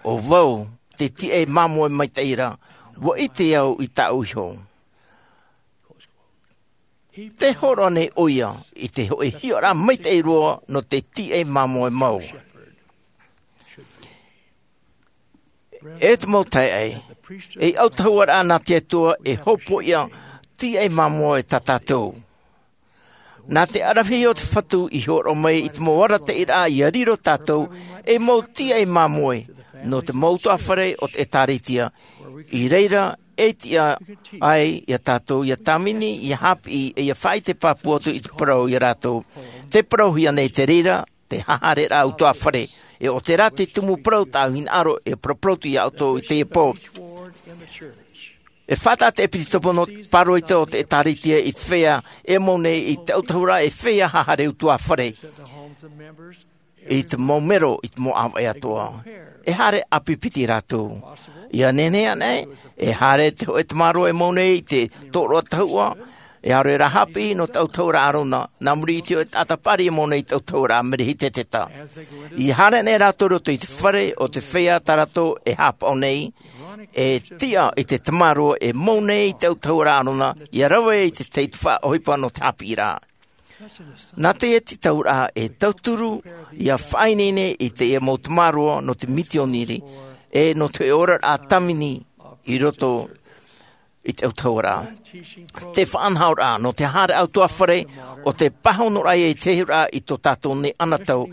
ʻo vau te tīaʻi māmoe maitaʻi ra, ʻua ʻite au i tāʻu iho. Tē hōroʻa nei ʻoia i te hōʻē hiʻoraʻa maitaʻi roa nō te tīaʻi māmoe mau. E te mau taeaʻe, ei ʻautahuʻaraʻa nā te Atua e hōpoiʻa tīaʻi māmoe tā tātou. Nā te ʻaravihi o te Fatu i hōroʻa mai i te mau arataʻiraʻa ʻia riro tātou ei mau tīaʻi māmoe nō te mau ʻutuāfare o te ʻĒtārētia, i reira e tiʻa ai ia tātou ʻia tāvini, ʻia haʻapiʻi, e ʻia faʻaʻite pāpū atu i te parau ia rātou. Tē parauhia nei te reira, te haʻahaereraʻa ʻutuāfare, e ʻo terā te tumu parau tāʻu hinaʻaro e paraparau atu ia ʻoutou i teie pō. E faʻataʻa te ʻepisekopo nō te pāroita o te ʻĒtārētia i te feiā e mau nei i te ʻautahuʻaraʻa e feiā haʻahaere ʻutuāfare i te mau mero, i te mau ʻāvaʻe atoʻa. E haere ʻāpipiti rātou. ʻIa nehenehe anaʻe, e haere te hōʻē tamaroa e mau nei i te tōroʻa tahuʻa, e ʻaore rā haʻapiʻi nō te ʻautahuʻaraʻa ʻĀrona, nā muri i te hōʻē taʻata paʻari e mau nei i te ʻautahuʻaraʻa Melehiseteta. ʻIa haere nei rātou i roto i te fare o te feiā tā rātou e haʻapaʻo nei, e tiʻa i te tamaroa e mau nei i te ʻautahuʻaraʻa ʻĀrona, ʻia rave i te tahi tuhaʻa ʻohipa nō te haʻapiʻiraʻa. Nā teie tītauraʻa e tauturu ʻia faʻaineine i teie mau tamaroa nō te misiōnare, e nō te oraraʻa tāvini i roto i te ʻautahuʻaraʻa. Te faʻanahoraʻa nō te haʻahaere ʻutuāfare, ʻo te pāhonoraʻa ia i te hiʻoraʻa i tō tātou nei anotau,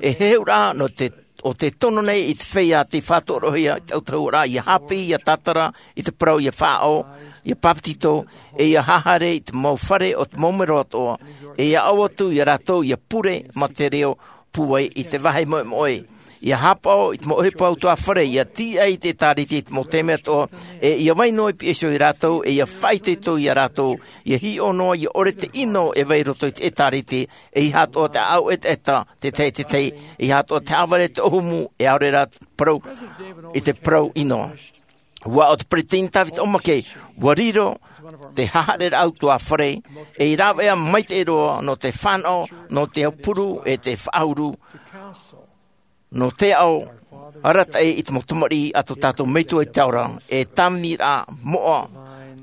e hiʻoraʻa nō te, ʻo te tono nei i te feiā tei faʻatorohia i te ʻautahuʻaraʻa ʻia haʻapiʻi, ʻia tātara i te parau, ʻia faʻaʻō, ʻia pāpetito, e ʻia haʻahaere i te mau fare o te mau mero atoʻa, e ʻia ʻau atu ia rātou ʻia pure ma te reo pūai i te vāhi moʻemoʻe. ʻIa haʻapaʻo i te mau ʻohipa ʻutuāfare, ʻia tiʻa i te ʻĒtārētia i te mau taime atoʻa, e ʻia vai noa i piha iho ia rātou, e ʻia faʻaitoito ia rātou, ʻia hiʻo noa, ʻia ʻore te ʻino e vai i roto i te ʻĒtārētia, e ʻeiaha atoʻa te ʻāʻau ʻetaʻeta, te tahi, te tahi, e ʻeiaha atoʻa te haʻavare, te ʻōhumu, e ʻaore rā te parau, i te parau ʻino. ʻUa ʻo te peresideni Tavita ʻOmake, ʻua riro te haʻahaereraʻa ʻutuāfare, ei rāveʻa maitaʻi roa nō te fānaʻo, nō te aupuru, e te faʻauru, nō te aʻo arataʻi i te mau tamariʻi a tō tātou Metua i te ao ra, e tāviniraʻa moʻa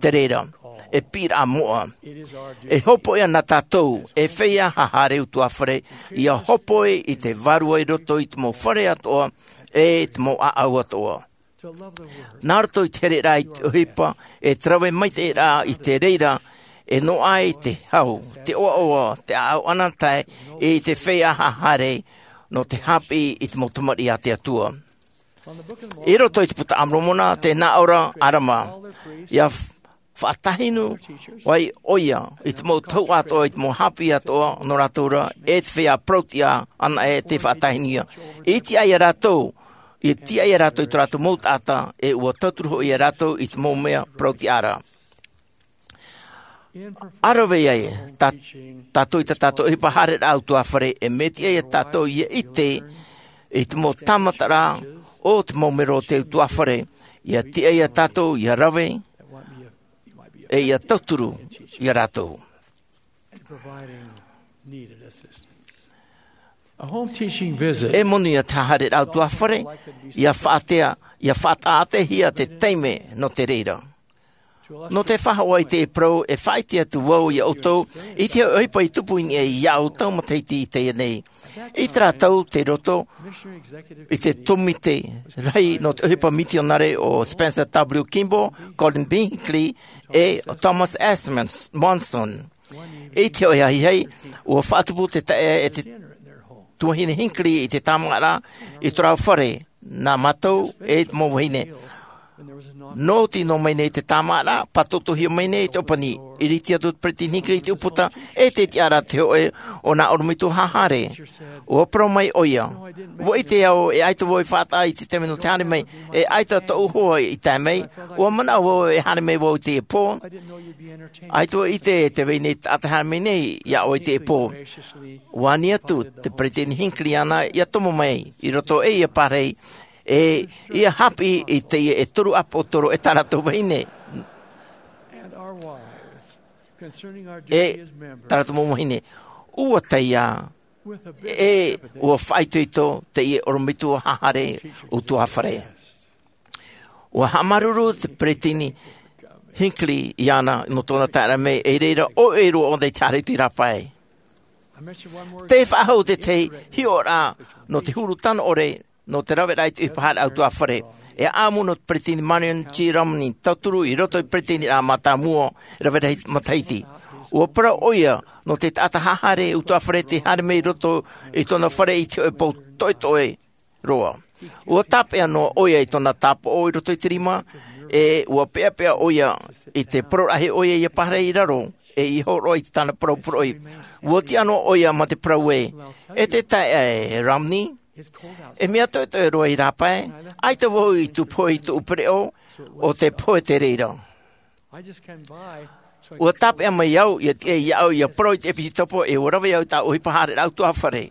te reira, e piʻiraʻa moʻa. E hōpoiʻa nā tātou, e feiā haʻahaere ʻutuāfare, ʻia hōpoi i te vārua i roto i te mau fare atoʻa, e te mau ʻāʻau atoʻa. Nā roto i te hereraʻa i te ʻohipa, e te rave maitaʻiraʻa i te reira, e noaʻa ai te hau, te ʻoaʻoa, te ʻāʻau ananahi, e te feiā haʻahaere, nō te haʻapiʻi i te mau tamariʻi a te Atua. I roto i te Puta a Moromona, tē nā ʻō ra ʻo ʻAlama, ʻia f-, faʻatāhinu ai ʻoia i te mau tahuʻa atoʻa, i te mau haʻapiʻi atoʻa nō rātou ra, e te feiā parautiʻa anaʻe tē faʻatāhinu ia. E tiʻa ia rātou, e tiʻa ia rātou i tō rātou mau taʻata, e ʻua tauturu hoʻi ia rātou i te mau mea parautiʻa ra. ʻA rave ai tā, tātou i tā tātou ʻohipa haʻahaereraʻa ʻutuāfare, e mea tiʻa ia tātou ʻia ʻite i te mau tāmataraʻa o te mau mero o te ʻutuāfare, ʻia tiʻa ia tātou ʻia rave, e ʻia tauturu ia rātou. A home teaching visit. E moni ia te haʻahaereraʻa ʻutuāfare, ʻia faʻatea, ʻia faʻataʻatehia te taime nō te reira. Nō te faʻahoʻi i te parau, e faʻaʻite atu vau ia ʻoutou i te ʻohipa i tupu i niʻa iāʻu tau matahiti i teie nei. I terā tau tei roto i te tōmite rahi nō te ʻohipa mitionare ʻo Spencer W. Kimball, Gordon B. Hinckley, e Thomas S. Mons-, Monson. I te hōʻē ahiahi, ʻua faʻatupu te taeaʻe e te tuahine Hinckley i te tāmāʻaraʻa i tō rāua fare, nā mātou e te mau vahine. Nō te nō mai nei te tāmāʻaraʻa, pātotohia mai nei te ʻōpani. Iriti atu te peresideni Hinckley i te ʻūputa, e te tiʻaraʻa te hoʻe o nā ʻorometua haʻehare. Ua parau mai ʻoia, ua ʻite au e ʻaita vau i faʻataʻa i te taime nō te haere mai, e ʻaita tōʻu hoa i tae mai. Ua manaʻo vau e haere mai vau i teie pō. ʻAita vau i ʻite te vai nei taʻata haere mai nei iā ʻoe i teie pō. Ua ani atu te peresideni Hinckley iāna ia tomo mai i roto i teie pārahi, e ia haʻapiʻi i teie e toru ʻāpoʻo toro e tā rātou vahine. E tā rātou mau vahine, ua tae ia, e ua faʻaitoito teie ʻorometua haʻehare ʻutuāfare. Ua haʻamāuruuru te peresideni Hinckley iāna nō tōna taeraʻa mai, e i reira ʻoia roa ʻōna i te haere atu i rāpae. Tē faʻahou te tahi hiʻoraʻa nō te huru tano ʻore nō te raveraʻa i te ʻohipa haʻehare ʻutuāfare. E ʻāʻamu nō te peresideni Marion G. Romney, tauturu i roto i te peresideniraʻa mātāmua, rave rahi matahiti. Ua parau ʻoia nō te taʻata haʻehare ʻutuāfare tē haere mai i roto i tōna fare i te hoʻe pou toʻetoʻe roa. Ua tāpeʻa noa ʻoia i tōna tāpaʻo i roto i te rima, e ua peʻapeʻa ʻoia i te poroʻraʻa ʻoia ia pārahi i raro, e i hōroʻa i tāna parau poroʻi. Ua tiʻa noa ʻoia mā te parau ē, e te taeaʻe Romney, e mea toʻetoʻe roa i rāpae, ʻaita vau i tupu i tōʻu pereʻoʻo, ʻo te pohe te reira. Ua tāpeʻa mai au ia tiʻa iāʻu ia parau i te ʻēpīsitopo, e ua rave au i tā ʻohipa haʻehare ʻutuāfare.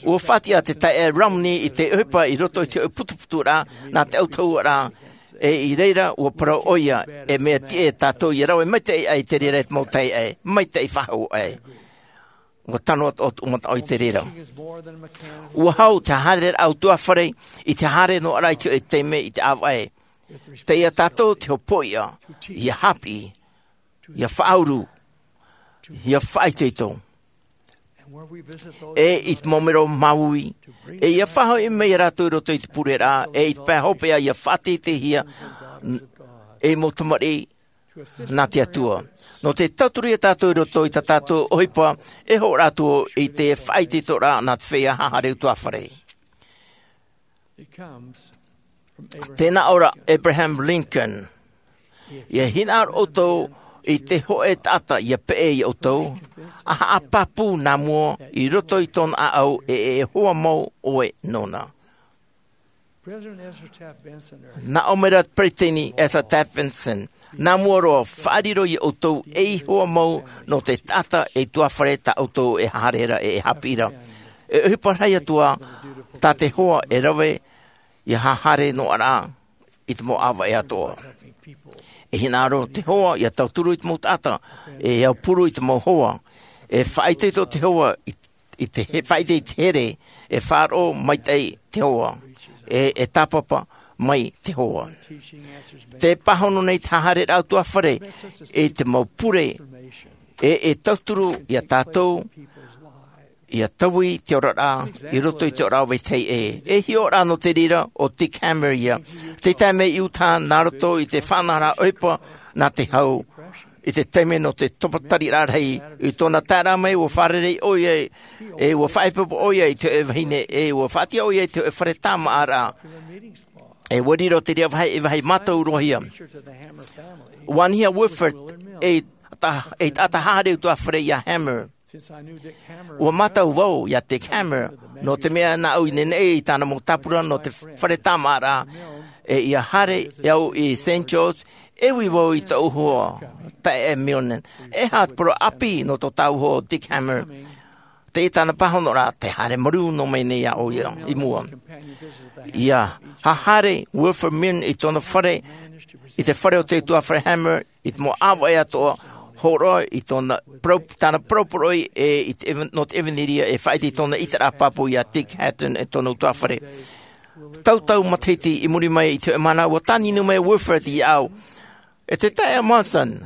Ua faʻatiʻa te taeaʻe Romney i te ʻohipa i roto i te hoʻe putuputuraʻa nā te autahuʻaraʻa, e i reira ua parau ʻoia, e mea tiʻa tātou ia rave maitaʻi aʻe i te reira e te mau taeaʻe, maitaʻi faʻahou aʻe. Ua tano atu ʻo tōʻu mataʻu i te reira. Ua hau te haʻehare ʻutuāfare i te haere noa ra i te hoʻe taime i te ʻāvaʻe. Tei ia tātou te hopoiʻa, ia haʻapiʻi, ia faʻauru, ia faʻaitoito. E i te mau mero māuiui, e ia faʻahoʻi mai ia rātou i roto i te pureraʻa, e i te pae hopeʻa ia faʻateiteihia, e mau tamariʻi nā te Atua. Nō te tauturu ia tātou i roto i tā tātou ʻohipa, e hōroʻa atu i te faʻaitoitoraʻa nā te feiā haʻehare ʻutuāfare. Tē nā ʻō ra Abraham Lincoln, ia hinaʻaro ʻoutou i te hoʻe taʻata ia peʻe ia ʻoutou, a haʻapāpū nā mua i roto i tōna ʻāʻau e e hoa mau ʻoe nōna. Nā ʻō mai ra te peresideni Ezra Taft Benson, nā mua roa, faʻariro ia ʻoutou ei hoa mau nō te taʻata ʻutuāfare tā ʻoutou e haʻehare ra e e haʻapiʻi ra. E ʻohipa rahi atu ā tā te hoa e rave ia haʻehare noa ra i te mau ʻāvaʻe atoʻa. E hinaʻaro te hoa ia tauturu i te mau taʻata, e aupuru i te mau hoa. E faʻaitoito te hoa i, i te he-, faʻaite i te here, e faʻaroʻo maitaʻi te hoa, e, e tāpapa mai te hoa. Tē pāhono nei te haʻehare ʻutuāfare i te mau pure, e, e tauturu ia tātou ia taui te oraraʻa i roto i te oraraʻa o vetahi ʻē. E hiʻo ra nō te reira ʻo Dick Hammer ia. Tē tae mai i Utah nā roto i te faʻanahoraʻa ʻohipa nā te hau, i te taime nō te topa tariraʻa rahi. I tōna taeraʻa mai, ua fārerei ʻoia, e ua faʻaipoipo ʻoia i te hoʻe vahine, e ua faʻatiʻa ʻoia i te hoʻe fare tāmāʻaraʻa. E ua riro te reira vāhi, e vāhi mātaurohia. Ua anihia Wilford ei ta-, ei taʻata haʻehare ʻutuāfare ia Hammer. Ua mātau vau ia Dick Hammer, nō te mea nāʻu i nehenehe i tāna mau tāpura nō te fare tāmāʻaraʻa, e ia haere au i Saint George, e ui vau i tōʻu hoa, taeaʻe Milne. E aha te parau ʻāpī nō tō tāua hoa Dick Hammer? Tei tāna pāhonoraʻa, tē haere marū noa mai nei ʻoia i mua. Ia haʻehare Wilford Milne i tōna fare, i te fare o te ʻutuāfare Hammer, i te mau ʻāvaʻe atoʻa, hōroʻa i tōna parau-, tāna parau poroʻi, e i te eve-, nō te ʻevanelia, e faʻaite i tōna ʻiteraʻa pāpū ia Dick Hatton e tōna ʻutuāfare. Tautau matahiti i muri mai i te hoʻe mahana, ua tāninu mai Wilford iāʻu. E te taeaʻe Monson,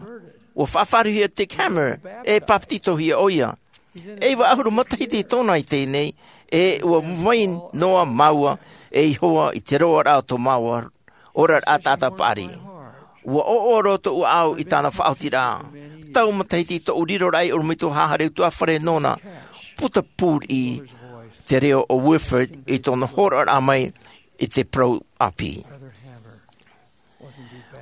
ua faʻafāriuhia Dick Hammer, e papetitohia ʻoia. E iva ʻahuru matahiti tōna i teie nei, e ua vai noa māua, ei hoa i te roaraʻa o tō māua oraraʻa taʻata paʻari. Ua ʻoaʻoa roa tōʻu ʻāʻau i tāna faʻaotiraʻa. Tau matahiti tōʻu riroraʻa ei ʻorometua haʻehare ʻutuāfare nōna. Puta pūriʻi te reo o Wilford i tōna hōroʻaraʻa mai i te parau ʻāpī.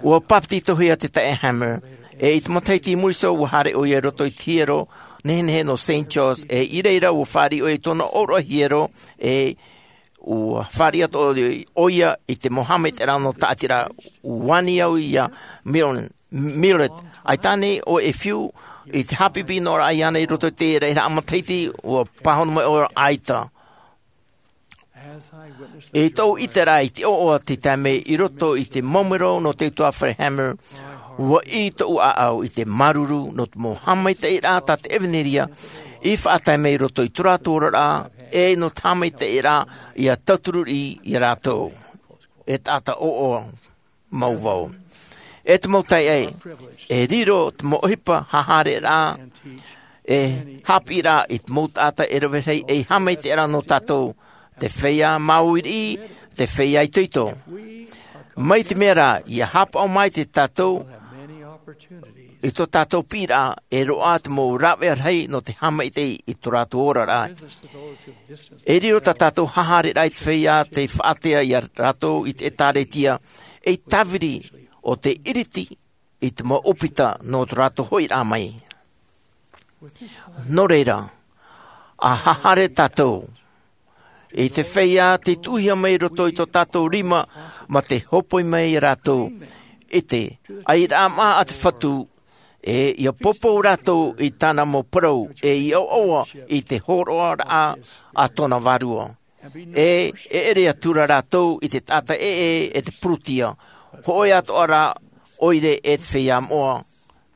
Ua bāpetizohia te taeaʻe Hammer, ʻe i te matahiti i muri iho ua haere ʻoia i roto i te hiero nehenehe nō Saint George, ʻe i reira ua fāriʻi ʻoia i tōna ʻōroʻa hiero, ʻe ua fāriʻi atu ʻoia i te mau haʻamaitaʻiraʻa nō tāʻatiraʻa. Ua ani au iā Millen, Millet, ʻaita ānei ʻoe e fiu i te haʻapiʻipiʻi noa ra iāna i roto i te reira matahiti? Ua pāhono mai ʻoia, ʻaita. I tōʻu ʻiteraʻa i te ʻoaʻoa te taime i roto i te mau mero nō te utuāfare Hammer, ua ʻī tōʻu ʻāʻau i te māuruuru nō te mau haʻamaitaʻiraʻa tā te ʻevanelia i faʻatae mai i roto i tō rātou oraraʻa, ʻe nō te haʻamaitaʻiraʻa ia tauturu iā rātou. E taʻata ʻoaʻoa mau vau. E te mau taeaʻe, e riro te mau ʻohipa haʻahaereraʻa, e haʻapiʻiraʻa i te mau taʻata e rave rahi ei haʻamaitaʻiraʻa nō tātou, te feiā māuiui, te feiā itoito. Mai te mea rā ia haʻapaʻo maitaʻi tātou i tō tātou piʻiraʻa, e roaʻa te mau rāveʻa rahi nō te haʻamaitaʻi i tō rātou oraraʻa. E riro tā tātou haʻahaereraʻa i te feiā tei faʻaātea iā rātou i te ʻēkālesia ei tāviri o te ʻiriti i te mau ʻōpita nō tō rātou hoʻiraʻa mai. Nō reira, a haʻahaere tātou i te feiā tei tuʻuhia mai i roto i tō tātou rima, mā te hōpoi mai iā rātou i te airaʻa maʻa a te Fatu, ʻe ia poupou rātou i tāna mau parau, ʻe ia ʻoaʻoa i te hōroʻaraʻa a tōna Vārua. ʻE e ʻere atu ra rātou i te taʻata ʻē, ʻe te purutia, hōʻē atoʻa rā ʻoire ʻe te feiā moʻa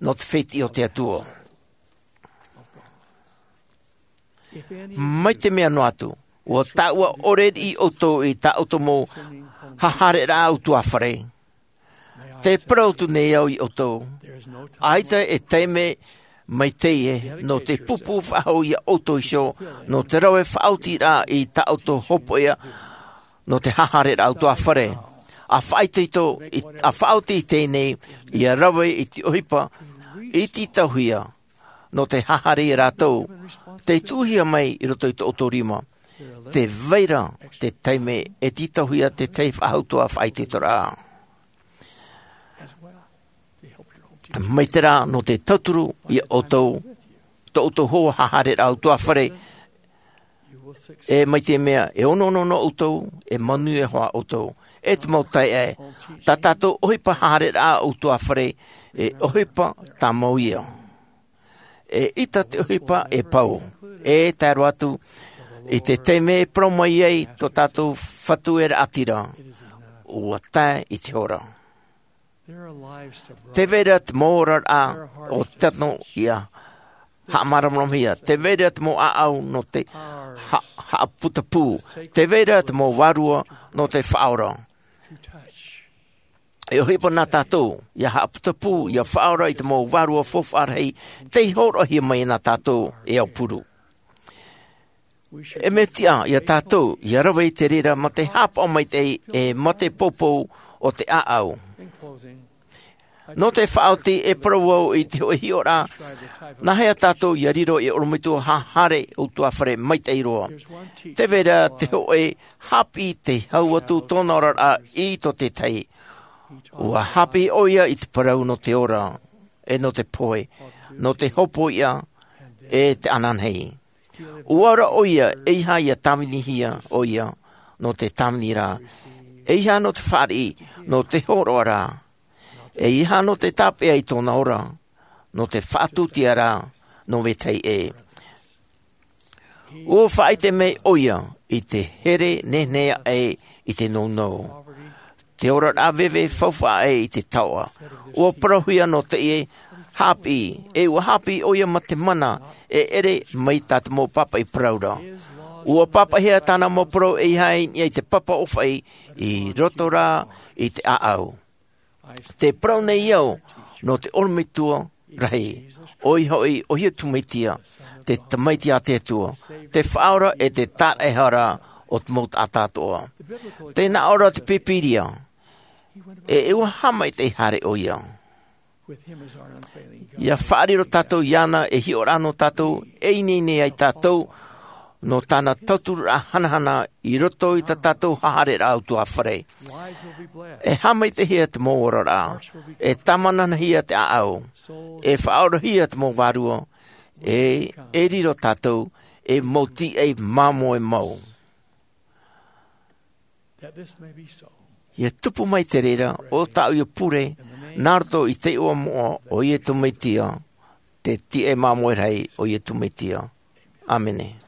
nō te fētiʻi o te Atua. Mai te mea noa atu, ʻua tāʻua ʻore riʻi ʻoutou i tā ʻoutou mau haʻahaereraʻa utuāfare. Te parau atu nei au iā ʻoutou, ʻaita e taime mai teie nō te pūpū faʻahou iā ʻoutou iho nō te rave faʻaotiraʻa i tā ʻoutou hopoiʻa nō te haʻahaereraʻa utuāfare. A faʻaitoito, a faʻaoti i teie nei, ia rave i te ʻohipa i tītauhia nō te haʻahaere iā rātou, tei tuʻuhia mai i roto i tō ʻoutou rima. Tē vai ra te taime e tītauhia te tahi faʻahou faʻaitoitoraʻa. Mai te reira nō te tauturu iā ʻoutou, tō ʻoutou hoa haʻahaereraʻa utuāfare, ʻe mai te mea e onoono noa ʻoutou, e manuia hoʻi ʻoutou. E te mau taeaʻe, tā tātou ʻohipa haʻahaereraʻa utuāfare, e ʻohipa tāmau ia. E ʻita te ʻohipa e pau, e tae roa atu i te taime e parau mai ai tō tātou Fatu e raʻatira, ʻua tae i te hora. Tē vai ra te mau oraraʻa o te tano ia haʻamāramaramahia. Tē vai ra te mau ʻāʻau nō te ha-, haʻaputapū. Tē vai ra te mau vārua nō te faʻaora. E ʻohipa nā tātou ia haʻaputapū, ia faʻaora i te mau vārua faufaʻa rahi tei hōroʻahia mai nā tātou e aupuru. E mea tiʻa iā tātou ia rave i te reira mā te haʻapaʻo maitaʻi, ʻe mā te poupou o te ʻāʻau. Nō te faʻaoti, e parau au i te hōʻē hiʻoraʻa, nāhea tātou ia riro ei ʻorometua haʻahaere utuāfare maitaʻi roa? Tē vai ra te hōʻē haʻapiʻi tei hau atu tōna oraraʻa i tō tētahi. ʻUa haʻapiʻi ʻoia i te parau nō te ora, ʻe nō te pohe, nō te hopoiʻa, ʻe te ananahi. ʻUa ora ʻoia, ʻeiaha ia tāvinihia ʻoia nō te tāvini ra. ʻEiaha nō te fāriʻi, nō te hōroʻa ra. ʻEiaha nō te tāpeʻa i tōna ora, nō te faʻatūtia ra nō vetahi ʻē. ʻUa faʻaʻite mai ʻoia i te here nehenehe aʻe i te nounou, te oraraʻa veve faufaʻa aʻe i te taoʻa. ʻUa parauhia nō teie haʻapiʻi, ʻe ʻua haʻapiʻi ʻoia mā te mana e ʻere mai tā te mau pāpaʻi parau ra. ʻUa pāpaʻihia tāna mau parau ʻeiaha i niʻa i te papa ʻōfaʻi i roto rā i te ʻāʻau. Tē parau nei au nō te ʻorometua rahi, ʻoia hoʻi ʻo Iesu Mesia, te Tamaiti a te Atua, te Faʻaora ʻe te Taraʻehara o te mau taʻata atoʻa. Tē nā ʻō ra te Pīpīria, ʻe ʻua haʻamaitaʻi haere ʻoia. ʻIa faʻariro tātou iāna ei hiʻoraʻa nō tātou, e ineine ai tātou, nō tāna tauturu hanahana i roto i tā tātou hahareraa utuafare. E haamaitaihia te mau oraraʻa, e tāmananahia te ʻāʻau, e faʻaorahia te mau vārua, e e riro tātou ei mau tīaʻi māmoe mau. Ia tupu mai te reira o tāʻu ia pure nā roto i te iʻoa moʻa o iesu mesia, te tīaʻi māmoe rahi o iesu mesia. ʻĀmene.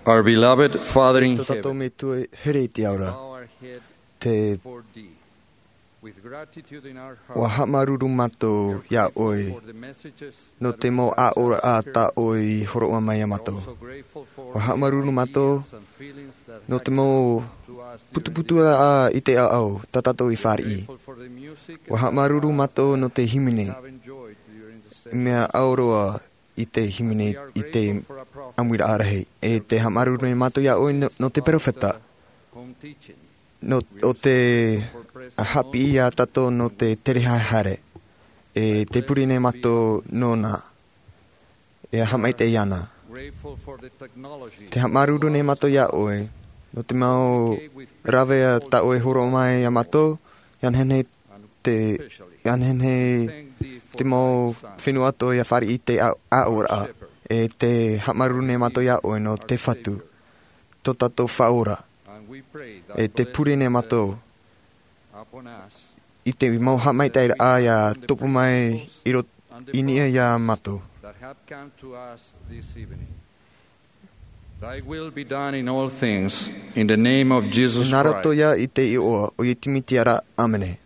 Our beloved Father in Tō tātou heaven, Metua here i te ao ra. Bow our head Te before thee. With gratitude in our hearts, ua haʻamāuruuru mātou iā ʻoe for the messages nō te mau aʻoraʻa tā ʻoe i hōroʻa mai iā mātou. Ua haʻamāuruuru mātou nō te mau putuputuraʻa i te ʻāʻau tā tātou i fāriʻi. Ua haʻamāuruuru mātou nō te hīmene, mea ʻau roa i te hīmene i te ʻāmuiraʻa rahi. E tē haʻamāuruuru nei mātou iā ʻoe nō, nō te perofeta. Nō, ʻo tē haʻapiʻi iā tātou nō te tere haere. E tē pure nei mātou nōna. E haʻamaitaʻi iāna. Tē haʻamāuruuru nei mātou iā ʻoe nō te mau rāveʻa tā ʻoe i hōroʻa mai iā mātou, ʻia nehenehe te, ʻia nehenehe te mau fenua atoʻa ʻia fāriʻi i te ʻā-, ʻāʻoraʻa. E tē haʻamāuruuru nei mātou iā ʻoe nō te Fatu. tō tātou Faʻaora. E te pure nei mātou i te mau haʻamaitaʻiraʻa ia tupu mai i roto i niʻa ia mātou. Thy will be done in all things, in the name of Jesus Christ. Nā roto ia i te iʻoa o Iesu Mesia, ʻāmene.